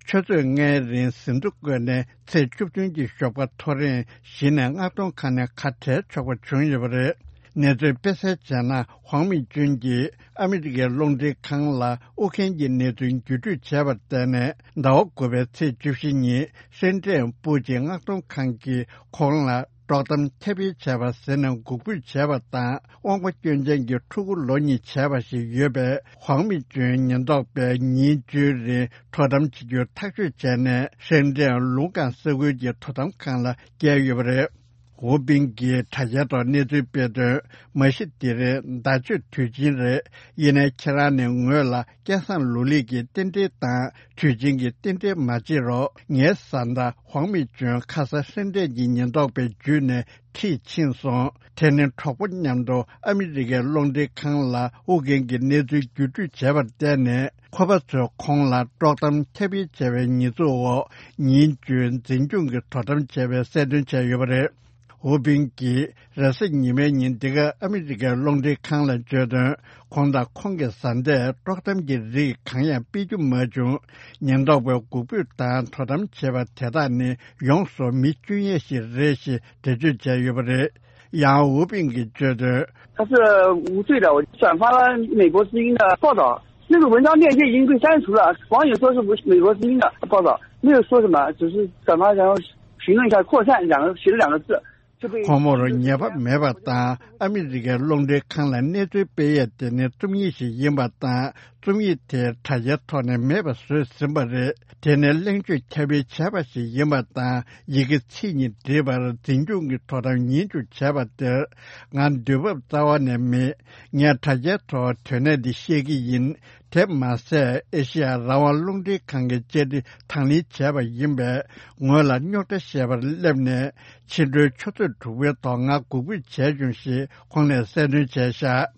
ཆུ་ཚོད་ལྔའི་རིང་ཟིན་ཐོ་བཀོད་ནས་ཚེས་བཅུ་བདུན་གྱི་ཞོགས་པ་ཐོ་རེངས་བཞི་ནས་མངགས་གཏོང་ཁང་ནས་ཁ་བྲལ་ཆོག་པ་བྱུང་ཡོད་པ་རེད། གནས་ཚུལ་སྤེལ་གསལ་བྱས་ན། ཝང་མིང་ཅུན་གྱིས་ཨ་མི་རི་ཀའི་རླུང་འཕྲིན་ཁང་ལ་ཨུ་རྒྱན་གྱི་གནས་ཚུལ་བརྒྱུད་སྤྲོད་བྱས་པར་བརྟེན་ནས། ཟླ་བ་དགུ་པའི་ཚེས་བཅུ་བཞི་ཉིན་ཧྲེང་ཀྲེན་པུའུ་ཅིང་མངགས་གཏོང་ཁང་གིས་ཁོང་ལ་དཀྲོག་གཏམ་ཁྱབ་སྤེལ་བྱས་པ་ཟེར་ནས་འགོག་འབུད་བྱས་པ་དང་། དབང་པོ་སྐྱོན་ཅན་གྱི་ཕྲུ་གུ་ལོ་གཉིས་བྱས་པ་ཞིག་ཡོད་པའི་ཝང་མིང་ཅུན་ཉེན་རྟོག་པས་ཉིན་བཅུའི་རིང་དོ་དམ་བྱེད་རྒྱུ་ཐག་གཅོད་བྱས་ནས། ཧྲེང་ཀྲེན་ལུང་ཀང་ས་ཁུལ་གྱི་དོ་དམ་ཁང་ལ་བསྐྱལ་ཡོད་པ་རེད། ཝུ་པིང་གིས་དྲ་རྒྱའི་ཐོག་གནས་ཚུལ་སྤེལ་དོན། མ་གཞི་འདི་རེད། ཟླ་མཆོད་དུས་ཆེན་རེད། ཡིན་ནའི་ཁྱེད་རང་ནས་ངོས་ལ་སྐལ་བཟང་ལོ་ལེགས་ཀྱི་རྟེན་འབྲེལ་དང་དུས་ཆེན་གྱི་རྟེན་འབྲེལ་མ་བྱེད་རོགས། ངའི་བཟའ་ཟླ་ཝང་མིང་ཅུན་ཁ་སང་ཧྲེང་ཀྲེན་གྱི་ཉེན་རྟོག་པས་འཇུས་ནས་ཁྲིད་ཕྱིན་སོང་། དེ་ནི་གྲོགས་པོ་མཉམ་དུ་ཨ་མི་རི་ཀའི་རླུང་འཕྲིན་ཁང་ལ་ཨུ་རྒྱན་གྱི་གནས་ཚུལ་བརྒྱུད་སྤྲོད་བྱས་པར་བརྟེན་ནས། ཁོ་པ་ཚོས་ཁོང་ལ་དཀྲོག་གཏམ་ཁྱབ་སྤེལ་བྱས་པའི་ཉེས་འཛུགས་འོག་ཉིན་བཅུའི་འཛིན་སྐྱོང་གིས་དོ་དམ་བྱས་པའི་གསལ་སྟོན་བྱས་ཡོད་པ་རེད། ཝུ་པིང་གིས་རེས་གཟའ་ཉི་མའི་ཉིན་འདི་ག་ཨ་མི་རི་ཀའི་རླུང་འཕྲིན་ཁང་ལ་བརྗོད་དོན། ཁོང་དང་ཁོང་གི་བཟའ་ཟླས་དཀྲོག་གཏམ་གྱི་རིགས་གང་ཡང་སྤེལ་རྒྱུ་མ་བྱུང་། ཉེན་རྟོག་པས་འགོག་འབུད་དང་དོ་དམ་བྱས་པ་དེ་དག་ནི་ཡོངས་སུ་མི་སྐྱོན་ཡས་ཤིག་རེད་ཞེས་འགྲེལ་བརྗོད་བྱས་ཡོད་པ་རེད། ཡང་ཝུ་པིང་གིས་བརྗོད་དོན། 他是无罪的，我转发了美国之音的报道，那个文章链接已经被删除了，网友说是美国之音的报道，没有说什么，只是转发然后评论一下扩散两个写了两个字，就被 ཁོ་མོར་ཉེས་པ་མེད་པ་དང་། ཨ་མི་རི་ཀའི་རླུང་འཕྲིན་ཁང་ལ་གནས་ཚུལ་སྤེལ་ཡས་དེ་ནི་རྩོམ་ཡིག་ཞིག་ཡིན་པ་དང་། རྩོམ་ཡིག་དེ་དྲ་རྒྱའི་ཐོག་ནས་མེད་པ་བཟོས་ཟིན་པ་རེད། དེ་ནི་གླེང་བརྗོད་ཁྱབ་སྤེལ་བྱས་པ་ཞིག་ཡིན་པ་དང་། ཡི་གེ་ཚིག་གཉིས་བྲིས་པར་འཛིན་སྐྱོང་གིས་དོ་དམ་ཉིན་བཅུ་བྱས་པ་དེར་ང་འདོད་འབབ་རྩ་བ་ནས་མེད། ངས་དྲ་རྒྱའི་ཐོག་དོན་གནད་འདི་བཤད་ཀྱི་ཡིན། དེ་མ་ཟད། ཨེ་ཤེ་ཡ་རང་དབང་རླུང་འཕྲིན་ཁང་གི་བཅར་འདྲི་དང་ལེན་བྱས་པ་ཡིན་པས། ངོས་ལ་རྙོག་དྲ་བཤད་པར་སླེབས་ནས། ཕྱི་དྲོའི་ཆུ་ཚོད་དྲུག་པའི་ཐོག་ང་འགོག་འབུད་བྱས་བྱུང་ཞེས་ཁོང་ནས་གསལ་སྟོན་བྱས་བཞག།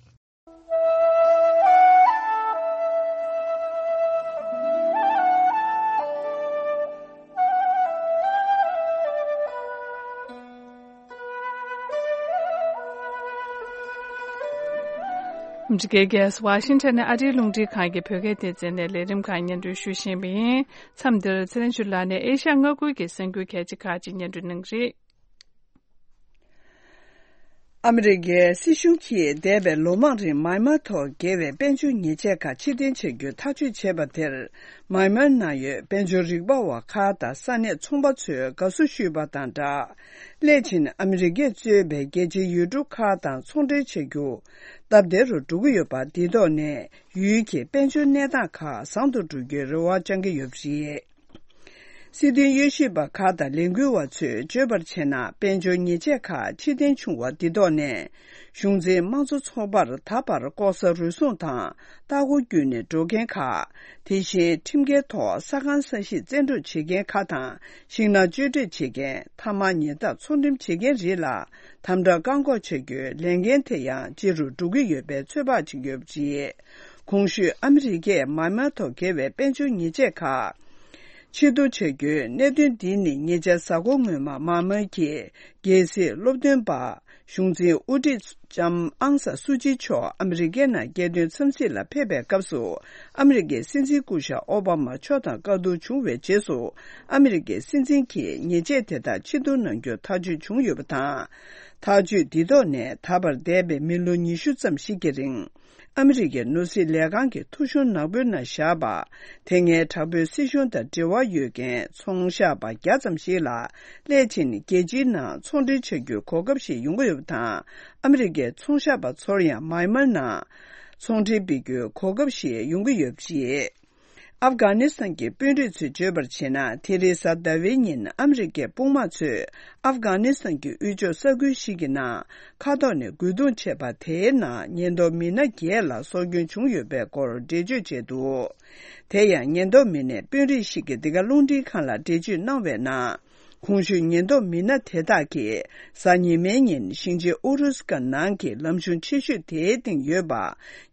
འདི་གའི་རྒྱལ་ས་ཝ་ཤིང་ཊོན་ནས་ཨ་རིའི་རླུང་འཕྲིན་ཁང་གི་བོད་སྐད་སྡེ་ཚན་ནས་ལས་རིམ་ཁག་སྙན་སྒྲོན་ཞུ་བཞིན་པ་ཡིན། མཚམས་འདིར་ཚེ་རིང་ཆོས་ལགས་ནས་ཨེ་ཤ་ཡ་མངའ་ཁུལ་གྱི་གསར་འགྱུར་གལ་ཆེ་ཁག་ཅིག་སྙན་སྒྲོན་གནང་གི་རེད། ཨ་མི་རི་ཀའི་སྲིད་གཞུང་གིས་འདས་པའི་ལོ་མང་རིང་མཱི་མཱ་ཐོག་འགེལ་བའི་དཔལ་འབྱོར་ཉེས་ཆད་ཁག་ཕྱིར་འཐེན་བྱ་རྒྱུ་ཐག་གཅོད་བྱས་པ་དེར། མཱི་མཱར་ནང་ཡོད་དཔལ་འབྱོར་རིག་པ་བ་ཁག་དང་ས་གནས་ཚོང་པ་ཚོས་དགའ་བསུ་ཞུས་པ་དང་སྦྲགས། སླད་ཕྱིན་ཨ་མི་རི་ཀས་གཙོས་པའི་རྒྱལ་སྤྱིའི་ཡུལ་གྲུ་ཁག་དང་ཚོང་འབྲེལ་བྱ་རྒྱུ་སྟབས་བདེ་རུ་འགྲོ་གི་ཡོད་པ་འདི་ཐོག་ནས། ཡུལ་གྱི་དཔལ་འབྱོར་གནས་སྟངས་ཁག་བཟང་དུ་འགྲོ་རྒྱུའི་རེ་བ་བཅང་གི་ཡོད་པ་རེད། སྲིད་དོན་དབྱེ་ཞིབ་པ་ཁག་དང་ལས་འགུལ་བ་ཚོས་བརྗོད་པར་བྱས་ན། དཔལ་འབྱོར་ཉེས་ཆད་ཁག་ཕྱིར་འཐེན་བྱུང་བ་འདི་ཐོག་ནས། གཞུང་འཛིན་དམངས་གཙོ་ཚོགས་པར་ད་བར་ལྐོག་ཟ་རུལ་སུངས་དང་ལྟ་སྐོར་བརྒྱུད་ནས་འགྲོ་མཁན་ཁག་དེ་བཞིན་ཁྲིམས་འགལ་ཐོག་ས་ཁང་ས་གཞི་བཙན་འཕྲོག་བྱེད་མཁན་ཁག་དང་། ཤིང་ནགས་གཅོད་འབྲེག་བྱེད་མཁན། ཐ་མག་ཉལ་ཐ་ཚོང་འགྲེམས་བྱེད་མཁན་རིགས་ལ་དམ་དྲག་བཀག་འགོག་བྱ་རྒྱུའི་ལས་འགན་དེ་ཡང་ལྕི་རུ་འགྲོ་གི་ཡོད་པའི་ཚོད་དཔག་བྱེད་ཀྱི་ཡོད་པ་རེད། གོང་ཞུས་ཨ་མི་རི་ཀས་མཱི་མཱར་ཐོག་འགེལ་བའི་དཔལ་འབྱོར་ཉེས་ཆད་ཁག་ཕྱིར་བསྡུ་བྱ་རྒྱུའི་གནད་དོན་འདི་ནི་ཉེ་ཆར་གཟའ་འཁོར་སྔོན་མ་མཱི་མཱར་གྱི་རྒྱལ་སྲིད་སློབ་སྟོན་པ་གཞུང་འཛིན་དབུ་ཁྲིད་ལྕམ་ཨང་སན་སུའུ་ཅི་མཆོག་ཨ་མི་རི་ཀའི་ནང་རྒྱལ་དོན་འཚམས་གཟིགས་ལ་ཕེབས་པའི་སྐབས་སུ། ཨ་མི་རི་ཀའི་སྲིད་འཛིན་སྐུ་ཞབས་ཨོ་བྷ་མ་མཆོག་དང་བཀའ་བསྡུར་བྱུང་བའི་རྗེས་སུ། ཨ་མི་རི་ཀའི་སྲིད་འཛིན་གྱིས་ཉེས་ཆད་དེ་དག་ཕྱིར་བསྡུ་གནང་རྒྱུ་ཐག་གཅོད་བྱུང་ཡོད་པ་དང་། ཐག་གཅོད་འདི་ཐོག་ནས་ད་བར་འདས་པའི་མི་ལོ་ཉི་ཤུ་ཙམ་ཞིག་གི་རིང་། ཨ་མི་རི་ཀའི་ནོར་སྲིད་ལས་ཁང་གི་ཐོ་གཞུང་ནག་པོའི་ནང་བཞག་པ། དེ་སྔའི་དྲག་པོའི་སྲིད་གཞུང་དང་འབྲེལ་བ་ཡོད་མཁན་ཚོང་ཤག་པ་བརྒྱ་ཙམ་ཞིག་ལ། སླད་ཕྱིན་རྒྱལ་སྤྱིའི་ནང་ཚོང་འབྲེལ་བྱ་རྒྱུའི་གོ་སྐབས་ཤིག་ཡོང་གི་ཡོད་པ་དང་། ཨ་མི་རི་ཀའི་ཚོང་ཤག་པ་ཚོར་ཡང་མཱི་མཱར་ནང་ ཚོང་འབྲེལ་སྤེལ་རྒྱུའི་གོ་སྐབས་ཤིག་ཡོང་གི་ཡོད་པ་རེད། ཨབ་གྷ་ནི་སི་ཐན་གྱི་དཔོན་རིགས་ཚོས་བརྗོད་པར་བྱས་ན། དེ་རིང་གཟའ་ཟླ་བའི་ཉིན་ཨ་མི་རི་ཀའི་དཔུང་དམག་ཚོས་ཨབ་གྷ་ནི་སི་ཐན་གྱི་དབུས་ཕྱོགས་ས་ཁུལ་ཞིག་གི་ནང་མཁའ་ཐོག་ནས་རྒོལ་རྡུང་བྱས་པ་དེའི་ནང་ཉེན་རྟོག་མི་སྣ་བརྒྱད་ལ་སྲོག་སྐྱོན་བྱུང་ཡོད་པའི་སྐོར་འགྲེལ་བརྗོད་བྱས་འདུག་དེ་ཡང་ཉེན་རྟོག་མི་སྣས་དཔོན་རིགས་ཤིག་གིས་འདི་ག་རླུང་འཕྲིན་ཁང་ལ་འགྲེལ་བརྗོད་གནང་བའི་ནང་། གོང་ཞུས་ཉེན་རྟོག་མི་སྣ་དེ་དག་གིས་གཟའ་ཉི་མའི་ཉིན་ཞིང་ཆེན་ཨུ་རུ་སི་ཀ་ནང་གི་ལམ་གཞུང་ཆེ་ཤོས་དེའི་སྟེང་ཡོད་པ།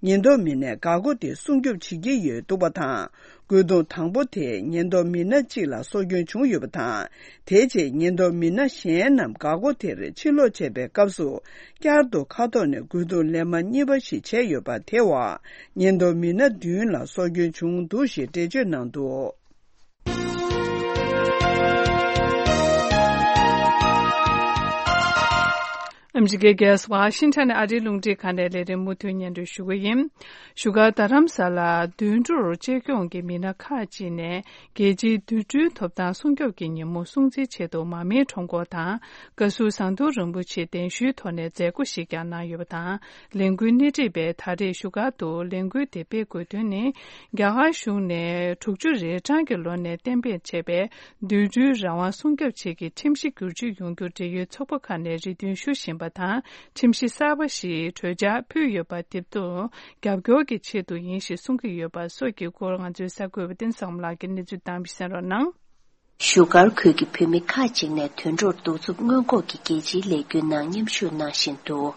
ཉེན་རྟོག་མི་སྣས་འགག་སྒོ་དེ་སྲུང་སྐྱོབ་བྱེད་ཀྱི་ཡོད་འདུག་པ་དང་། རྒོལ་རྡུང་དང་པོ་དེས་ཉེན་རྟོག་མི་སྣ་གཅིག་ལ་སྲོག་སྐྱོན་བྱུང་ཡོད་པ་དང་། དེའི་རྗེས་ཉེན་རྟོག་མི་སྣ་གཞན་རྣམས་འགག་སྒོ་དེར་ཕྱིར་ལོག་བྱས་པའི་སྐབས་སུ། བསྐྱར་དུ་མཁའ་ཐོག་ནས་རྒོལ་རྡུང་ལན་མ་གཉིས་པ་ཞིག་བྱས་ཡོད་པ། དེ་བར་ཉེན་རྟོག་མི་སྣ་བདུན་ལ་སྲོག་སྐྱོན་བྱུང་འདུག་ཞེས་འགྲེལ་བརྗོད་གནང་འདུག་ཨ་མི་རི་ཀའི་རྒྱལ་ས་ཝ་ཤིང་ཊོན་ནས་ཨ་རིའི་རླུང་འཕྲིན་ཁང་ནས་ལས་རིམ་མུ་མཐུད་སྙན་སྒྲོན་ཞུ་གི་ཡིན། བཞུགས་སྒར་རྡ་རམ་ས་ལར་དུད་འགྲོར་གཅེས་སྐྱོང་གི་མི་སྣ་ཁག་ཅིག་ནས་རྒྱལ་སྤྱིའི་དུད་འགྲོའི་ཐོབ་ཐང་སྲུང་སྐྱོབ་ཀྱི་ཉིན་མོ་སྲུང་བརྩིའི་ཆེད་དུ་མར་མེའི་ཁྲོམ་སྐོར་དང་། བཀའ་ཟུར་ཟམ་གདོང་རིན་པོ་ཆེ་གདན་ཞུའི་ཐོག་ནས་མཛད་སྒོ་ཞིག་ཀྱང་གནང་ཡོད་པ་དང་། ལས་འགུལ་སྣེ་ཁྲིད་པས་ད་རེས་བཞུགས་སྒར་དུ་ལས་འགུལ་དེ་སྤེལ་དགོས་དོན་ནི། རྒྱ་གར་གཞུང་ནས་དྲུག་ཅུ་རེ་གྲངས་ཀྱི་ལོ་ནས་གཏན་འབེབས་བྱས་པའི་དུད་འགྲོའི་རང་དབང་སྲུང་སྐྱོབ་ཆེད་ཀྱི་ཁྲིམས་གཞི་བསྒྱུར་བཅོས་ཡོང་རྒྱུར་འབྲེལ་ཡོད་ཚོགས་པ་ཁག་ནས་རེ་འདུན་ཞུ་བཞིན་པ་དང་། ཁྲིམས་གཞི་གསར་པ་ཞིག་གྲོས་འཆར་ཕུལ་ཡོད་པ་དེ་དག་རྒྱབ་སྐྱོར་གྱི་ཆེད་དུ་ཡིན་ཞེས་གསུང་གི་ཡོད་པ་སོགས་ཀྱི་སྐོར་ང་ཚོའི་གསར་འགོད་པ་བསྟན་བཟང་མོ་ལགས་ཀྱིས་གནས་ཚུལ་བཏང་བ་ཞིག་གསན་རོགས་གནང་། བཞུགས་སྒར་ཁུལ་གྱི་བོད་མི་ཁག་ཅིག་ནས་དུད་འགྲོར་གདུག་རྩུབ་སྔོན་འགོག་གི་རྒྱལ་སྤྱིའི་ལས་འགུལ་ནང་མཉམ་ཞུགས་གནང་བཞིན་འདུག་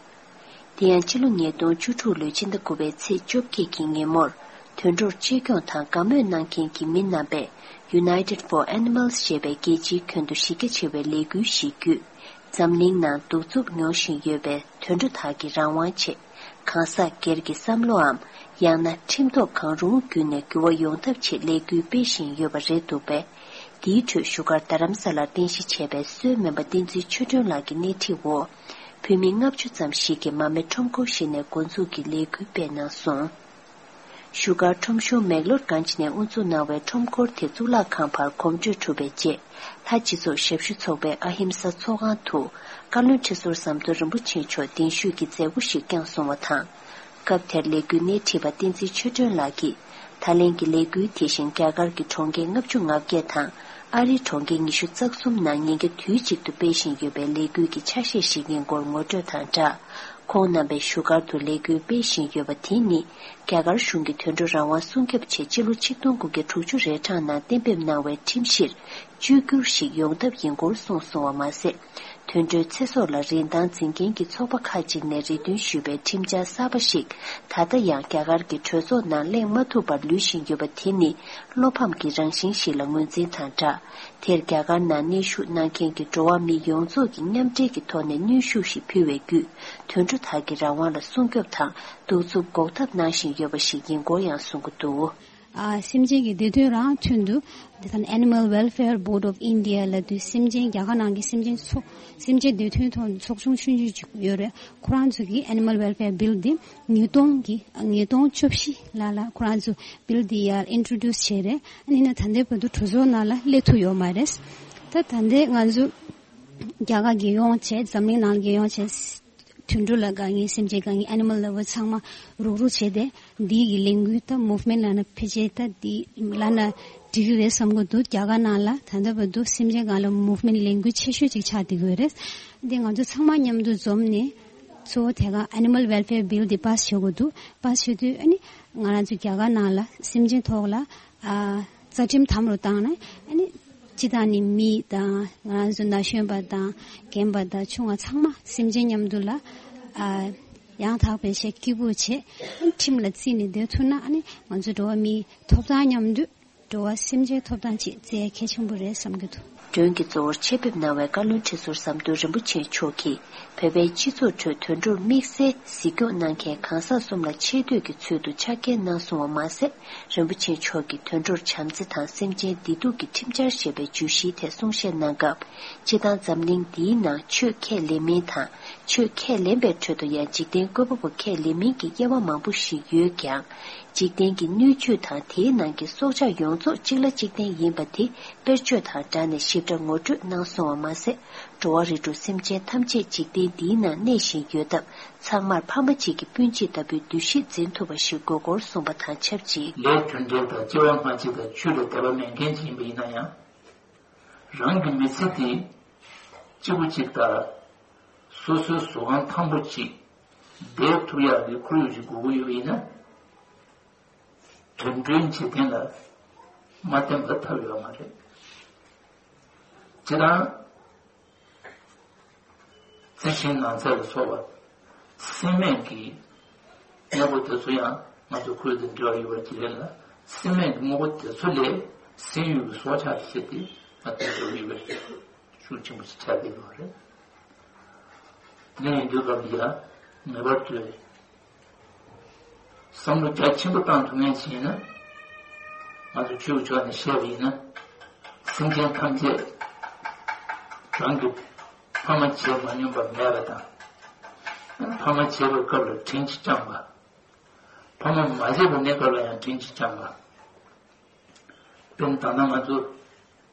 དེ་ཡང་ཕྱི་ལོ་ཉིས་སྟོང་བཅུ་དྲུག་ལོའི་ཕྱི་ཟླ་དགུ་པའི་ཚེས་བཅོ་བརྒྱད་ཀྱི་ཉིན་མོར་དུད་འགྲོར་གཅེས་སྐྱོང་དང་དགའ་མོས་གནང་མཁན་གྱི་མི་རྣམ་པས་United for Animals ཞེས་པའི་རྒྱལ་སྤྱིའི་ཁྱོན་དུ་གཞི་རྒྱ་ཆེ་བའི་ལས་འགུལ་ཞིག་བརྒྱུད། འཛམ་གླིང་ནང་གདུག་རྩུབ་མྱོང་བཞིན་ཡོད་པའི་དུད་འགྲོ་དག་གི་རང་དབང་ཆེད། གང་ཟག་སྒེར་གྱི་བསམ་བློའམ། ཡང་ན་ཁྲིམས་ཐོག་གང་རུང་བརྒྱུད་ནས་འགྱུར་བ་ཡོང་ཐབས་ཆེད་ལས་འགུལ་སྤེལ་བཞིན་ཡོད་པ་རེད་འདུག་པས། དེའི་ཁྲོད་བཞུགས་སྒར་རྡ་རམ་ས་ལར་རྟེན་གཞི་བྱས་པའི་གསོའི་སྨན་པ་བསྟན་འཛིན་ཆོས་སྒྲོན་ལགས་ཀྱི་སྣེ་ཁྲིད་འོག་བོད་མི་ལྔ་བཅུ་ཙམ་ཞིག་གིས་མར་མེ་ཁྲོམ་སྐོར་ཞིག་ནས་འགོ་འཛུགས་ཀྱིས་ལས་འགུལ་སྤེལ་གནང་སོང་། བཞུགས་སྒར་ཁྲོམ་གཞུང་མེག་ལོར་གྷན་ཇི་ནས་དབུ་འཛུགས་གནང་བའི་ཁྲོམ་སྐོར་དེ་གཙུག་ལག་ཁང་བར་གོམ་བགྲོད་གྲུབ་པའི་རྗེས། ལྷ་སྤྱི་ཚོགས་ཞབས་ཞུ་ཚོགས་པའི་ཨ་ཧིམ་ས་ཚོགས་ཁང་དུ། བཀའ་བློན་ཁྲི་ཟུར་ཟམ་གདོང་རིན་པོ་ཆེ་མཆོག་གདན་ཞུས་ཀྱིས་མཛད་སྒོ་ཞིག་བསྐྱངས་སོང་བ་དང་། སྐབས་དེར་ལས་འགུལ་སྣེ་ཁྲིད་པ་བསྟན་འཛིན་ཆོས་སྒྲོན་ལགས་ཀྱིས། ད་ལན་གྱི་ལས་འགུལ་དེ་བཞིན་རྒྱ་གར་གྱི་གྲོང་ཁྱེར་ལྔ་བཅུ་ང་བརྒྱད་དང་། ཨ་རིའི་གྲོང་ཁྱེར་ཉི་ཤུ་རྩ་གསུམ་ནང་ཉིན་རྒྱབ་དུས་གཅིག་ཏུ་སྤེལ་བཞིན་ཡོད་པའི་ལས་འགུལ་གྱི་ཆ་ཤས་ཤིག་ཡིན་སྐོར་ངོ་སྤྲོད་དང་སྦྲགས། ཁོང་རྣམ་པས་བཞུགས་སྒར་དུ་ལས་འགུལ་སྤེལ་བཞིན་ཡོད་པ་དེ་ནི། རྒྱ་གར་གཞུང་གིས་དུད་འགྲོ་རང་དབང་སྲུང་སྐྱོབ་ཆེད་སྤྱི་ལོ་ཆིག་སྟོང་དགུ་བརྒྱ་དྲུག་ཅུ་རེ་གྲངས་ནང་གཏན་འབེབས་གནང་བའི་ཁྲིམས་གཞིར་བཅོས་བསྒྱུར་ཞིག་ཡོང་ཐབས་ཡིན་སྐོར་གསུངས་སོང་བ་མ་ཟད། དུད་འགྲོའི་ཚེ་སྲོག་ལ་རིན་ཐང་འཛིན་མཁན་གྱི་ཚོགས་པ་ཁག་ཅིག་ནས་རེ་འདུན་ཞུས་པའི་ཁྲིམས་འཆར་གསར་པ་ཞིག་ད་ལྟ་ཡང་རྒྱ་གར་གྱི་གྲོས་ཚོགས་ནང་གླེང་མ་ཐུབ་པར་ལུས་བཞིན་ཡོད་པ་དེ་ནི་བློ་ཕམ་གྱི་རང་བཞིན་ཞིག་ལ་ངོས་འཛིན་དང་སྦྲགས། དེར་རྒྱ་གར་ནང་གནས་བཞུགས་གནང་མཁན་གྱི་འགྲོ་བ་མི་ཡོངས་རྫོགས་ཀྱིས་མཉམ་འབྲེལ་གྱི་ཐོག་ནས་གནོན་ཤུགས་ཤིག་ཕུལ་བའི་བརྒྱུད། དུད་འགྲོ་དག་གི་རང་དབང་ལ་སྲུང་སྐྱོབ་དང་གདུག་རྩུབ་འགོག་ཐབས་གནང་བཞིན་ཡོད་པ་ཞིག་ཡིན་སྐོར་ཡང་གསུང་གི་འདུག་ཨ། སེམས་ཅན་གྱི་བདེ་དོན་རང་མཚོན་དུ། དེ་ཚོ་Animal Welfare Board of India ལབ་དུས་སེམས་ཅན་རྒྱ་གར་ནང་གི་སེམས་ཅན་ཚོ། སེམས་ཅན་བདེ་དོན་ཐོག་ཚོགས་ཆུང་ཆུང་ཆུང་ཅིག་ཡོད་རེད། ཁོ་རང་ཚོ་གིས་Animal Welfare Bill འདི་ཉིས་སྟོང་གི་ཉིས་སྟོང་བཅུ་བཞི་ལ་ལ་ཁོ་རང་ཚོ་Bill འདི་ཡར་introduce བྱས་རེད། ཨ་ནི་ན་ད་ལྟའི་བར་དུ་གྲོས་ཚོགས་ནང་ལ་སླེབས་ཐུབ་ཡོད་མ་རེད། ད་ད་ལྟའི་ང་ཚོ་རྒྱ་གར་རྒྱལ་ཡོངས་བྱས། འཛམ་གླིང་ནང་རྒྱལ་ཡོངས་བྱས། དུད་འགྲོ་ལ་དགའ་མཁན། སེམས་ཅན་དགའ་མཁན། Animal Lover ཚང་མ་རུག་རུག་བྱས་ཏེ། འདི་གི་ལས་འགུལ་ད་movement ལབ་ན་ཕལ་ཆེར་ད་འདི་ལབ་ན་འགྲིག་གི་རེད་བསམ་གྱི་འདུག་རྒྱ་གར་ནང་ལ་ད་ལྟ་བར་དུ་སེམས་ཅན་སྒང་ལ་movement ལས་འགུལ་ཆེ་ཤོས་ཅིག་ཆགས་བསྡད་ཀྱི་ཡོད་རེད། འདི་ང་ཚོ་ཚང་མ་མཉམ་དུ་འཛོམས་ནས་གཙོ་བོ་དེ་ག་Animal Welfare Bill འདི་pass བྱེད་དགོས་འདུག pass བྱེད་དུས་ཨ་ནི་ང་རང་ཚོ་རྒྱ་གར་ནང་ལ་སེམས་ཅན་ཐོག་ལ། ཨ། རྩ་ཁྲིམས་དམ་རུ་བཏང་ན། ཨ་ནི་སྤྱི་བཏང་ནི་མི་དང་། ང་རང་ཚོ་ན་གཞོན་པ་དང་། རྒན་པ་དང་། ཆུང་བ་ཚང་མ་སེམས་ཅན་མཉམ་དུ་ལ། ཨ། ཡང་དག་པའི་ཆེད་སྐྱིད་པོ་བྱེད། ཨ་ནི་ཁྲིམས་ལ་བརྩིས་ནས་སྡོད་ཐུབ་ན། ཨ་ནི་ང་ཚོ་འགྲོ་བ་མིའི་ཐོབ་ཐང་མཉམ་དུ། འགྲོ་བ་སེམས་ཅན་ཐོབ་ཐང་ཆེད་བརྩི་ཡ་གལ་ཆེན་པོ་རེད་བསམ་གྱི་འདུག་མགྲོན་གྱི་གཙོ་བོར་ཆེད་ཕེབས་གནང་བའི་བཀའ་བློན་ཁྲི་ཟུར་ཟམ་གདོང་རིན་པོ་ཆེ་མཆོག་གིས། བོད་པའི་སྤྱི་ཚོགས་ཁྲོད་དུད་འགྲོར་དམིགས་བསལ་གཟིགས་སྐྱོང་གནང་མཁན་གང་ཟག་གསུམ་ལ་ཆེ་བསྟོད་ཀྱི་ཚུལ་དུ་ཕྱག་འཁྱེར་གནང་སོང་བ་མ་ཟད། རིན་པོ་ཆེ་མཆོག་གིས་དུད་འགྲོར་བྱམས་བརྩེ་དང་སེམས་ཅན་བདེ་སྡུག་གི་ཁྲིམས་འཆར་ཞེས་པའི་བརྗོད་གཞིའི་ཐད་གསུང་བཤད་གནང་སྐབས། སྤྱིར་བཏང་འཛམ་གླིང་འདིའི་ནང་ཆོས་ཁས་ལེན་མིན་དང་། ཆོས་ཁས་ལེན་པའི་ཁྲོད་དུ་ཡང་འཇིག་རྟེན་བཀོད་པ་པོ་ཁས་ལེན་མིན་གྱི་དབྱེ་བ་མང་པོ་ཞིག་ཡོད་ཀྱང་། འཇིག་རྟེན་གྱི་སྣོད་བཅུད་དང་དེའི་ནང་གི་སྲོག་ཆགས་ཡོངས་རྫོགས་གཅིག་ལ་གཅིག་བརྟེན་ཡིན་པ་དེ་དཔེར་བརྗོད་དང་སྦྲགས་ནས་ཞིབ། འདྲ་ངོ་སྤྲོད་གནང་སོང་བ་མ་ཟད། འགྲོ་བ་རིགས་དྲུག་སེམས་ཅན་ཐམས་ཅད་འཇིག་རྟེན་འདིའི་ནང་གནས་བཞིན་ཡོད་སྟབས། ཚང་མར་ཕ་མ་གཅིག་གི་སྤུན་མཆེད་ལྟ་བུའི་འདུ་ཤེས་འཛིན་ཐུབ་པ་ཞིག་དགོས་སྐོར་གསུངས་པ་དང་ཆབས་ཅིག་ལས་དོན་འབྲེལ་དང་སྐྱེ་བ་སྔ་ཕྱི་དང་ཆོས་ལ་དད་པ་མེད་མཁན་ཅིག་ཡིན་པ་ཡིན་ན་ཡང་། རང་གི་མི་ཚེ་དེ་གཅིག་པུ་གཅིག་ལྟར་སོ་སོའི་གཟུགས་ཁམས་ཐང་པོ་གཅིག་བསྡད་ཐུབ་ཡག་གི་ཁོར་ཡུག་ཅིག་དགོས་ཀྱི་ཡོད་པ་ཡིན་ན། དུད་འགྲོའི་འཇིག་རྟེན་ལ་མ་བརྟེན་པར་ཐབས་ཡོད་མ་རེད། སྤྱིར་བཏང་། རྩི་ཤིང་ནགས་ཚལ་ལ་སོགས་པ་སྲིན་མོ་གི་དངོས་པོ་དེ་ཚོ་ཡང་ང་ཚོ་ཁོར་ཡུག་དང་འབྲེལ་བ་ཡོད་པ་ཅིག་རེད་ལ། སྲིན་མོ་གི་དངོས་པོ་དེ་ཚོ་ལས་སྲིན་ཡུལ་གྱི་སྲོག་ཆགས་ཤིག་དེ་ང་ཚོ་འབྲེལ་བ་ཡོད་པའི་ཤུགས་ཆེན་པོ་ཞིག་ཆགས་བསྡད་ཡོད་རེད། དེ་ཡིན་དུས་སྐབས་ལ་ཡང་ངེས་པར་དུ་བསམ་བློ་རྒྱ་ཆེན་པོ་བཏང་ཐུབ་མཁན་ཞིག་ཡིན་ན། ང་ཚོ་ཆོས་ཀྱི་ཕྱོགས་ནས་བཤད་པ་ཡིན་ན། སེམས་ཅན་ཐམས་ཅད་རང་གི་ཕ་མ་བྱས་མ་མྱོང་པ་མེད་པ་དང་། ཕ་མ་བྱས་པའི་སྐབས་ལ་དྲིན་གྱིས་བསྐྱངས་པ། ཕ་མ་མ་བྱས་པའི་གནས་སྐབས་ལ་ཡང་དྲིན་གྱིས་བསྐྱངས་པ། དཔེར་ན་ད་ལྟ་ང་ཚོ་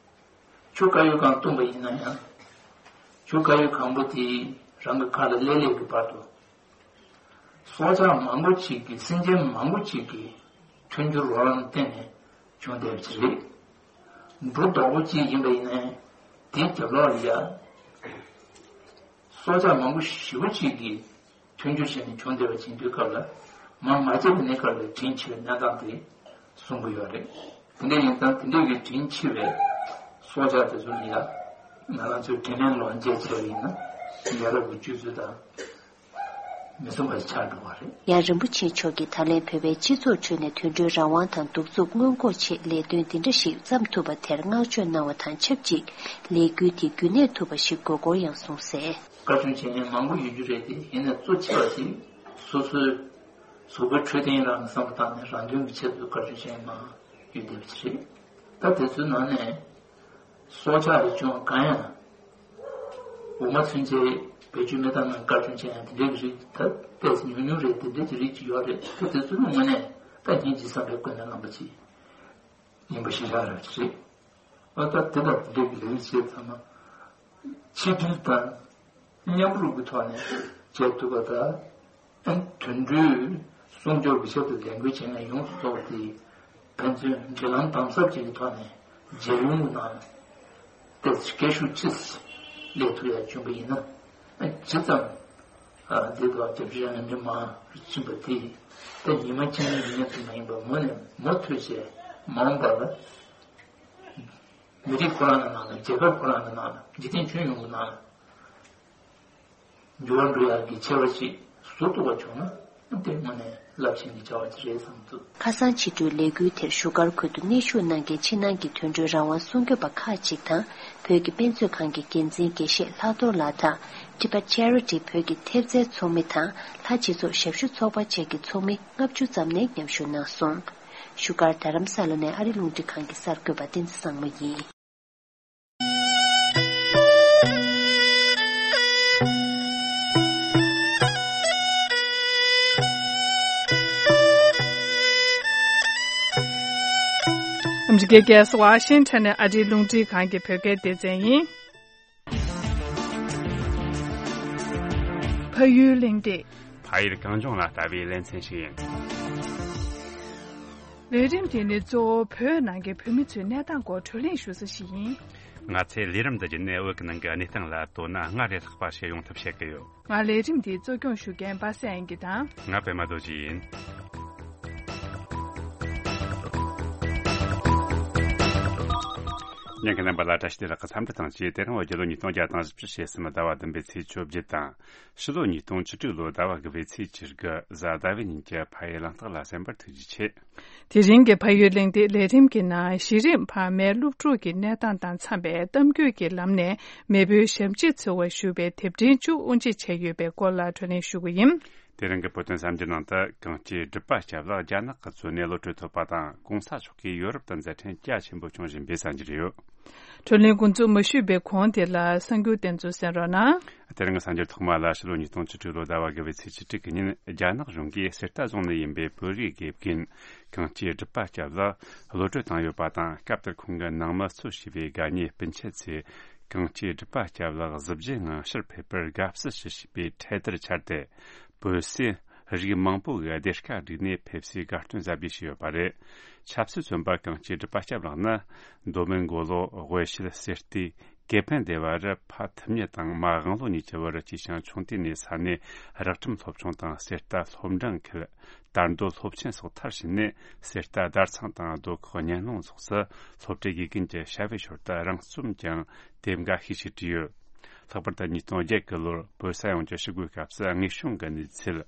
ཆུ་དཀར་ཡོལ་གང་བཏུངས་པ་ཡིན་ན་ཡང་། ཆུ་དཀར་ཡོལ་གང་པོ་དེ་རང་གི་ཁ་ལ་སླེབས་སླེབས་ཀྱི་བར་དུ། སྲོག་ཆགས་མང་པོ་ཅིག་གིས་སེམས་ཅན་མང་པོ་ཅིག་གིས་མཐུན་འགྱུར་རོགས་རམ་བརྟེན་ནས་བྱུང་བསྡད་པ་ཅིག་རེད། འབྲུ་རྡོག་པོ་གཅིག་ཡིན་པ་ཡིན་ན་ཡང་དེའི་རྒྱབ་ལོགས་ལ་ཡ། སྲོག་ཆགས་མང་པོ་ཞེ་པོ་ཅིག་གིས་མཐུན་འགྱུར་བྱས་ནས་བྱུང་བསྡད་པ་ཅིག་ཡིན་དུས་སྐབས་ལ། མ་མ་བྱས་པའི་གནས་སྐབས་ལ་དྲིན་ཆེ་བའི་གནས་སྟངས་དེ་གསུང་གི་ཡོད་རེད། དེ་འདྲ་ཡིན་ཙང་དེ་འདྲ་གི་དྲིན་ཆེ་བའི་སྲོག་ཆགས་དེ་ཚོ་ལ་ཡ། ང་རང་ཚོས་དྲིན་ལན་ལོག་འཇལ་བྱས་པ་ཡིན་ན་ཡ་རབས་ཀྱི་སྤྱོད་ཚུལ་དང་མི་མཚུངས་པ་ཞིག་ཆགས་འགྲོ་བ་རེད། ཡང་རིན་པོ་ཆེ་མཆོག་གིས་ད་ལན་བོད་པའི་སྤྱི་ཚོགས་ཁྲོད་ནས་དུད་འགྲོའི་རང་དབང་དང་གདུག་རྩུབ་སྔོན་འགོག་ཆེད་ལས་དོན་འདི་འདྲ་ཞིག་བརྩམས་ཐུབ་པ་དེར་བསྔགས་བརྗོད་གནང་བ་དང་ཆབས་ཅིག་ལས་འགུལ་དེ་རྒྱུན་གནས་ཐུབ་པ་ཞིག་དགོས་སྐོར་ཡང་གསུངས་གསལ། བཀའ་དྲིན་ཆེ་མཁན་མང་པོ་ཡོད་རྒྱུ་རེད་དེ། ཡིན་ནའི་གཙོ་ཆེ་བ་ཞིག་སོ་སོའི་གཟུགས་པོའི་འཕྲོད་བསྟེན་རང་གི་བསམ་བློ་བཏང་ནས་རང་དོན་གྱི་ཆེད་དུ་བཀའ་དྲིན་ཆེ་མཁན་མང་ཡོད་བསྡད་པ་ཞིག་རེད། ད་དེ་ཚོའི་ནང་ནས་སྲོག་ཆགས་རེ་བྱུང་གང་ཡང་འོ་མ་ཚུན་ཆད་བེད་སྤྱོད་མི་བཏང་ན་བཀའ་དྲིན་ཆེ་ཡང་དེ་འདྲའི་རིགས་ད་ཏོག་ཙམ་ཉུང་ཉུང་རེད། དེ་འདྲའི་རིགས་ཅིག་ཡོད་རེད། ད་དེ་ཚོ་ནི་དངོས་གནས་ད་སྙིང་རྗེ་བསམ་པའི་སྒོ་ནས་གནང་པ་ཅིག་ཡིན་པ་ཤེས་བཞག་རེད་ཅིག་རེད། ཨ་ད་དེ་དང་དེ་འདྲའི་ལས་རིགས་བྱས་ཚང་མ་ཆིག་སྒྲིལ་དང་མཉམ་རུབ་ཀྱི་ཐོག་ནས་བྱེད་ཐུབ་པ་དང་། དུད་འགྲོའི་སྲུང་སྐྱོབ་ཀྱི་ཆེད་དུ་ལས་འགུལ་བྱེད་མཁན་ཡོངས་སུ་རྫོགས་པ་དེ་ཕན་ཚུན་འབྲེལ་ལམ་དམ་ཟབ་ཅིག་གི་ཐོག་ནས་མཇལ་ཡོང་གི་ནང་ཏོག་ཙམ་སྐད་ཤུགས་ཆེ་ཙམ་སླེབས་ཐུབ་ཡག་བྱུང་པ་ཡིན་ན། ཇི་ཙམ་འདི་ཐོག་རྒྱབ་སྐྱོར་ཡང་མི་མང་ཕྱིན་པ་དེ་ད་ཉི་མ་གཅིག་གཉིས་ཡིན་ཡག་དེ་མ་ཡིན་པར་མུ་ནས་མུ་མཐུད་བྱས་མ་འོངས་པ་ལ་མི་རིགས་ཁོ་རང་གི་ནང་ལ། རྒྱལ་ཁབ་ཁོ་རང་གི་ནང་ལ། འཇིག་རྟེན་ཁྱོན་ཡོངས་ཀྱི་ནང་ལ། འགྱུར་བ་འགྲོ་ཡག་གི་ཆེ་བ་ཞིག་བཟོ་ཐུབ་པ་བྱུང་ན་དེ་དངོས་གནས་རླབས་ཆེན་གྱི་བྱ་བ་ཅིག་རེད་བསམ་འདུག། ཁ་སང་ཕྱི་དྲོའི་ལས་འགུལ་དེར་བཞུགས་སྒར་ཁུལ་དུ་གནས་བཞུགས་གནང་མཁན་ཕྱི་ནང་གི་དུད་འགྲོའི་རང་དབང་སྲུང་སྐྱོབ་པ་ཁག་ཅིག་དང་། བོད་ཀྱི་དཔེ་མཛོད་ཁང་གི་འགན་འཛིན་དགེ་བཤེས་ལྷག་རྡོར་ལགས་དང་། Tibet Charity བོད་ཀྱི་ཐེབས་རྩའི་ཚོགས་མི་དང་། ལྷ་སྤྱི་ཚོགས་ཞབས་ཞུ་ཚོགས་པ་བཅས་ཀྱི་ཚོགས་མི་ལྔ་བཅུ་ཙམ་ནས་མཉམ་ཞུགས་གནང་སོང་། བཞུགས་སྒར་རྡ་རམ་ས་ལ་ནས་ཨ་རི་རླུང་འཕྲིན་ཁང་གི་གསར་འགོད་པ་བསྟན་འཛིན་བཟང་མོ་ཡིན། ཨ་མི་རི་ཀའི་རྒྱལ་ས་ཝ་ཤིང་ཊོན་ནས་ཨ་རིའི་རླུང་འཕྲིན་ཁང་གི་བོད་སྐད་སྡེ་ཚན་ཡིན། ཕ་ཡུལ་གླེང་སྟེགས། ཕ་ཡུལ་གངས་ལྗོངས་ལ་ལྟ་བའི་ལེ་ཚན་ཞིག་ཡིན། ལས་རིམ་འདི་ནི་གཙོ་བོ་བོད་ནང་གི་བོད་མི་ཚོའི་གནས་སྟངས་སྐོར་བགྲོ་གླེང་ཞུ་ས་ཞིག་ཡིན། ང་ཚོས་ལས་རིམ་འདི་བརྒྱུད་ནས་བོད་ཀྱི་ནང་གི་གནས་སྟངས་ལ་དོ་སྣང་སྔར་ལས་ལྷག་པ་ཞིག་ཡོང་ཐབས་བྱེད་ཀྱི་ཡོད། ང་ལས་རིམ་འདི་གཙོ་སྐྱོང་ཞུ་མཁན་པ་སངས་དབྱངས་སྐྱིད་དང་། ང་པད་མ་རྡོ་རྗེ་ཡིན། ཉན་མཁན་རྣམ་པ་ལ་བཀྲ་ཤིས་བདེ་ལེགས་ཀྱི་འཚམས་འདྲི་དང་བཅས། དེ་རིང་བརྒྱད་ལོ་ཉིས་སྟོང་བརྒྱ་དང་བཞི་བཅུ་ཞེ་གསུམ་ཟླ་བ་བདུན་པའི་ཚེས་བཅོ་བརྒྱད་དང་། ཕྱི་ལོ་ཉིས་སྟོང་བཅུ་དྲུག་ལོའི་ཟླ་བ་དགུ་པའི་ཚེས་བཅུ་དགུ་གཟའ་ཟླ་བའི་ཉིན་གྱི་ཕ་ཡུལ་གླེང་སྟེགས་ལ་གསན་པར་ཐུགས་རྗེ་ཆེ། དེ་རིང་གི་ཕ་ཡུལ་གླེང་སྟེགས་ལས་རིམ་གྱི་ནང་། གཞི་རིམ་ཕ་མའི་སློབ་ཕྲུག་གི་གནས་སྟངས་དང་འཚམ་པའི་གཏམ་རྒྱུད་ཀྱི་ལམ་ནས་མེས་པོའི་ཞབས་ཕྱི་འཚོལ་བར་ཞུ་བའི་དེབ་ཕྲེང་བཅུ་དབུ་འབྱེད་བྱས་ཡོད་པའི་སྐོར་ལ་བགྲོ་གླེང་ཞུ་གི་ཡིན། དེ་རིང་གི་བོད་དོན་གསར་འགྱུར་ནང་དུ། གངས་སྐྱིད་སྒྲུབ་པ་སྐྱབས་ལགས་རྒྱ་ནག་གི་གཙོ་གནད་གློད་གྲོལ་ཐོབ་པ་དང་། གོང་ས་མཆོག་གིས་ཡོ་རོབ་ཏུ་མཛད་འཕྲིན་རྒྱ་ཆེན་པོ་སྐྱོང་བཞིན་པའི་གསར་འགྱུར་ཡོད། གྲོས་གླེང་འགོ་འཛུགས་མི་ཞུས་པའི་གོང་དེ་ལ་གསར་འགྱུར་དེ་ཚོ་གསན་རོགས་གནང་། དེ་རིང་གི་གསར་འགྱུར་ཐོག་མ་ལ། ཕྱི་ལོ་ཉིས་སྟོང་བཅུ་དྲུག་ལོ་ཟླ་བ་དགུ་པའི་ཚེས་བཅུ་དྲུག་གི་ཉིན། རྒྱ་ནག་གཞུང་གིས་གསེར་རྟ་བཟུང་ནས་ཡིན་པའི་བོད་རིགས་དགེ་རྒན་གངས་སྐྱིད་སྒྲུབ་པ་སྐྱབས་ལགས་གློད་གྲོལ་བཏང་ཡོད་པ་དང་། སྐབས་དེར་ཁོང་གི་ནང་མི་གཙོ་བྱས་པའི་དགའ་ཉེ་སྤུན་མཆེད་ཚོས། གངས་སྐྱིད་སྒྲུབ་པ་སྐྱབས་ལགས་གཟི་བརྗིད་ངང་ཕྱིར་ཕེབས་པར་དགའ་བསུ་ཞུ་བྱས་པའི་འཕྲེད་དར་འཕྱར་ཏེ། བོད་སའི་རིགས་མང་པོ་གི་སྡེར་ཁ་བསྒྲིགས་ནས་ཕེབས་བསུའི་དགའ་སྟོན་གཟབ་རྒྱས་བྱས་ཡོད་པ་རེད། ཆབ་སྲིད་བཙོན་པ་གངས་སྐྱིད་སྒྲུབ་པ་སྐྱབས་ལགས་ནི། མདོ་སྨད་མགོ་ལོག་དབུས་ཤུལ་གསེར་རྟའི་ཀེ་ཕན་སྡེ་བ་རུ་ཕ་ཐུབ་མྱི་དང་མ་དབང་ལོ་གཉིས་ཀྱི་བར་སྐྱེས་ཤིང་། ཆུང་དུས་ནས་ས་གནས་རག་ཁྲིམས་སློབ་ཆུང་དང་། གསེར་རྟ་སློབ་འབྲིང་ཁུལ། དར་མདོ་སློབ་ཆེན་སོགས་མཐར་ཕྱིན་ནས། གསེར་རྟ་བརྡ་ཚང་དང་རྡོ་ཁོག་སྙན་སློང་སོགས་སུ་སློབ་གྲྭའི་དགེ་རྒན་གྱི་བྱ་བའི་ཞོར་དུ་རང་རྩོམ་ཀྱང་དེབ་འགའ་ཤས་ཤིག་བྲིས་ཡོད། ལྷག་པར་དུ་ཉིས་སྟོང་བརྒྱད་གི་ལོར་བོད་ས་ཡོངས་ཀྱི་ཞི་རྒོལ་སྐབས་སུ། དངོས་བྱུང་གི་གནས་ཚུལ།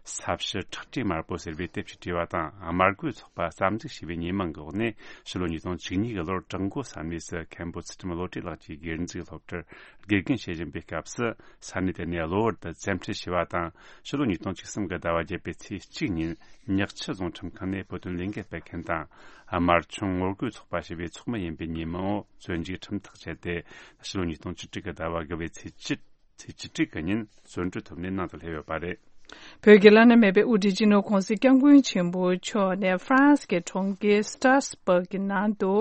ས་བྱི་ཁྲག་དྲི་དམར་པོ་ཟེར་བའི་དེབ་ཅིག་བྲིས་པ་དང་། དམར་རྒོད་ཚོགས་པ་རྩ་འཛུགས་བྱས་པའི་ཉེས་མིང་གི་འོག་ནས། ཕྱི་ལོ་ཉིས་སྟོང་བཅུ་གཉིས་གི་ལོར་བྲག་མགོ་ས་གནས་སུ་མཁན་པོ་ཚུལ་ཁྲིམས་བློ་གྲོས་ལགས་ཀྱིས་སྒེར་འཛུགས་སློབ་གྲྭར་དགེ་རྒན་བྱེད་བཞིན་པའི་སྐབས་སུ། ས་གནས་དེ་ནས་གློ་བུར་དུ་བཙན་ཁྲིད་བྱས་པ་དང་། ཕྱི་ལོ་ཉིས་སྟོང་བཅུ་གསུམ་གི་ཟླ་བ་བརྒྱད་པའི་ཚེས་གཅིག་ཉིན། ཉག་ཆུ་རྫོང་ཁྲིམས་ཁང་ནས་བོད་དོན་ལས་འགུལ་སྤེལ་མཁན་དང་། དམར་ཆུང་ངོ་རྒོལ་ཚོགས་པ་ཞེས་པའི་ཚོགས་མི་ཡིན་པའི་ཉེས་མིང་འོག་བཙོན་འཇུག་ཁྲིམས་ཐག་བཅད་དེ། ཕྱི་ལོ་ཉིས་སྟོང་བཅུ་དྲུག་གི་ཟླ་བ་དགུ་པའི་ཚེས་བཅུ། ཚེས་བཅུ་དྲུག་གི་ཉིན་བཙོན་གྲོལ་ཐོབ་ནས་ནང་དུ་སླེབས་ཡོད་པ་རེད། བོད་ཀྱི་བླ་ན་མེད་པའི་དབུ་ཁྲིད་སྤྱི་ནོར་༸གོང་ས་༸སྐྱབས་མགོན་ཆེན་པོ་མཆོག་ནས་ཧྥ་རན་སི་གི་གྲོང་ཁྱེར་སི་ཏྲ་སི་བྷག་གི་ནང་དུ།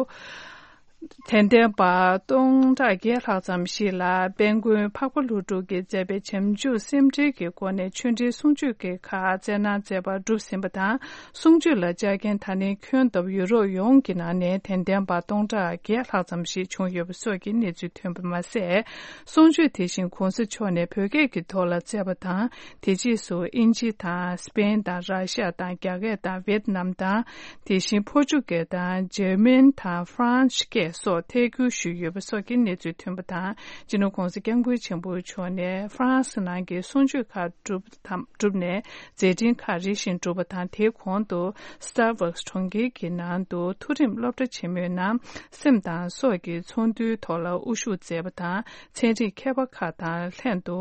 དད་ལྡན་པ་སྟོང་ཕྲག་བརྒྱད་ལྷག་ཙམ་ཞིག་ལ་དཔལ་མགོན་འཕགས་པ་ཀླུ་སྒྲུབ་ཀྱིས་མཛད་པའི་བྱམས་ཆུ་སེམས་འགྲེལ་གྱི་སྒོ་ནས་ཆོས་འབྲེལ་གསུང་ཆོས་ཀྱི་ཁག་སྩལ་གནང་མཛད་པ་གྲུབ་ཟིན་པ་དང་། གསུང་ཆོས་ལ་བཅར་མཁན་ད་ནི་ཁྱོན་བསྡོམས་ཡུ་རོབ་ཡོངས་ཀྱི་ནང་ནས་དད་ལྡན་པ་སྟོང་ཕྲག་བརྒྱད་ལྷག་ཙམ་ཞིག་བྱུང་ཡོད་པ་སོགས་ཀྱི་གནས་ཚུལ་ཐོན་པ་མ་ཟད། གསུང་ཆོས་དེ་བཞིན་༸གོང་ས་མཆོག་ནས་བོད་སྐད་ཀྱི་ཐོག་ལ་སྩལ་བ་དང་། དེ་རྗེས་སུ་དབྱིན་ཇི་དང་སི་པེན་དང་ར་ཤ་དང་རྒྱ་སྐད་དང་ཝེད་ནམ་དང་། དེ་བཞིན་ཕོ་ཅུ་གལ་དང་འཇར་མན་དང་ཧྥ་རན་སི་སྐད་སོགས་ཐད་སྒྱུར་ཞུས་ཡོད་པ་སོགས་ཀྱི་གནས་ཚུལ་ཐོན་པ་དང་། སྤྱི་ནོར་༸གོང་ས་༸སྐྱབས་མགོན་ཆེན་པོ་མཆོག་ནས་ཧྥ་རན་སི་ནང་གི་གསུང་ཆོས་ཁག་གྲུབ་དང་གྲུབ་ནས་མཛད་འཕྲིན་ཁག་རེ་བཞིན་གྲུབ་པ་དང་། དེའི་གོང་དུ་སི་ཏར་བྷག་སི་གྲོང་ཁྱེར་གྱི་ནང་དུ་མཐོ་རིམ་སློབ་གྲྭ་ཆེན་མོའི་ནང་སེམས་དང་སྲོག་གི་ཚོགས་འདུའི་ཐོག་ལ་དབུ་བཞུགས་མཛད་པ་དང་། ཚན་རིག་མཁས་པ་ཁག་དང་ལྷན་དུ།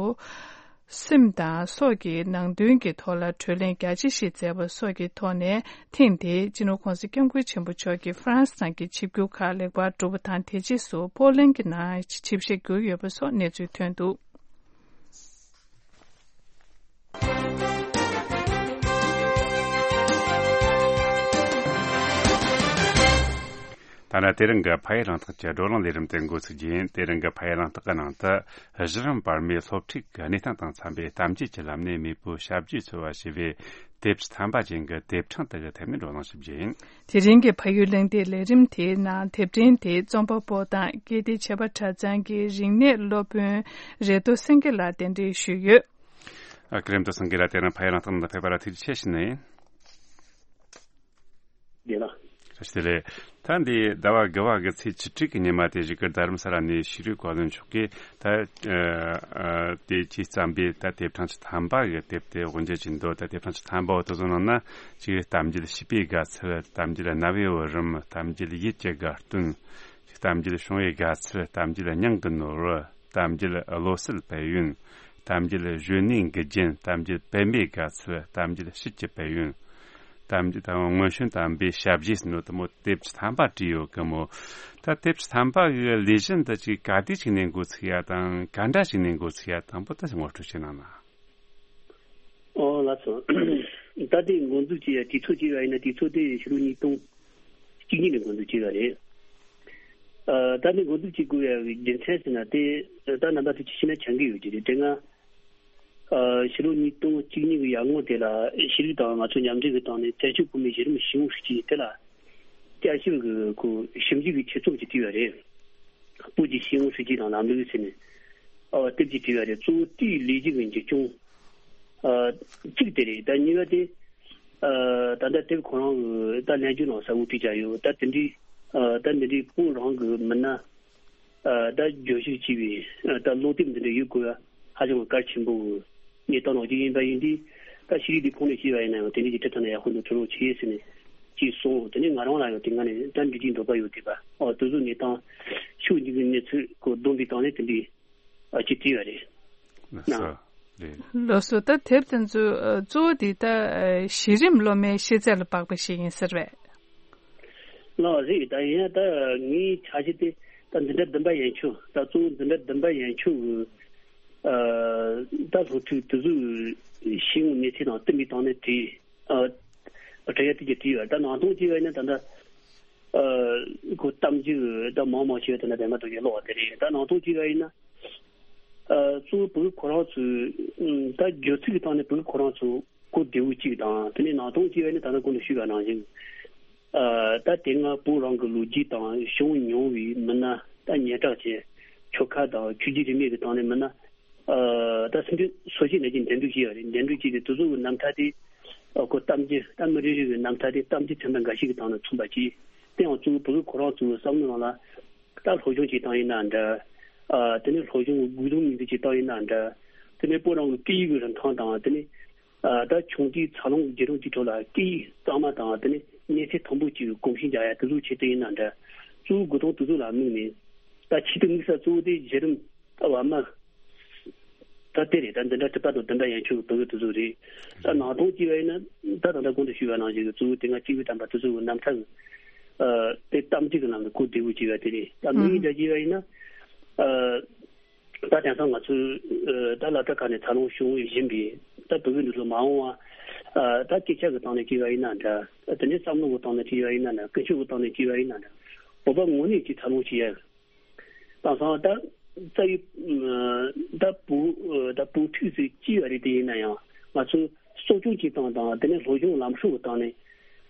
སེམས་དང་སྲོག་གི་ནང་དོན་གྱི་ཐོག་ལ་གྲོས་གླེང་རྒྱ་ཆེ་ཞིག་མཛད་པ་སོགས་ཀྱི་ཐོག་ནས། ཐེངས་འདིའི་སྤྱི་ནོར་༸གོང་ས་༸སྐྱབས་མགོན་ཆེན་པོ་མཆོག་གི་ཧྥ་རན་སི་ནང་གི་ཆིབས་བསྒྱུར་ཁག་ལེགས་པར་གྲུབ་པ་དང་། དེ་རྗེས་སུ་པོ་ལན་གྱི་ནང་ཆིབས་ཞལ་བསྒྱུར་ཡོད་པ་སོགས་གནས་ཚུལ་ཐོན་འདུག། ད་ནི་དེ་རིང་གི་ཕ་ཡུལ་གླེང་སྟེགས་ཀྱི་བགྲོ་གླེང་ལས་རིམ་དེ་འགོ་ཚུགས་རྒྱུ་ཡིན། དེ་རིང་གི་ཕ་ཡུལ་གླེང་སྟེགས་ཀྱི་ནང་དུ། གཞི་རིམ་བར་མའི་སློབ་ཁྲིད་ཀྱི་གནས་སྟངས་དང་འཚམ་པའི་གཏམ་རྒྱུད་ཀྱི་ལམ་ནས་མེས་པོའི་ཞབས་རྗེས་འཚོལ་བ་ཞེས་པའི་དེབ་ཐམ་པ་ཅན་གྱི་དེབ་ཕྲེང་དག་གི་ཐད་ནས་བགྲོ་གླེང་ཞུ་རྒྱུ་ཡིན། དེ་རིང་གི་ཕ་ཡུལ་གླེང་སྟེགས་ལས་རིམ་དེའི་ནང་དེབ་ཕྲེང་དེ་རྩོམ་པ་པོ་དང་ཀིརྟི་བྱེས་པ་གྲྭ་ཚང་གི་རིག་གནས་སློབ་དཔོན་རེ་ཏོ་སེང་གེ་ལགས་གདན་འདྲེན་ཞུས་ཡོད། ཨ། ཀིརྟི་སེང་གེ་ལགས། དེ་རིང་ཕ་ཡུལ་གླེང་སྟེགས་ནང་ཕེབས་པར་ཐུགས་རྗེ་ཆེ་ཞུ་ནི་ཡིན། ཡིན་ལ། བཀྲ་ཤིས་བདེ་ལེགས། ད་འདི་ཟླ་བ་དགུ་པ་གི་ཚེས་བཅུ་དྲུག་གི་ཉི་མ་དེ་བཞུགས་སྒར་རྡ་རམ་ས་ལ་ནས་ཤེས་རིག་བཀའ་བློན་མཆོག་གིས་ད། ཨ། ཨ། དེ་ཁྱེད་བརྩམས་པའི་ད་དེབ་ཕྲེང་བཅུ་ཐམ་པ་གི་དེབ་དེ་དབུ་འབྱེད་བྱས་འདུག། ད་དེབ་ཕྲེང་བཅུ་ཐམ་པ་འོ་དེ་ཚོ་ནང་ན་གཅིག་གཏམ་རྒྱུད་བྱིས་པའི་དགའ་ཚལ། གཏམ་རྒྱུད་རྣ་བའི་བུ་རམ། གཏམ་རྒྱུད་ཡིད་ཀྱི་དགའ་སྟོན། གཏམ་རྒྱུད་བྱུང་བའི་དགའ་ཚལ། གཏམ་རྒྱུད་སྙིང་གི་ནོར་བུ། གཏམ་རྒྱུད་བློ་གསལ་དཔལ་ཡོན། གཏམ་རྒྱུད་གཞོན་ནུའི་མགུལ་རྒྱན། གཏམ་རྒྱུད་པད་མའི་དགའ་ཚལ། གཏམ་རྒྱུད་ཕྱིར་གྱི་དཔལ་ཡོན། གཏམ་རྒྱུད་དང་སྔོན་བྱོན་དམ་པའི་ཞབས་རྗེས་ཟེར་ནོ་དེ་མོ་དེབ་བཅུ་ཐམ་པ་བྲིས་ཡོད་གི་མོ། ད་དེབ་བཅུ་ཐམ་པ་གི་ལས་གཞི་འདི་ཅིག་ག་དུས་ཅིག་ནས་འགོ་ཚུགས་ཡ་དང་ག་འདྲ་ཞིག་ནས་འགོ་ཚུགས་ཡ། དང་པོ་ད་ངོ་སྤྲོད་བྱེད་གནང་ན། ཨོ་ལགས་སོ། ད་དེ་འགོ་འཛུགས་བྱས་ཡ་དུས་ཚོད་ཅིག་ཡ་ཡིན་ན། དུས་ཚོད་དེ་ཕྱི་ལོ་ཉིས་སྟོང་གཅིག་གཉིས་ནས་འགོ་འཛུགས་བྱས་ཡ་རེད། ཨ། ད་དེ་འགོ་འཛུགས་བྱེད་དགོས་ཡ་གི་རྒྱུ་མཚན་ཟེར་ན། དེ་ད་རྣམ་པ་ཚོས་ཅིག་ཤེས་ན་ཆ་གི་ཡོད་ཀྱི་རེད། དེ་སྔ། ཨ། ཕྱི་ལོ་ཉིས་སྟོང་གཅིག་གཉིས་ཀྱི་ཡར་སྔོན་དེ་ལ་ཤེས་རིག་དང་ང་ཚོ་མཉམ་འབྲེལ་གྱི་སྟེང་ནས་བཙན་བྱོལ་བོད་མིའི་གཞི་རིམ་ཤེས་ཡོན་སྲིད་སྤྱི་དེ་ལ་བསྐྱར་ཞིབ་ཀྱི་ཁོ་ཞིབ་འཇུག་གི་ཆེད་རྩོམ་ཅིག་བྲིས་པ་རེད། བོད་ཀྱི་ཤེས་ཡོན་སྲིད་སྤྱི་དང་ལམ་ལུགས་ཟེར་ནས། ཨ། དེབ་ཅིག་བྲིས་པ་རེད། གཙོ་བོ་དེའི་ལས་གཞི་གི་འཛིན་སྐྱོང་། ཨ། གཅིག་དེ་རེད། ད་གཉིས་པ་དེ། ཨ། ད་ལྟ་དེབ་ཁོ་རང་གི་ད་ལྷན་རྒྱས་ནང་གསལ་བོ་བྲིས་བཞག་ཡོད། ད་དེ་འདྲའི། ཨ། ད་འདི་འདྲའི་བོད་རང་གི་མི་སྣ། ཨ། ད་བརྗོད་གཞིར་བྱས་པའི། ཨ། ད་ཀློག་དེབ་འདི་འདྲ་ཡོད་དགོས་པ་ཧ་ཅང་གལ་ཆེན་པོ་གནས་སྟངས་ནང་ཅིག་ཡིན་པ་ཡིན་དུས། ད་ཤེས་རིག་དེ་ཁོངས་ནས་བཤད་པ་ཡིན་ན་ཡང་དེ་འདྲའི་ཅིག་ཁྲིད་ཐུབ་ན་ཡག་པོ་འདུག། ཐུགས་རྗེ་ཆེ་ཟེར་ནས་ཅིག་གསུངས། དེ་ནས་ང་རང་ལ་ཡང་དེ་སྔ་ནས་ད་འབྲི་རྒྱུའི་འདོད་པ་ཡོད་དེ་པ། ཨོ། དེ་ཚོ་གནས་སྟངས་ཤོད་འཇུག་གི་གནས་ཚུལ་གོ་བསྡོམས་པའི་སྟེང་ནས་དེ་འདྲའི། ཨ། ཅིག་བྲིས་པ་རེད། ལགས་སོ། རེད། ལགས་སོ། ད་དེབ་དེ་ཚོ་ཨ་གཙོ་བོ་དེ་ད་ཨ་གཞི་རིམ་སློབ་མའི་ཤེས་ཚད་ལ་དཔག་པ་ཞིག་ཡིན་ཟེར་བས། ལགས་རེད། ད་ཡིན་ཡང་ད་ངའི་འཆར་གཞི་དེ་ད་འཛིན་གྲྭ་བདུན་པ་ཡན་ཆོད། ད་གཙོ་བོ་འཛིན་གྲྭ་བདུན་པ་ཡན་ཆོད་གི་ཨ་ད་སློབ་ཕྲུག་དེ་ཚོའི་ཤེས་ཡོན་གནས་ཚད་དང་བསྟུན་པའི་སྟེང་ནས་བྲིས། ཨ་བྲིས་ཡ་དེ་གྱད་བྲིས་ཡོད། ད་ནང་དོན་བྱས་པ་ཡིན་ན་ད་ལྟ་ཨ་ཁོ་གཏམ་རྒྱུད་ད་མང་མང་ཞིག་ཡོད། དེ་ན་པད་མ་རྡོ་རྗེ་ཀློག་པ་དེ་རེད། ད་ནང་དོན་བྱས་པ་ཡིན་ན་ཨ་གཙོ་བོ་བོད་ཁོ་རང་ཚོའི་ཨ་ད་སྦྱོར་ཚིག་གི་སྟེང་ནས་བོད་ཁོ་རང་ཚོ་གོ་བདེ་བོ་གཅིག་དང་། དེ་ནས་ནང་དོན་བྱས་པ་ཡིན་ན་ད་ལྟ་གོང་དུ་ཞུས་པ་ནང་བཞིན་ཨ་ད་དེ་སྔ་བོད་རང་གི་ལོ་རྒྱུས་དང་བྱུང་མྱོང་བའི་མི་སྣ། ད་སྙན་གྲགས་ཅན་ཆོལ་ཁ་དང་ཆོས་བརྒྱུད་རིས་མེད་ཀྱི་སྟེང་ནས་མི་སྣ། ཨ་ད་སེམས་ཅན་སོ་སྐྱེ་ནང་བཞིན་འདྲེན་སྒྲིག་བྱས་པ་རེད། འདྲེན་སྒྲིག་བྱས་ཏེ་དེ་ཚོ་གི་རྣམ་ཐར་དེ་ཨ་ཁོ་གཏམ་རྒྱུད། ད་མི་རེ་རེ་གི་རྣམ་ཐར་དེ་གཏམ་རྒྱུད་ཚན་པ་འགའ་ཞིག་གི་སྟེང་ནས་མཚོན་པ་བྱས། དེ་ཡང་གཙོ་བོ་བོད་ཁོ་རང་ཚོའི་བསམ་བློ་ནང་ལ་ད་སློབ་སྦྱོང་བྱེད་སྟངས་ཡིན་ན་འདྲ། ཨ་དེ་ནས་སློབ་སྦྱོང་གི་དགོས་དོན་ངོས་འཛིན་བྱེད་སྟངས་ཡིན་ན་འདྲ། དེ་ནས་བོད་རང་གི་སྐད་ཡིག་གི་རིན་ཐང་དང་། དེ་ནས་ཨ་ད་ཆུང་དུས་འཚར་ལོངས་རྒྱུན་རིང་གི་ཁྲོད་ལ་སྐད་ཡིག་གཙང་མ་དང་། དེ་ནས་གནས་ཚད་མཐོན་པོ་ཅིག་གོམས་གཤིས་འཇགས་ཡ་དེ་ཚོ་ཆེད་དུ་ཡིན་ན་འདྲ། གཙོ་བོ་དགོས་དོན་དེ་ཚོ་ལ་དམིགས་ནས། ད་ཆེད་དུ་དམིགས་ས་གཙོ་བོ་དེ་གཞི་རིམ་ད་བར་མ་ད་དེ་རེད། ད་འཛིན་གྲྭ་དྲུག་པ་དང་བདུན་པ་ཡན་ཆོད་ཀྱི་བོད་ཡིག་དེ་ཚོ་རེད། ད་ནང་དོན་བྱས་པ་ཡིན་ན་ད་ད་ལྟ་གོང་དུ་ཞུས་པ་ནང་བཞིན་གྱི་གཙོ་བོ་དེ་སྔ་སྐྱེས་བུ་དམ་པ་དེ་ཚོ་གི་རྣམ་ཐར་གྱི་ཨ་དེ་གཏམ་རྒྱུད་ཀྱི་ནང་གི་གོ་བདེ་བོ་བྱས་པ་དེ་རེད། ད་དམིགས་ཡུལ་འདྲ་བྱས་པ་ཡིན་ན་ཨ་ད་དེང་སང་ང་ཚོའི་ཨ་ད་སློབ་གྲྭ་ཁག་ནས་འཚར་ལོངས་བྱུང་བཞིན་པའི་ད་བོད་ཡིག་འདི་ཚོ་མ་འོངས་པ་ཨ་ད་སྐད་ཆ་གི་སྟེང་ནས་བྱས་པ་ཡིན་ན་འདྲ། དེ་ནས་བསམ་བློ་གི་སྟེང་ནས་བྱས་པ་ཡིན་ན་འདྲ། ཀུན་སྤྱོད་ཀྱི་སྟེང་ནས་བྱས་པ་ཡིན་ན་འདྲ། བོད་པ་ངོས་ནས་ཅིག་འཚར་ལོངས་བྱས་ཡ། དེང་སང་ད་རྩ་བའི་ད་བོད་ད་བོད་ཕྲུག་ཚོས་ཅི་ཡོད་རེད། དེ་ཡིན་ན་ཡང་ང་ཚོ་གསོ་སྐྱོང་བྱེད་སྟངས་དང་། དེ་ནས་སློབ་སྦྱོང་ལམ་སྲོལ་གྱི་སྟེང་ནས་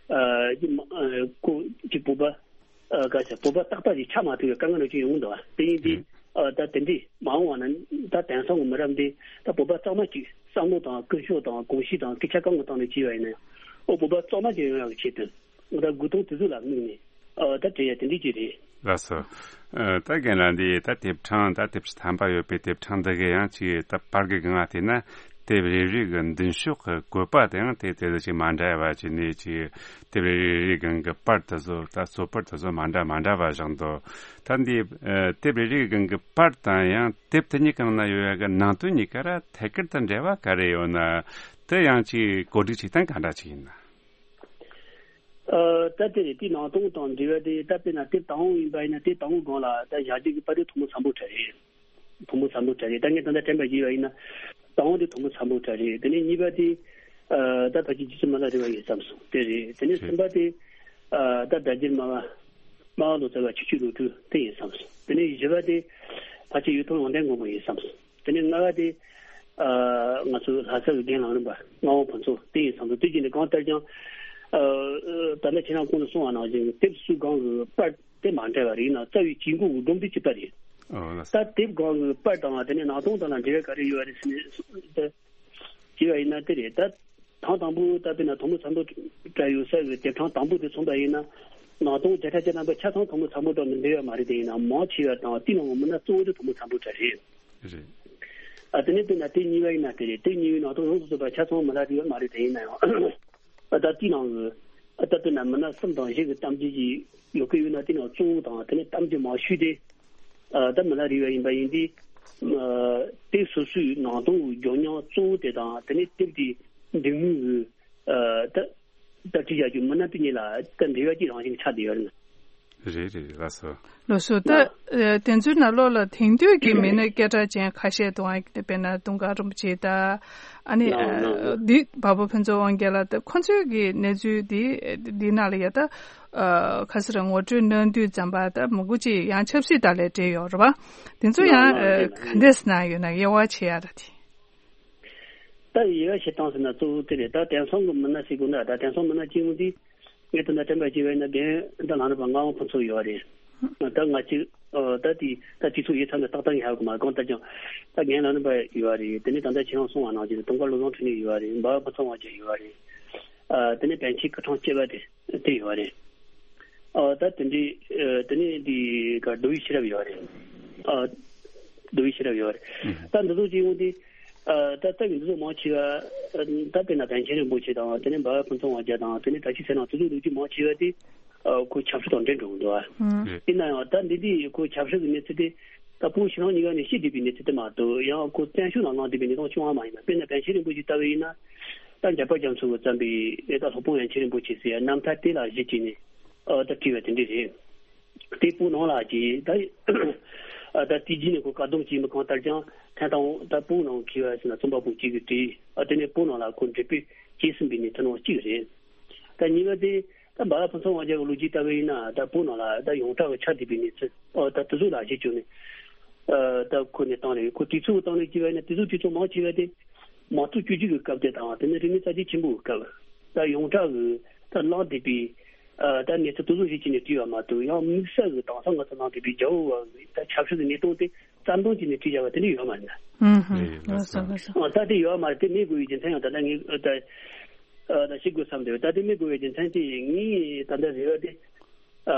ཨ་ཅི་མ་ཨ་ཁོ་ཅི་བོད་པ་ཨ་ག་ཚད་བོད་པ་རྟག་པ་ཞིག་ཆགས་མ་ཐུབ་པའི་དཀའ་ངལ་ཅིག་ཡོང་གི་འདུག་པ། དེ་ཡིན་དུས་ཨ་ད་དེ་འདྲའི་མ་འོངས་པ་ན་ད་དེང་སང་གི་མི་རབས་འདི་ད་བོད་པ་གཙང་མ་ཅིག་བསམ་བློ་དང་ཀུན་སྤྱོད་དང་གོམས་གཤིས་དང་སྐད་ཆ་གང་གི་སྟེང་ནས་བྱས་པ་ཡིན་ན་ཡང་། ཨོ་བོད་པ་གཙང་མ་ཅིག་ཡོང་ཡག་གི་ཆེད་དུ། ད་དགོས་དོན་དེ་ཚོ་ལ་དམིགས་ནས་ཨ་ད་བྲིས་ཡ་དེ་འདྲ་ཅིག་རེད། ལགས་སོ། ཨ་ད་རྒན་ལགས་འདི་ད་དེབ་གྲངས་ད་དེབ་ཕྲེང་ཐམ་པ་ཡོད་པའི་དེབ་གྲངས་འདི་གི་ཡང་ཅིག་ད་པར་གི་སྒང་ང་བལྟས་ན་དེབ་རེ་རེ་གི་མདུན་ཤོག་གི་བཀོད་པ་དེའང་དེ་དེ་ལ་ཅིག་མ་འདྲ་བ་ཅིག་ནས། ཅིག་དེབ་རེ་རེ་སྒང་གི་པར་དེ་ཚོ་ད་གཙོ་པར་དེ་ཚོ་མ་འདྲ་མ་འདྲ་བ་བཞག་འདུག། ད་འདི་ཨ་དེབ་རེ་རེ་སྒང་གི་པར་དང་ཡང་དེབ་དེ་གཉིས་ཀྱི་ནང་ན་ཡོད་ཡ་གི་ནང་དོན་གཉིས་ཀ་ར་ཐད་ཀར་དུ་འབྲེལ་བ་ག་རེ་ཡོད་ན། དེ་ཡང་ཅིག་གོ་སྒྲིག་བྱེད་སྟངས་ག་འདྲ་ཅིག་ཡིན་ན། ཨ་ད་དེ་རེད། དེ་ནང་དོན་དང་འབྲེལ་བ་དེ་ད་དཔེར་ན་དེབ་དང་པོ་ཡིན་པ་ཡིན་ན་དེབ་དང་པོའི་སྒང་ལ་ད་ཞབས་རྗེས་ཀྱི་པར་དེ་ཐོག་མ་ཚང་པོ་གྲས་རེད། ཐོག་མ་ཚང་པོ་གྲས་རེད། ད་ངས་ད་ལྟ་དྲན་པ་བརྗེད་པ་ཡིན་ན་དང་པོ་དེ་ཐོག་མ་ཚང་པོ་གྲས་རེད། དེ་ནས་གཉིས་པ་དེ་ཨ་ད་ཕལ་ཆེར་རྗེ་བཙུན་མི་ལ་རས་པ་ཡིན་བསམ་སོང་། དེ་རེད། དེ་ནས་གསུམ་པ་དེ་ཨ་ད་སྒྲ་སྒྱུར་སྨྲ་བ་སྨྲ་བ་ལོ་ཙཱ་བ་ཆོས་སྐྱོང་ལོ་དྲུག་དེ་ཡིན་བསམ་སོང་། དེ་ནས་བཞི་པ་དེ་ཕལ་ཆེར་གཡུ་ཐོག་ལུང་བསྟན་མགོན་པོ་ཡིན་བསམ་སོང་། དེ་ནས་ལྔ་པ་དེ་ཨ་ང་ཚོའི་ལྷ་ས་གི་རྒན་ལམ་རིམ་པ་ངག་དབང་ཕུན་ཚོགས་དེ་ཡིན་བསམ་སོང་། དེ་བཞིན་དུ་གང་ལྟར་ཀྱང་ཨ་ད་ལྟ་ཁྱེད་རང་གོང་དུ་གསུངས་པ་ནང་བཞིན་དེབ་སུ་སྒང་གི་པར་དེ་མ་འདྲ་བ་རེད། ཡིན་ནའང་རྩ་བའི་དཀྱིལ་འཁོར་གྱི་སྒྲོམ་དེ་གཅིག་པ་རེད། ཨོ་ལགས་སོ། ད་དེབ་སྒང་གི་པར་དང་དེ་ནས་ནང་དོན་དང་ལ་འབྲེལ་བ་ག་རེ་ཡོད་རེད་ཟེར་ནས་ད་བྱས་པ་ཡིན་ན་དེ་རེད། ད་དང་དང་པོ་ད་དཔེར་ན་ཐོག་མ་ཚང་པོ་གྲས་ཡོད་ས་གི་དེབ་གྲངས་དང་པོ་དེ་མཚོན་པ་ཡིན་ན་ནང་དོན་བརྒྱ་ཆ་བརྒྱ་ཐམ་པ་ཆ་ཚང་ཐོག་མ་ཚང་པོ་དང་མི་འབྲེལ་བ་མ་རེད། དེ་ཡིན་ན་མང་ཆེ་བ་དང་དེའི་ནང་གི་མི་སྣ་གཙོ་བོ་དེ་ཐོག་མ་ཚང་པོ་གྲས་རེད། རེད། ཨ་དེ་ནས་དཔེར་ན་དེ་གཉིས་པ་ཡིན་ན་དེ་རེད། དེ་གཉིས་པའི་ནང་དོན་ཡོངས་སུ་རྫོགས་པ་ཆ་ཚང་མི་སྣ་དེ་ཡོད་མ་རེད། དེ་ཡིན་ན་ཡང་། ཨ་ད་དེའི་ནང་གི་ཨ་ད་དཔེར་ན་མི་སྣ་གསུམ་དང་བཞི་གི་གཏམ་རྒྱུད་ཅིག་ཡོད་ཀྱི་ཡོད་ན་དེའི་ནང་གཙོ་བོ་དང་དེ་ནས་གཏམ་རྒྱུད་མང་ཤོས་དེ་ཨ་ད་མི་ལ་རས་པ་ཡིན་པ་ཡིན་དུས། ཨ་དེབ་སོ་སོའི་ནང་དོན་གྱི་ལྗོན་མཉམ་གཙོ་བོ་དེ་དང་དེ་ནས་དེབ་དེ་འབྲི་མཁན་གྱི་ཨ་ད་ད་བྲིས་བཞག་རྒྱུ་མི་སྣ་དེ་གཉིས་ལ་ད་འབྲེལ་བ་ཅིག་རང་བཞིན་ཆགས་བསྡད་ཡོད་རེད། རེད་རེད་རེད། ལགས་སོ། ལགས་སོ། ད་ལགས། ཨ་དེ་ཚོའི་ནང་ལོགས་ལ་དེང་དུས་ཀྱི་མི་སྣ་སྐད་གྲགས་ཅན་ཁ་ཤས་འདུག་ཨ། དཔེར་ན་དུང་དཀར་རིན་པོ་ཆེ་དང་། ཨ་ནི་ལགས་ལགས། ཨ་འདི་འཕགས་པ་ཕུན་ཚོགས་དབང་རྒྱལ་ལགས། ད་ཁོ་ཚོའི་གི་གནས་ཚུལ་འདི་འདི་ནང་ལ་ཡ་ད་ཨ་ཁ་སང་ར་ངོ་སྤྲོད་གནང་དུས་ཙམ་པ་ད་མང་པོ་ཅིག་ཡང་ཆབ་སྲིད་དང་ལས་འབྲེལ་ཡོད་རེད་པ། དེ་ཚོ་ལགས་ཡང་ལགས། ཨ་དེ་ག་འདྲས་ན་ཡོད་ན་དབྱེ་བ་ཕྱེ་ཡ་ར་དེ། ད་དབྱེ་བ་ཕྱེ་སྟངས་ཟེར་ན་གཙོ་བོ་དེ་རེད། ད་དེང་སང་གི་མི་སྣ་ཟེར་དགོས་ན་ད་དེང་སང་མི་སྣ་སྐྱེ་བོ་འདི་ངས་ད་ལྟ་དྲན་པ་བརྗེད་པ་ཡིན་ན་རྒན་ད་ལམ་རིམ་པ་ངག་དབང་ཕུན་ཚོགས་ཡོད་རེད། ད་ང་གཅིག་ཨ་ད་དེ་ད་དུས་ཚོད་ཡོད་ཚད་ལ་ཏག་ཏག་ངས་ཧ་གོ་མ་གང་ལྟར་ཀྱང་ད་རྒན་ལམ་རིམ་པ་ཡོད་རེད། དེ་ནས་ད་ལྟ་ཁྱེད་རང་གསུངས་པ་ནང་བཞིན་དུང་དཀར་བློ་བཟང་འཕྲིན་ལས་ཡོད་རེད། འཕགས་པ་ཕུན་ཚོགས་དབང་རྒྱལ་ཡོད་རེད། ཨ་དེ་ནས་པཎ་ཆེན་སྐུ་ཕྲེང་བཅུ་པ་དེ་དེ་ཡོད་རེད། ཨ་ད་དེ་འདྲའི་ཨ་དེ་ནས་འདི་ག་མདོ་དབུས་ཤེས་རབ་ཡོད་རེད། ཨ་མདོ་དབུས་ཤེས་རབ་ཡོད་རེད། ཨུ། ད་འདི་ཚོ་ཅིག་ཡོང་དུས་ཨ་ད་ལྟ་བའི་འདི་ཚོ་མང་ཆེ་བ་ཨ་ད་དཔེར་ན་པཎ་ཆེན་རིན་པོ་ཆེ་དང་དེ་ནས་འཕགས་པ་ཕུན་ཚོགས་དབང་རྒྱལ་དང་དེ་ནས་བཀྲ་ཤིས་ཚེ་རིང་དེ་ཚོ་ལོ་རྒྱུས་མང་ཆེ་བ་དེ་ཨ་ཁོ་ཆབ་སྲིད་དང་འབྲེལ་འགྲོ་གི་འདུག་ཨ། ཨུ། ཡིན་ན་ཡང་ད་འདི་འདི་ཁོ་ཆབ་སྲིད་ཀྱི་གནས་ཚུལ་དེ། ད་བོད་ཕྱི་ནང་གཉིས་ཀ་ནས་ཤི་བསྡད་པའི་གནས་ཚུལ་དེ་མ་གཏོགས། ཡང་ཁོ་བཙན་བྱོལ་ནང་ལངས་བསྡད་པའི་གནས་སྟངས་བྱུང་བ་མ་ཡིན་པ། དཔེར་ན་པཎ་ཆེན་རིན་པོ་ཆེ་ལྟ་བུ་ཡིན་ན། ད་འཇམ་དཔལ་རྒྱ་མཚོ་གིས་བརྩམས་པའི་ད་སློབ་དཔོན་པཎ་ཆེན་རིན་པོ་ཆེ་ཟེར་ཡ་རྣམ་ཐར་དེ་ལ་གཞི་བྱས་ནས་ཨ་ད་བྲིས་པ་དེ་འདྲ་རེད། དེ་བོད་ནང་ལ་གྱིས་ད་ཨ་ད་དེ་རྗེས་ནས་ཁོ་བཀག་སྡོམ་བྱས་མི་གང་ལྟར་ཀྱང་ཐེངས་དང་པོ་ད་བོད་ནང་གི་བ་ཟེར་ན་རྩོམ་པ་པོ་གཅིག་གིས་བྲིས། ཨ་དེ་ནས་བོད་ནང་ལ་ཁོ་འགྲེམས་སྤེལ་བྱས་ཟིན་པའི་གནས་ཚུལ་ནང་གཅིག་རེད། ད་གཉིས་པ་དེ། ད་འབའ་ལ་ཕུན་ཚོགས་དབང་རྒྱལ་གྱི་ལོ་རྒྱུས་ལྟ་བུ་ཡིན་ན། ད་བོད་ནང་ལ་ད་ཡོངས་གྲགས་ཀྱི་ཆགས་བསྡད་པའི་གནས་ཚུལ། ཨོ་ད་དེ་ཚོ་ལ་གཞི་བཅོལ་ནས་ཨ་ད་ཁོ་ནས་བཏང་ནས། ཁོ་དུས་ཚོད་བཏང་ནས་བྱས་པ་ཡིན་ན། དུས་ཚོད་དུས་ཚོད་མང་ཆེ་བ་དེ་མང་གཙོ་བཅོས་བསྒྱུར་གྱི་སྐབས་དེ་དང་། དེ་ནས་རིག་གནས་གསར་བརྗེ་ཆེན་པོའི་སྐབས། ད་ཡོངས་གྲགས་ཀྱི་ད་བླངས་བསྡད་པའི་ཨ་ད་གནས་ཚུལ་དེ་ཚོ་གཞི་བྱས་ནས་བྲིས་པ་མ་གཏོགས། ཡང་དམིགས་བསལ་གྱི་དེང་སང་ང་ཚོ་ནང་བསྡད་པའི་རྒྱལ་བོ་བ་གི་ད་ཆབ་སྲིད་ཀྱི་གནས་སྟངས་དེ་རྩ་འདོན་བྱས་ནས་བྲིས་བཞག་པ་དེ་འདྲ་ཡོད་མ་རེད་ན། ཨུམ་ཧུམ། ལགས་སོ་ལགས་སོ། ཨ་ད་དེ་ཡོད་མ་རེད། དེ་མེད་དགོས་པའི་རྒྱུ་མཚན་ཡང་ད་ལྟ་ངས་ད་ཨ་ད་ཤེས་དགོས་བསམ་འདུག་ད་དེ་མེད་དགོས་པའི་རྒྱུ་མཚན་དེ་ངས་ད་ལྟ་རེ་བ་དེ། ཨ་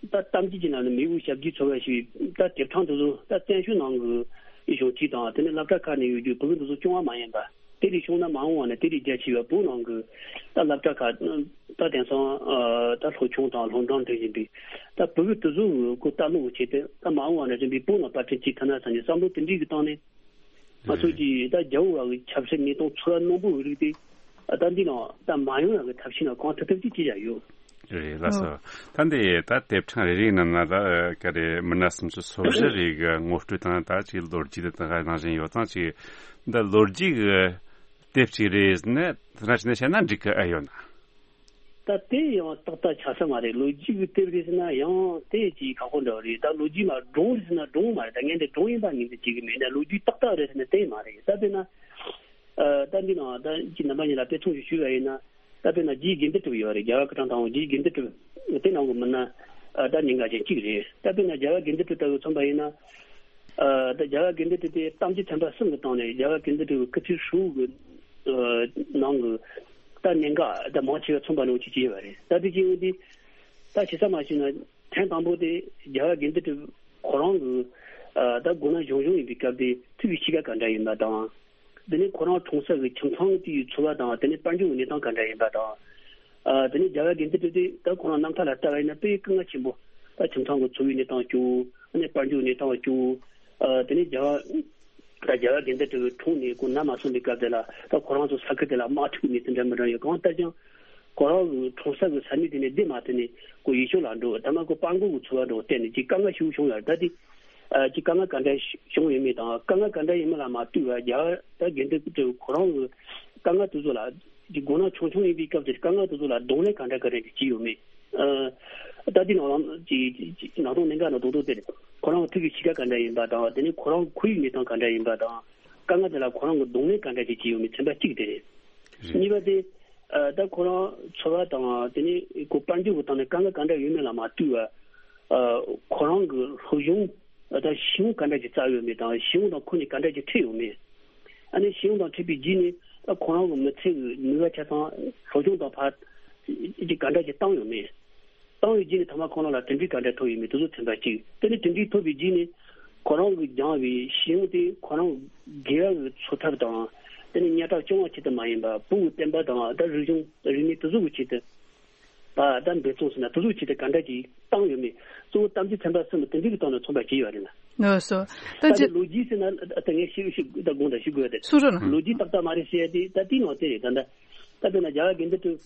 ད་གཏམ་རྒྱུད་ཀྱི་ནང་ནས་མེས་པོ་ཞབས་ཀྱུའི་ཚོ་བ་ཞེས་ད་དེབ་ཕྲེང་དེ་ཚོ་ད་བཙན་བྱོལ་ནང་གི་གཞུང་ཆེན་དང་། དེ་ནས་སློབ་གྲྭ་ཁག་ནས་ཡོད་རྒྱུ་བོད་ཀྱི་དེ་ཚོ་སྐྱོང་བ་མ་ཡིན་པ། དེ་ལས་བྱུང་ན་མ་འོངས་བ་ནས་དེ་ལས་རྒྱ་ཆེ་བའི་བོད་ནང་གི་ད་སློབ་གྲྭ་ཁག་ད་དེང་སང་ཨ་ད་སློབ་ཆུང་དང་སློབ་འབྲིང་འདྲ་ཡིན་པའི་ད་བོད་ཀྱི་དེ་ཚོ་གི་ལྟ་ཀློག་གི་ཆེད་དུ། ད་མ་འོངས་བ་ནས་རིམ་པས་བོད་ནང་པར་སྐྲུན་བྱེད་ཐུབ་ན་བསམ་ནས་བསམ་བློ་དེ་འདྲའི་གི་བཏང་ནས། ང་ཚོ་གིས་ད་རྒྱལ་བོ་བ་གི་ཆབ་སྲིད་གནས་སྟངས་འཚོ་བ་རྣོན་པོ་གི་རིགས་དེ་ད་འདི་ནང་ད་མ་ཡོང་ཡག་གི་ཐབས་ཤེས་ནང་གང་ཐུབ་ཐུབ་ཅིག་བྱེད་ཡ་ཡོད། རེད་ལགས་སོ། ད་འདི་ད་དེབ་ཕྲེང་རེ་རེའི་ནང་ན་ད་ག་རེ་མི་སྣ་སུམ་ཅུ་སོ་བཞི་རེ་གི་ངོ་སྤྲོད་དང་། ད་ཅིག་ལོ་རྒྱུས་དེ་དང་ནང་བཞིན་ཡོད་ཙང་ཅིག་འདི་ལོ་རྒྱུས་གི་དེབ་ཅིག་རེད་ཟེར་ནས་དེ་འདྲ་བྱས་ནས་བཤད་ན་འགྲིག་གི་ཨེ་ཡོད་ན། ད་དེ་ཡང་ཏག་ཏག་ཆགས་ས་མ་རེད། ལོ་རྒྱུས་ཀྱི་དེབ་རེད་ཟེར་ན་ཡང་དེ་ཅིག་ཁག་པོ་འདྲ་བོ་རེད། ད་ལོ་རྒྱུས་མ་སྒྲུང་རེད་ཟེར་ན་སྒྲུང་མ་རེད། ད་ངས་འདི་སྒྲུང་ཡིན་པ་ངོས་འཛིན་བྱེད་ཀྱི་མེད། ད་ལོ་རྒྱུས་ཏག་ཏག་རེད་ཟེར་ན་དེ་མ་རེད། ད་དཔེར་ན་ཨ་ད་འདི་ནང་ད་ཅིག་རྣམ་པ་གཉིས་ལ་དཔེ་མཚོན་ཞིག་ཞུས་པ་ཡིན་ན། ད་དཔེར་ན་རྗེ་དགེ་འདུན་གྲུབ་ཡོད་རེད། རྒྱལ་བ་སྐུ་ཕྲེང་དང་པོ་རྗེ་དགེ་འདུན་གྲུབ། དེ་ནང་གི་མི་སྣ་ཨ་ད་གནད་འགག་ཅན་གཅིག་རེད། ད་དཔེར་ན་རྒྱལ་བ་དགེ་འདུན་གྲུབ་ལྟ་བུ་མཚོན་པ་ཡིན་ན། ཨ་ད་རྒྱལ་བ་དགེ་འདུན་གྲུབ་དེ་གཏམ་རྒྱུད་ཚན་པ་གསུམ་གྱི་སྟེང་ནས་རྒྱལ་བ་དགེ་འདུན་གྲུབ་ཀྱི་སྐུ་ཚེ་ཧྲིལ་པོའི་ཨ་ནང་གི་ད་གནད་འགག་ད་མང་ཆེ་བ་མཚོན་པ་ནང་གཅིག་ཅིག་ཡོད་པ་རེད། ད་དེ་ཅིག་ཡིན་དུས་ད་ཇི་ཙམ་མ་ཞིག་ན་ཐེངས་དང་པོ་དེ་རྒྱལ་བ་དགེ་འདུན་གྲུབ་ཁོ་རང་གི་ཨ་ད་མགོ་ན་གཞོན་གཞོན་ཡིན་པའི་སྐབས་དེ་ཐུགས་ཀྱི་གཤིས་ཀ་ག་འདྲ་ཡིན་པ་དང་། དེ་ནས་ཁོ་རང་འཁྲུངས་ས་གི་ཁྱིམ་ཚང་དེའི་འཚོ་བ་དང་། དེ་ནས་དཔལ་འབྱོར་གྱི་གནས་སྟངས་ག་འདྲ་ཡིན་པ་དང་། ཨ་དེ་ནས་རྒྱལ་བ་དགེ་འདུན་གྲུབ་དེ་ད་ཁོ་རང་རྣམ་ཐར་ལ་ལྟ་བ་ཡིན་ན་དཔེ་སྐུ་ངལ་ཆེན་པོ། ད་ཁྱིམ་ཚང་གི་འཚོ་བའི་གནས་སྟངས་སྐྱོ་བོ། ཨ་ནི་དཔལ་འབྱོར་གནས་སྟངས་སྐྱོ་བོ། ཨ་དེ་ནས་རྒྱལ་བ་ད་རྒྱལ་བ་དགེ་འདུན་གྲུབ་འཁྲུངས་ནས་ཁོ་ན་མ་སོན་པའི་སྐབས་དེ་ལ་ད་ཁོ་རང་ཚོ་ས་ཁུལ་དེ་ལ་དམག་འཁྲུག་གི་གནས་ཚུལ་འདྲ་མི་འདྲ་ཡོད། གང་ལྟར་ཀྱང་ཁོ་རང་གི་འཁྲུངས་ས་གི་ས་གནས་དེ་ནས་བསྡད་མ་ཐུབ་ནས་ཁོ་ཡུལ་ཕྱོགས་ལ་འགྲོ། ད་མ་ཁོ་སྤྲང་པོ་གི་འཚོ་བ་འགྲོ་བརྟེན་ནས་ཅིག་དཀའ་ངལ་ཞེ་པོ་བྱུང་ཡོད་རེད། ད་དེ་ཨ་ཅིག་དཀའ་ངལ་ག་འདྲ་བྱུང་ཡོད་མེད་དང་། དཀའ་ངལ་ག་འདྲ་ཡིན་མིན་ལ་མ་ལྟོས་པར་རྒྱལ་བ་ད་དགེ་འདུན་གྲུབ་ཁོ་རང་གི་དཀའ་ངལ་དེ་ཚོ་ལ་ཅིག་མགོ་ན་ཆུང་ཆུང་ཡིན་པའི་སྐབས་དེར་དཀའ་ངལ་དེ་ཚོ་ལ་གདོང་ལེན་ག་འདྲ་ག་འདྲ་ཅིག་བྱས་ཡོད་མེད། ཨ་ད་དེ་ནང་ལ་ཅིག་ཅིག་ནང་དོན་གནད་འགག་ནང་དོན་དེ་རེད། ཁོ་རང་ཐུགས་ཀྱི་གཤིས་ཀ་ག་འདྲ་ཡིན་པ་དང་། དེ་ནས་ཁོ་རང་ཁོར་ཡུག་གནས་སྟངས་ག་འདྲ་ཡིན་པ་དང་། དཀའ་ངལ་དེ་ལ་ཁོ་རང་གི་གདོང་ལེན་ག་འདྲ་ཅིག་བྱས་ཡོད་མེད་ཚན་པ་གཅིག་དེ་རེད། རེད། གཉིས་པ་དེ་ཨ་ད་ཁོ་རང་འཚོ་བ་དང་། དེ་ནས་ཁོ་དཔལ་འབྱོར་གྱི་སྟེང་ནས་དཀའ་ངལ་ག་འདྲ་ཡོད་མེད་ལ་མ་ལྟོས་པར། ཨ་ཁོ་རང་གི་སློབ་སྦྱོང་ད་ཞི་བོ་ག་འདྲ་ཅིག་བསགས་ཡོད་མེད་དང་། ཞི་བོ་དང་ཁོ་གཉིས་ག་འདྲ་ཅིག་འཕྲད་ཡོད་མེད། ཨ་ནི་ཞི་བོ་དང་འཕྲད་པའི་རྗེས་ནས་ཨ་ཁོ་རང་གི་མི་ཚེ་གི་ནུས་པ་ཆ་ཚང་སློབ་སྦྱོང་དང་ཕར་ཅིག་ག་འདྲ་ཅིག་བཏང་ཡོད་མེད། བཏང་བའི་རྗེས་ནས་ཐ་མ་ཁོ་རང་ལ་དོན་འགྲུབ་ག་འདྲ་ཐོབ་ཡོད་མེད། དེ་ཚོ་ཚན་པ་གཅིག་དེ་ནས་དོན་འགྲུབ་ཐོབ་པའི་རྗེས་ནས་ཁོ་རང་གིས་སྦྱངས་པའི་ཞི་བོ་དེ་ཁོ་རང་དགེ་བ་གི་འཚོ་ཐབས་དང་། དེ་ནས་སྙན་གྲགས་སྐྱོང་བ་ཆེད་དུ་མ་ཡིན་པར་བོད་ཀྱི་བསྟན་པ་དང་ད་རིག་གཞུང་རིག་གནས་དེ་ཚོ་གི་ཆེད་དུ་ད་ད་འབད་བརྩོན་ཟེར་ན་དེ་ཚོ་ཆེད་དུ་ག་འདྲ་ཅིག་བཏང་ཡོད་མེད། གཙོ་བོ་གཏམ་རྒྱུད་ཚན་པ་གསུམ་དེ་འདྲ་གི་སྟེང་ནས་མཚོན་པ་བྱས་ཡོད་རེད་ན། ལགས་སོ། ད་ད་ཅི་དེ་ལོ་རྒྱུས་ཟེར་ན་ད་ངས་ཤེས་ཤེས་ད་དགོངས་དག་ཞུ་དགོས་ཏེ། སུ་རེད་ན། ལོ་རྒྱུས་ཏག་ཏག་མ་རེད་ཟེར་ཡ་དེ་ད་དེའི་ནང་དེ་རེད། ད་ད་ད་དཔེར་ན་རྒྱལ་བ་དགེ་འདུན་གྲུབ་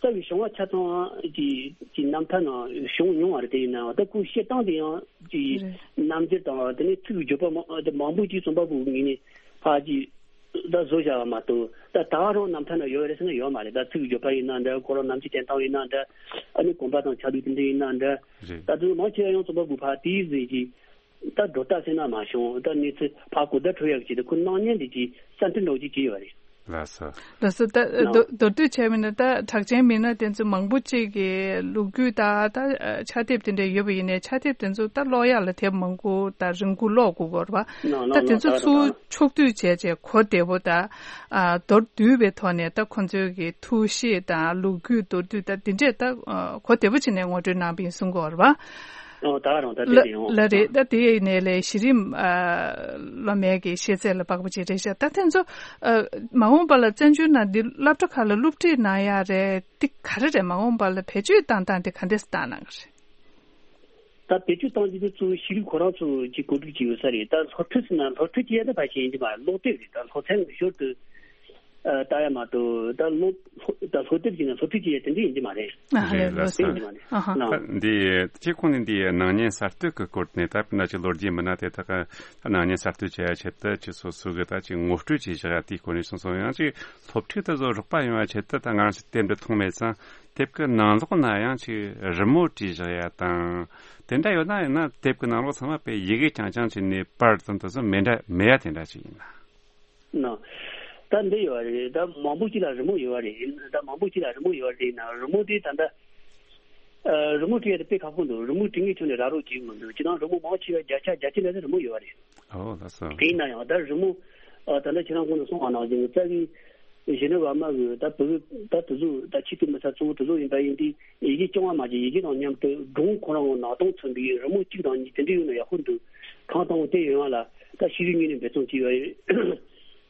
རྩ་བའི་བྱུང་བ་ཆ་ཚང་གི་གི་རྣམ་ཐར་ནང་བྱུང་མྱོང་བ་རེད། དེ་ཡིན་ནའང་ད་ཁོའི་བཤད་སྟངས་དེ་ཡང་གི་རེད། རྣམ་འགྱུར་དང་དེ་ནས་ཚིག་གི་བརྗོད་པ་མང་ད་མང་པོ་ཅིག་རྩོམ་པ་པོའི་ངོས་ནས་ཕར་གྱི་ད་བཟོ་བཞག་པ་མ་གཏོགས། ད་ད་ག་རང་རྣམ་ཐར་ན་ཡོད་རེད་ཟེར་ན་ཡོད་མ་རེད། ད་ཚིག་གི་བརྗོད་པ་ཡིན་ན་འདྲ། ཁོ་རང་ནམ་རྒྱུན་བསྟན་སྟངས་ཡིན་ན་འདྲ། ཨ་ནི་གོམ་པ་དང་ཆ་ལུགས་དེ་འདྲ་ཡིན་ན་འདྲ། རེད། ད་དུང་མང་ཆེ་བ་ཡང་རྩོམ་པ་པོ་ཕར་དེའི་ཟིན་གྱིས་ད་སྒྲོ་བཏགས་ཟེར་ན་མ་བྱུང་། ད་གནས་ཚུལ་ཕར་གོ་བརྡ་འཕྲོད་ཡག་ཆེད་དུ་ཁོ་སྣང་བརྙན་འདི་གྱིས་གསར་འཕྲིན་འདྲ་བོ་ཅིག་བྱས་ཡོད་རེད། ལགས་སོ། ལགས་སོ། ད་ལགས། མདོར་མདོར་བསྡུས་བྱས་པ་ཡིན་ན་ད་གྲགས་ཅན་མི་སྣ་དེ་ཚོ་མང་པོ་ཅིག་གི་ལོ་རྒྱུས་དང་ད་ཕྱག་དེབ་དེ་འདྲ་ཡོད་པ་ཡིན་ནའི་ཕྱག་དེབ་དེ་ཚོ་ད་ཀློག་ཡག་ལ་དེབ་མང་པོ་དང་རིང་པོ་ཀློག་དགོས་ཀྱི་ཡོད་རེད་པ། ལགས་ལགས། ད་དེ་ཚོ་ལགས་ཚུར་ལགས། ཕྱོགས་བསྡུས་བྱས་བྱས་གོ་བདེ་པོ་དང་། ཨ་མདོར་བསྡུས་པའི་ཐོག་ནས་ད་ཁོང་ཚོའི་གི་ཐུགས་བཞེད་དང་ལོ་རྒྱུས་མདོར་བསྡུས་ད་དེ་འདྲས་ད་གོ་བདེ་པོ་བྱས་ནས་ངོ་སྤྲོད་གནང་བ་ཡིན་གསུང་གི་ཡོད་རེད་པ། ཨོ་ད་རང་ད་ལ་དེ་དེ་ཡོང་། ལ་རེད། ད་དེ་ཡིན་ནའི་ལས་གཞི་རིམ་ཨ་སློབ་མའི་གི་ཤེས་ཚད་ལ་དཔག་པ་ཅིག་རེད་ཤག་ད་དེ་ཚོ་ཨ་མ་འོངས་པ་ལ་བཙན་བྱོལ་ནང་འདི་སློབ་གྲྭ་ཁག་ལ་སློབ་ཁྲིད་གནང་ཡག་རེད། འདི་ག་རེ་རེད། མ་འོངས་པ་ལ་བེད་སྤྱོད་བཏང་སྟངས་དེ་ག་འདྲས་བཏང་གནང་གི་རེད། ད་བེད་སྤྱོད་གཏོང་རྒྱུ་དེ་གཙོ་བོ་ཤེས་རིག་ཁོ་རང་ཚོ་གི་གོ་སྒྲིག་བྱས་ཡོད་ས་རེད། ད་སློབ་ཁྲིད་ཟེར་ན་སློབ་ཁྲིད་བྱེད་ཡ་ད་ཕལ་ཆེར་ཡིན་གྱི་མ་རེད། སློབ་དེབ་རེད། ད་སློབ་ཚན་ཞོར་དུ་ཨ་ལྟ་ཡ་མ་གཏོགས་ད་སློབ་ད་སློབ་དེབ་ཀྱི་ནང་སློབ་ཁྲིད་བྱེད་ཡ་དེ་འདྲ་ཡིན་གྱི་མ་རེད། ཨ་ཧ་ལས། རེད་ལགས་ལོ་སོ། ཡིན་གྱི་མ་རེད། ཨ་ཧ། ད་འདི་ཁྱེད་ཁོང་ནས་འདི་ནང་ཉིན་གསར་གཏོད་ཀྱི་སྐོར་ནས་ད་དཔེར་ན་ཅིག་ལོ་རྒྱུས་མི་སྣ་དེ་དག་གི་ད་ནང་ཉིན་གསར་གཏོད་བྱེད་ཡ་ཆེད་དུ་ཅིག་སོ་སོ་གི་ད་ཅིག་ངོ་སྤྲོད་ཅིག་བཞག་ཡ་དེའི་སྐོར་ནས་གསུངས་སོང་། ཡང་ཅིག་སློབ་ཁྲིད་དེ་ཚོ་རོགས་པ་ཡོང་བ་ཆེད་དུ་ད་ང་རང་ཚོ་དེབ་འདི་མཐོང་མེད་ཙང་དེབ་ཀྱི་ནང་ལོགས་ན་ཡང་ཅིག་རི་མོ་བྲིས་བཞག་ཡ་དང་། དེ་འདྲ་ཡོད་ན་ཡང་ན་དེབ་ཀྱི་ནང་ལོགས་ཚང་མ་དཔེ་ཡི་གེ་རྐྱང་རྐྱང་བྱས་ནས་པར་ཙམ་དེ་ཚོ་མེད་འདྲ་མེད་ཡ་དེ་འདྲ་ཅིག་ཡིན་ན། ན། ད་འདི་ཡོད་རེད། ད་མང་པོ་ཅིག་ལ་རི་མོ་ཡོད་རེད། ད་མང་པོ་ཅིག་ལ་རི་མོ་ཡོད་རེད་ན་རི་མོ་དེ་ད་ལྟ་ཨ། རི་མོ་བྲིས་ཡ་དེ་དཔེ་ཁག་པོ་འདུག་རི་མོ་བྲིས་མཁན་ཁྱོན་ནས་རག་རོགས་བྱེད་མི་འདུག་སྤྱིར་བཏང་རི་མོ་མང་ཆེ་བ་བརྒྱ་ཆ་བརྒྱད་ཅུ་ལྷག་ཙམ་རི་མོ་ཡོད་རེད། ཨོ་ལགས་སོ། དེ་ཡིན་ན་ཡང་ད་རི་མོ་ཨ། ད་ལྟ་ཁྱེད་རང་གོང་དུ་གསུངས་པ་ནང་བཞིན་རྩ་བའི་གཞོན་ནུ་བར་མ་གི་ད་བུ་ད་དེ་ཚོ་ད་ཆེད་དུ་མི་ཚ་གཙོ་བོ་དེ་ཚོ་ཡིན་པ་ཡིན་དུས་ཡི་གེ་སྐྱོང་བ་མ་བྱས་ཡི་གེ་དང་མཉམ་དུ་སྒྲུང་ཁོ་རང་གི་ནང་དོན་མཚོན་པའི་རི་མོ་གཅིག་དང་གཉིས་དེ་འདྲ་ཡོད་ན་ཡག་པོ་འདུག་གང་དང་དེ་ཡོང་བ་ལ་ད་ཤེས་རིག་ངོས་ནས་འབད་བརྩོན་བྱས་ཡོད་རེད།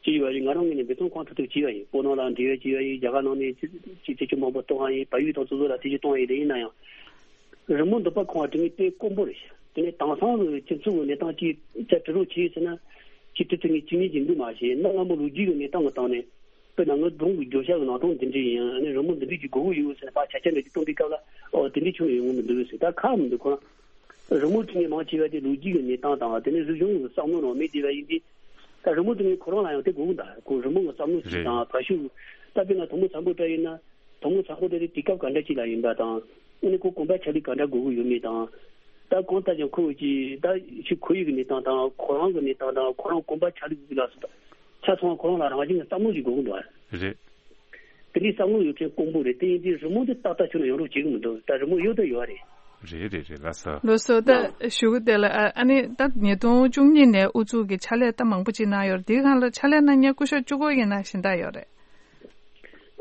བྱས་ཡོད་རེད། ང་རང་ངོས་ནས་འབད་བརྩོན་གང་ཐུབ་ཐུབ་བྱས་ཡོད་རེད། སྤོ་ནོར་ལ་འབྲེལ་བ་བྱས་ཡོད་རེད། རྒྱ་གར་ནང་ནས་ཅི་ཅི་ཅི་མང་པོ་གཏོང་བ་ཡིན། བལ་ཡུལ་དང་སོ་སོ་ལ་དེ་ཅི་གཏོང་བ་ཡིན་རེད། ཡིན་ན་ཡང་རི་མོ་འདི་པ་ཁོང་བ་དེ་ངས་དཔེ་དཀོན་པོ་རེད་ཤག་དེ་ནས་དེང་སང་གི་སྤྱི་ཚོགས་ཀྱི་གནས་སྟངས་ཅིག་ཅ་དྲི་རོགས་བྱས་ཟེར་ན་ཅི་དེ་དེ་ངས་ཅི་ངས་ཅི་འདུག་མ་ཤེས་ན་སྔ་མོ་ལོ་རྒྱུས་ཀྱི་གནས་སྟངས་ཀྱི་སྟེང་ནས་དཔེར་ན་ངའི་སྒྲུང་གི་བརྗོད་བྱ་གི་ནང་དོན་འདི་འདྲ་ཡིན། ཨ་ནི་རི་མོ་འདི་འདྲ་ཅིག་དགོས་ཀྱི་ཡོད་ཟེར་ན་ཕར་ཆ་ཆ་འདྲ་ཅིག་སྟོན་པའི་སྐབས་ལ་ཨོ་དེ་འདྲ་ཁྱོན་ནས་ཡོང་གི་མི་འདུག་ཟེར། ད་ཁག་མི་འདུག་ཁོ་རང་རི་མོ་བྲིས་ནས་མང་ཆེ་བ་དེ་ལོ་རྒྱུས་ཀྱི་གནས་སྟངས་དང་དེ་ནས་རིག་གཞུང་གི་བསམ་བློ་རང་མེད་བསྡད་པ་ཡིན་དུས། ད་རི་མོ་བྲིས་ནས་ཁོ་རང་ལ་ཡང་དེ་དགོས་ཀྱི་འདུག་ཁོ་རི་མོ་གི་བསམ་བློ་ཞིག་རེད། དང་བར་ཤུགས་ད་དཔེར་ན་དོན་མོ་བཟང་པོ་འདྲ་ཡིན་ན་དོན་མོ་བཟང་པོ་དེ་དེ་དུས་སྐབས་ག་འདྲ་ཅིག་ལ་ཡིན་པ་དང་། ཨ་ནི་ཁོ་གོམ་པ་ཆ་ལུགས་ག་འདྲ་དགོས་ཀྱི་ཡོད་མེད་དང་། ད་གང་ལྟར་ཀྱང་ཁོ་གི་ད་ཤི་ཁོར་ཡུག་གི་གནས་སྟངས་དང་ཁོ་རང་གི་གནས་སྟངས་དང་ཁོ་རང་གོམ་པ་ཆ་ལུགས་ལ་སོགས་ཆ་ཚང་ཁོ་རང་ལ་རང་བཞིན་གྱི་བསམ་བློ་ཞིག་དགོས་ཀྱི་འདུག་རེད། དེ་འདྲའི་བསམ་བློ་ཡོད་མཁན་དཀོན་པོ་རེད། དེ་ཡིན་དུས་རི་མོ་འདི་ཏག་ཏག་ཁྱོན་ནས་ཡོང་རོགས་བྱེད་ཀྱི་མི་འདུག་ད་རི་མོ་ཡོད་དང་ཡོད་རེད། རེད་རེད་རེད། ལགས་སོ། ལགས་སོ། ད་ལགས། ཞུ་གི་དེ་ལ་ཨ་ཨ་ནི་ད་ཉིས་སྟོང་བཅུ་གཉིས་ནས་ཨུ་ཚུགས་ཀྱི་ཕྱག་ལས་ད་མང་པོ་ཅིག་གནང་ཡོད་རེད། དེའི་སྒང་ལ་ཕྱག་ལས་གནང་མཁན་སྐུ་ཞབས་བཅུ་དགུ་ཡིན་ན་གཞན་དག་ཡོད་རེད།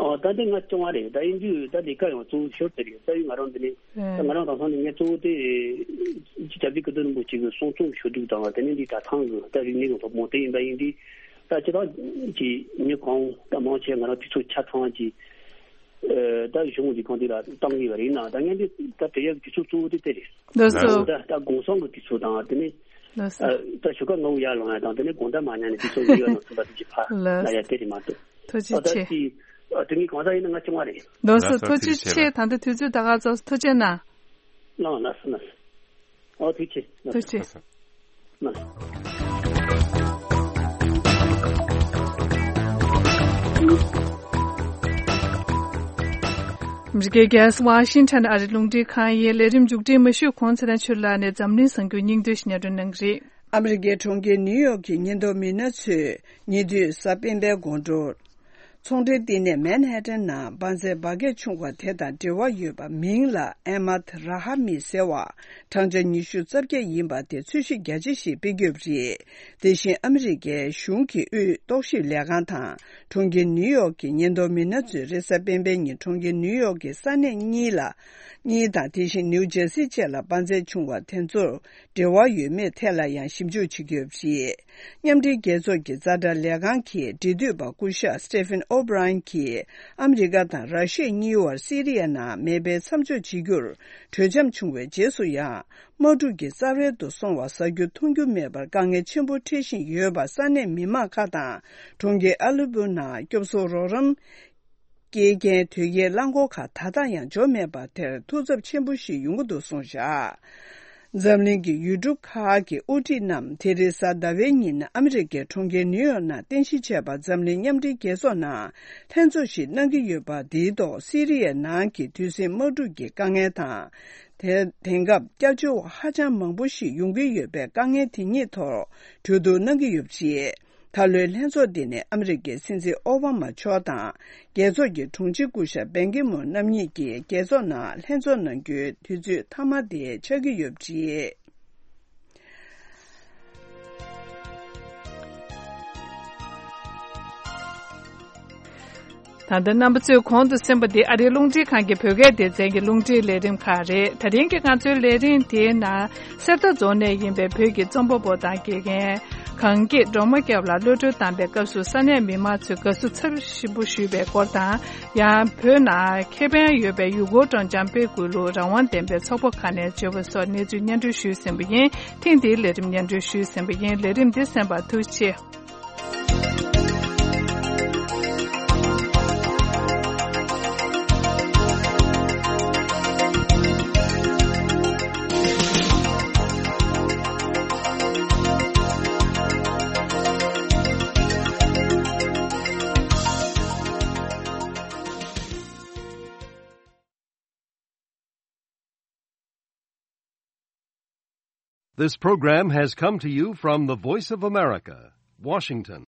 ཨོ་ད་འདི་ང་སྐྱོང་བ་རེད། ད་ཡིན་དུས་ད་ལས་ཀ་ཡང་གཙོ་བོ་ཞོར་དེ་རེད། རྩ་བའི་ང་རང་འདི་ནས་ད་ང་རང་དེང་སང་ནས་ངས་གཙོ་བོ་དེ་སྐྱབས་རྗེ་ཀིརྟི་རིན་པོ་ཆེ་གི་གསུང་རྩོམ་ཞུ་གཏུག་དང་དེ་ནས་འདི་གྲྭ་ཚང་གི་ད་རིག་གནས་ཀྱི་སློབ་སྦྱོང་དེ་ཡིན་པ་ཡིན་དུས། ད་སྤྱིར་བཏང་གི་མི་གང་ད་མང་ཆེ་ང་རང་དུས་ཚོད་ཆ་ཚང་གི་ཨ་ད་གཞུང་གི་གང་དེ་ལ་བཏང་གི་ཡོད་རེད། ཡིན་ནའང་ད་ངས་འདི་ད་དེ་ཡག་གི་དུས་ཚོད་གཙོ་བོ་དེ་དེ་རེད། ལགས་སོ། ད་ད་དགོང་སང་གི་དུས་ཚོད་དང་དེ་ནས་ལགས་སོ། ཨ་ད་ཞོགས་ཀ་སྔ་བོ་ཡར་ལངས་ཡ་དང་དེ་ནས་དགོང་དག་མ་ཉལ་ནས་དུས་ཚོད་ཡོད་ནང་ཚུད་པ་དེ་ཅིག་ཕར་ལགས་ལ་ཡ་དེ་རེད་མ་གཏོགས། ཐུགས་རྗེ་ཨ་ད་ཆེ། དེ་ཨ་དེ་ངས་གང་ཟག་ཡིན་ན་ང་སྐྱོང་བ་རེད། ལགས་སོ། ལགས་སོ། ཐུགས་རྗེ་ཐུགས་རྗེ་ཆེ། ཆེ། ད་ལྟ་དུས་ཚོད་ད་ག་ཚོད་ཐུགས་རྗེ་གནང་། ལགས་ལགས་སོ་ལགས་སོ། ཨོ་ཐུགས་རྗེ་ཆེ། ཐུགས་རྗེ་ཆེ། ལགས་སོ། ཨ་མི་རི་ཀའི་རྒྱལ་ས་ཝ་ཤིང་ཊོན་ཨ་རིའི་རླུང་འཕྲིན་ཁང་ཡི་ལས་རིམ་མཇུག་སྒྲིལ་མ་ཞུས་གོང་ཚེ་རིང་ཆོས་ལགས་ནས་འཛམ་གླིང་གསར་འགྱུར་སྙིང་བསྡུས་ཤིག་སྙན་སྒྲོན་གནང་གི་རེད། ཨ་མི་རི་ཀའི་གྲོང་ཁྱེར་ནིའུ་ཡོག་གི་ཉེན་རྟོག་མི་སྣ་ཚོས་ཉེ་དུས་གཟའ་སྤེན་པའི་དགོང་དྲོར། ཚོང་འབྲེལ་བསྟི་གནས་མན་ཧེ་ཏན་ནང་དཔའ་མཛངས་འབར་གས་བྱུང་བ་དེ་དང་འབྲེལ་བ་ཡོད་པ་མིང་ལ་ཨེ་མཱད་ར་ཧ་མི་ཟེར་བ་གྲངས་ཆ་ཉི་ཤུ་རྩ་བརྒྱད་ཡིན་པ་དེ་འཚོལ་ཞིབ་རྒྱ་ཆེ་ཞིག་སྤེལ་གྱི་ཡོད་པ་རེད། དེ་བཞིན་ཨ་མི་རི་ཀའི་གཞུང་གི་དབུས་རྟོག་ཞིབ་ལས་ཁང་དང་གྲོང་ཁྱེར་ནིའུ་ཡོག་གི་ཉེན་རྟོག་མི་སྣ་ཚོས་རེས་གཟའ་སྤེན་པའི་ཉིན་གྲོང་ཁྱེར་ནིའུ་ཡོག་གི་ས་གནས་གཉིས་ལ་གཉིས་དང་དེ་བཞིན་ནིའུ་ཇར་སི་བཅས་ལ་དཔའ་མཛངས་བྱུང་བ་དེ་ཚོར་འབྲེལ་བ་ཡོད་མེད་ཐད་ལ་ཡང་ཞིབ་འཇུག་བྱེད་ཀྱི་ཡོད་པ་རེད། མཉམ་འབྲེལ་རྒྱལ་ཚོགས་ཀྱི་རྩ་ཁྲག་ལས་ཁང་གི་འབྲེལ་མཐུད་པ་སྐུ་ཞབས་Stephen O'Brien་གྱིས་ཨ་མི་རི་ཀ་དང་ར་ཤི་ཡ་གཉིས་བར་སི་རི་ཡའི་ནང་མེ་འཕེན་མཚམས་འཇོག་བྱེད་རྒྱུར་གྲོས་འཆམ་བྱུང་བའི་རྗེས་སུ་ཡང་། དམག་འཁྲུག་གི་རྩ་བར་དུ་སོང་བ་གསར་འགྱུར་མཐོང་རྒྱུ་མེད་པར་དཀའ་ངལ་ཆེན་པོ་འཕྲད་བཞིན་ཡོད་པ་ས་གནས་མི་མང་ཁག་དང་གྲོང་ཁྱེར་ཨ་ལི་པུ་ནང་སྐྱོབ་གསོ་རོགས་རམ། སྐྱེལ་མཁན་དོས་སྐྱེལ་རླངས་འཁོར་ཁག་ད་ལྟ་ཡང་འབྱོར་མེད་པ་དེར་ཐུགས་འཚབ་ཆེན་པོ་ཞིག་ཡོང་གི་འདུག་གསུངས་བཞག་འཛམ་གླིང་གི་ཡུལ་གྲུ་ཁག་གི་དབུ་ཁྲིད་རྣམས་དེ་རིང་གཟའ་ཟླ་བའི་ཉིན་ཨ་མི་རི་ཀའི་གྲོང་ཁྱེར་ནིའུ་ཡོག་ནང་རྟེན་གཞི་བྱས་པ་འཛམ་གླིང་མཉམ་འབྲེལ་རྒྱལ་ཚོགས་ནང་ལྷན་ཚོགས་ཤིག་གནང་གི་ཡོད་པ་འདིའི་ཐོག་སི་རི་ཡའི་ནང་གི་དུས་ཟིང་དམག་འཁྲུག་གི་དཀའ་ངལ་དང་། དེ་དེང་སྐབས་སྐྱབས་བཅོལ་བ་ཧ་ཅང་མང་པོ་ཞིག་ཡོང་གི་ཡོད་པའི་དཀའ་ངལ་དེ་གཉིས་ཐོག་གྲོས་བསྡུར་གནང་གི་ཡོད་པ་རེད། ད་ལོའི་ལྷན་ཚོགས་འདི་ནི་ཨ་མི་རི་ཀའི་སྲིད་འཛིན་ཨོ་བྷ་མ་མཆོག་དང་རྒྱལ་ཚོགས་ཀྱི་དྲུང་ཆེ་སྐུ་ཞབས་བན་ཀི་མུན་རྣམ་གཉིས་ཀྱིས་རྒྱལ་ཚོགས་ནང་ལྷན་ཚོགས་གནང་རྒྱུའི་དུས་ཚོད་མཐའ་མ་དེ་ཆགས་ཀྱི་ཡོད་པ་རེད། ད་ལྟ་རྣམ་པ་ཚོས་གོང་དུ་གསན་པ་འདི་ཨ་རིའི་རླུང་འཕྲིན་ཁང་གི་བོད་སྐད་སྡེ་ཚན་གྱི་རླུང་འཕྲིན་ལས་རིམ་ཁག་རེད། ད་རིང་གི་ང་ཚོའི་ལས་རིམ་དེའི་ནང་གསེར་རྟ་རྫོང་ནས་ཡིན་པའི་བོད་ཀྱི་རྩོམ་པ་པོ་དང་དགེ་རྒན། གངས་སྐྱིད་སྒྲོལ་མ་སྐྱབས་ལ་གློད་གྲོལ་བཏང་པའི་སྐབས་སུ་ས་གནས་མི་མང་ཚོས་དགའ་བསུ་ཚབས་ཆེན་པོ་ཞུས་པའི་སྐོར་དང་། ཡང་བོད་ནང་ཁེ་ཕན་ཡོད་པའི་ཡུལ་སྐོར་སྤྲོ་འཆམ་སྤེལ་དགོས་ལུགས་རང་དབང་ལྡན་པའི་ཚོགས་པ་ཁག་ནས་བརྗོད་པ་སོགས་གནས་ཚུལ་སྙན་སྒྲོན་ཞུས་ཟིན་པ་ཡིན། ཐེངས་འདིའི་ལས་རིམ་སྙན་སྒྲོན་ཞུས་ཟིན་པ་ཡིན། ལས་རིམ་འདི་གསན་པར་ཐུགས་རྗེ་ཆེ། This program has come to you from the Voice of America, Washington.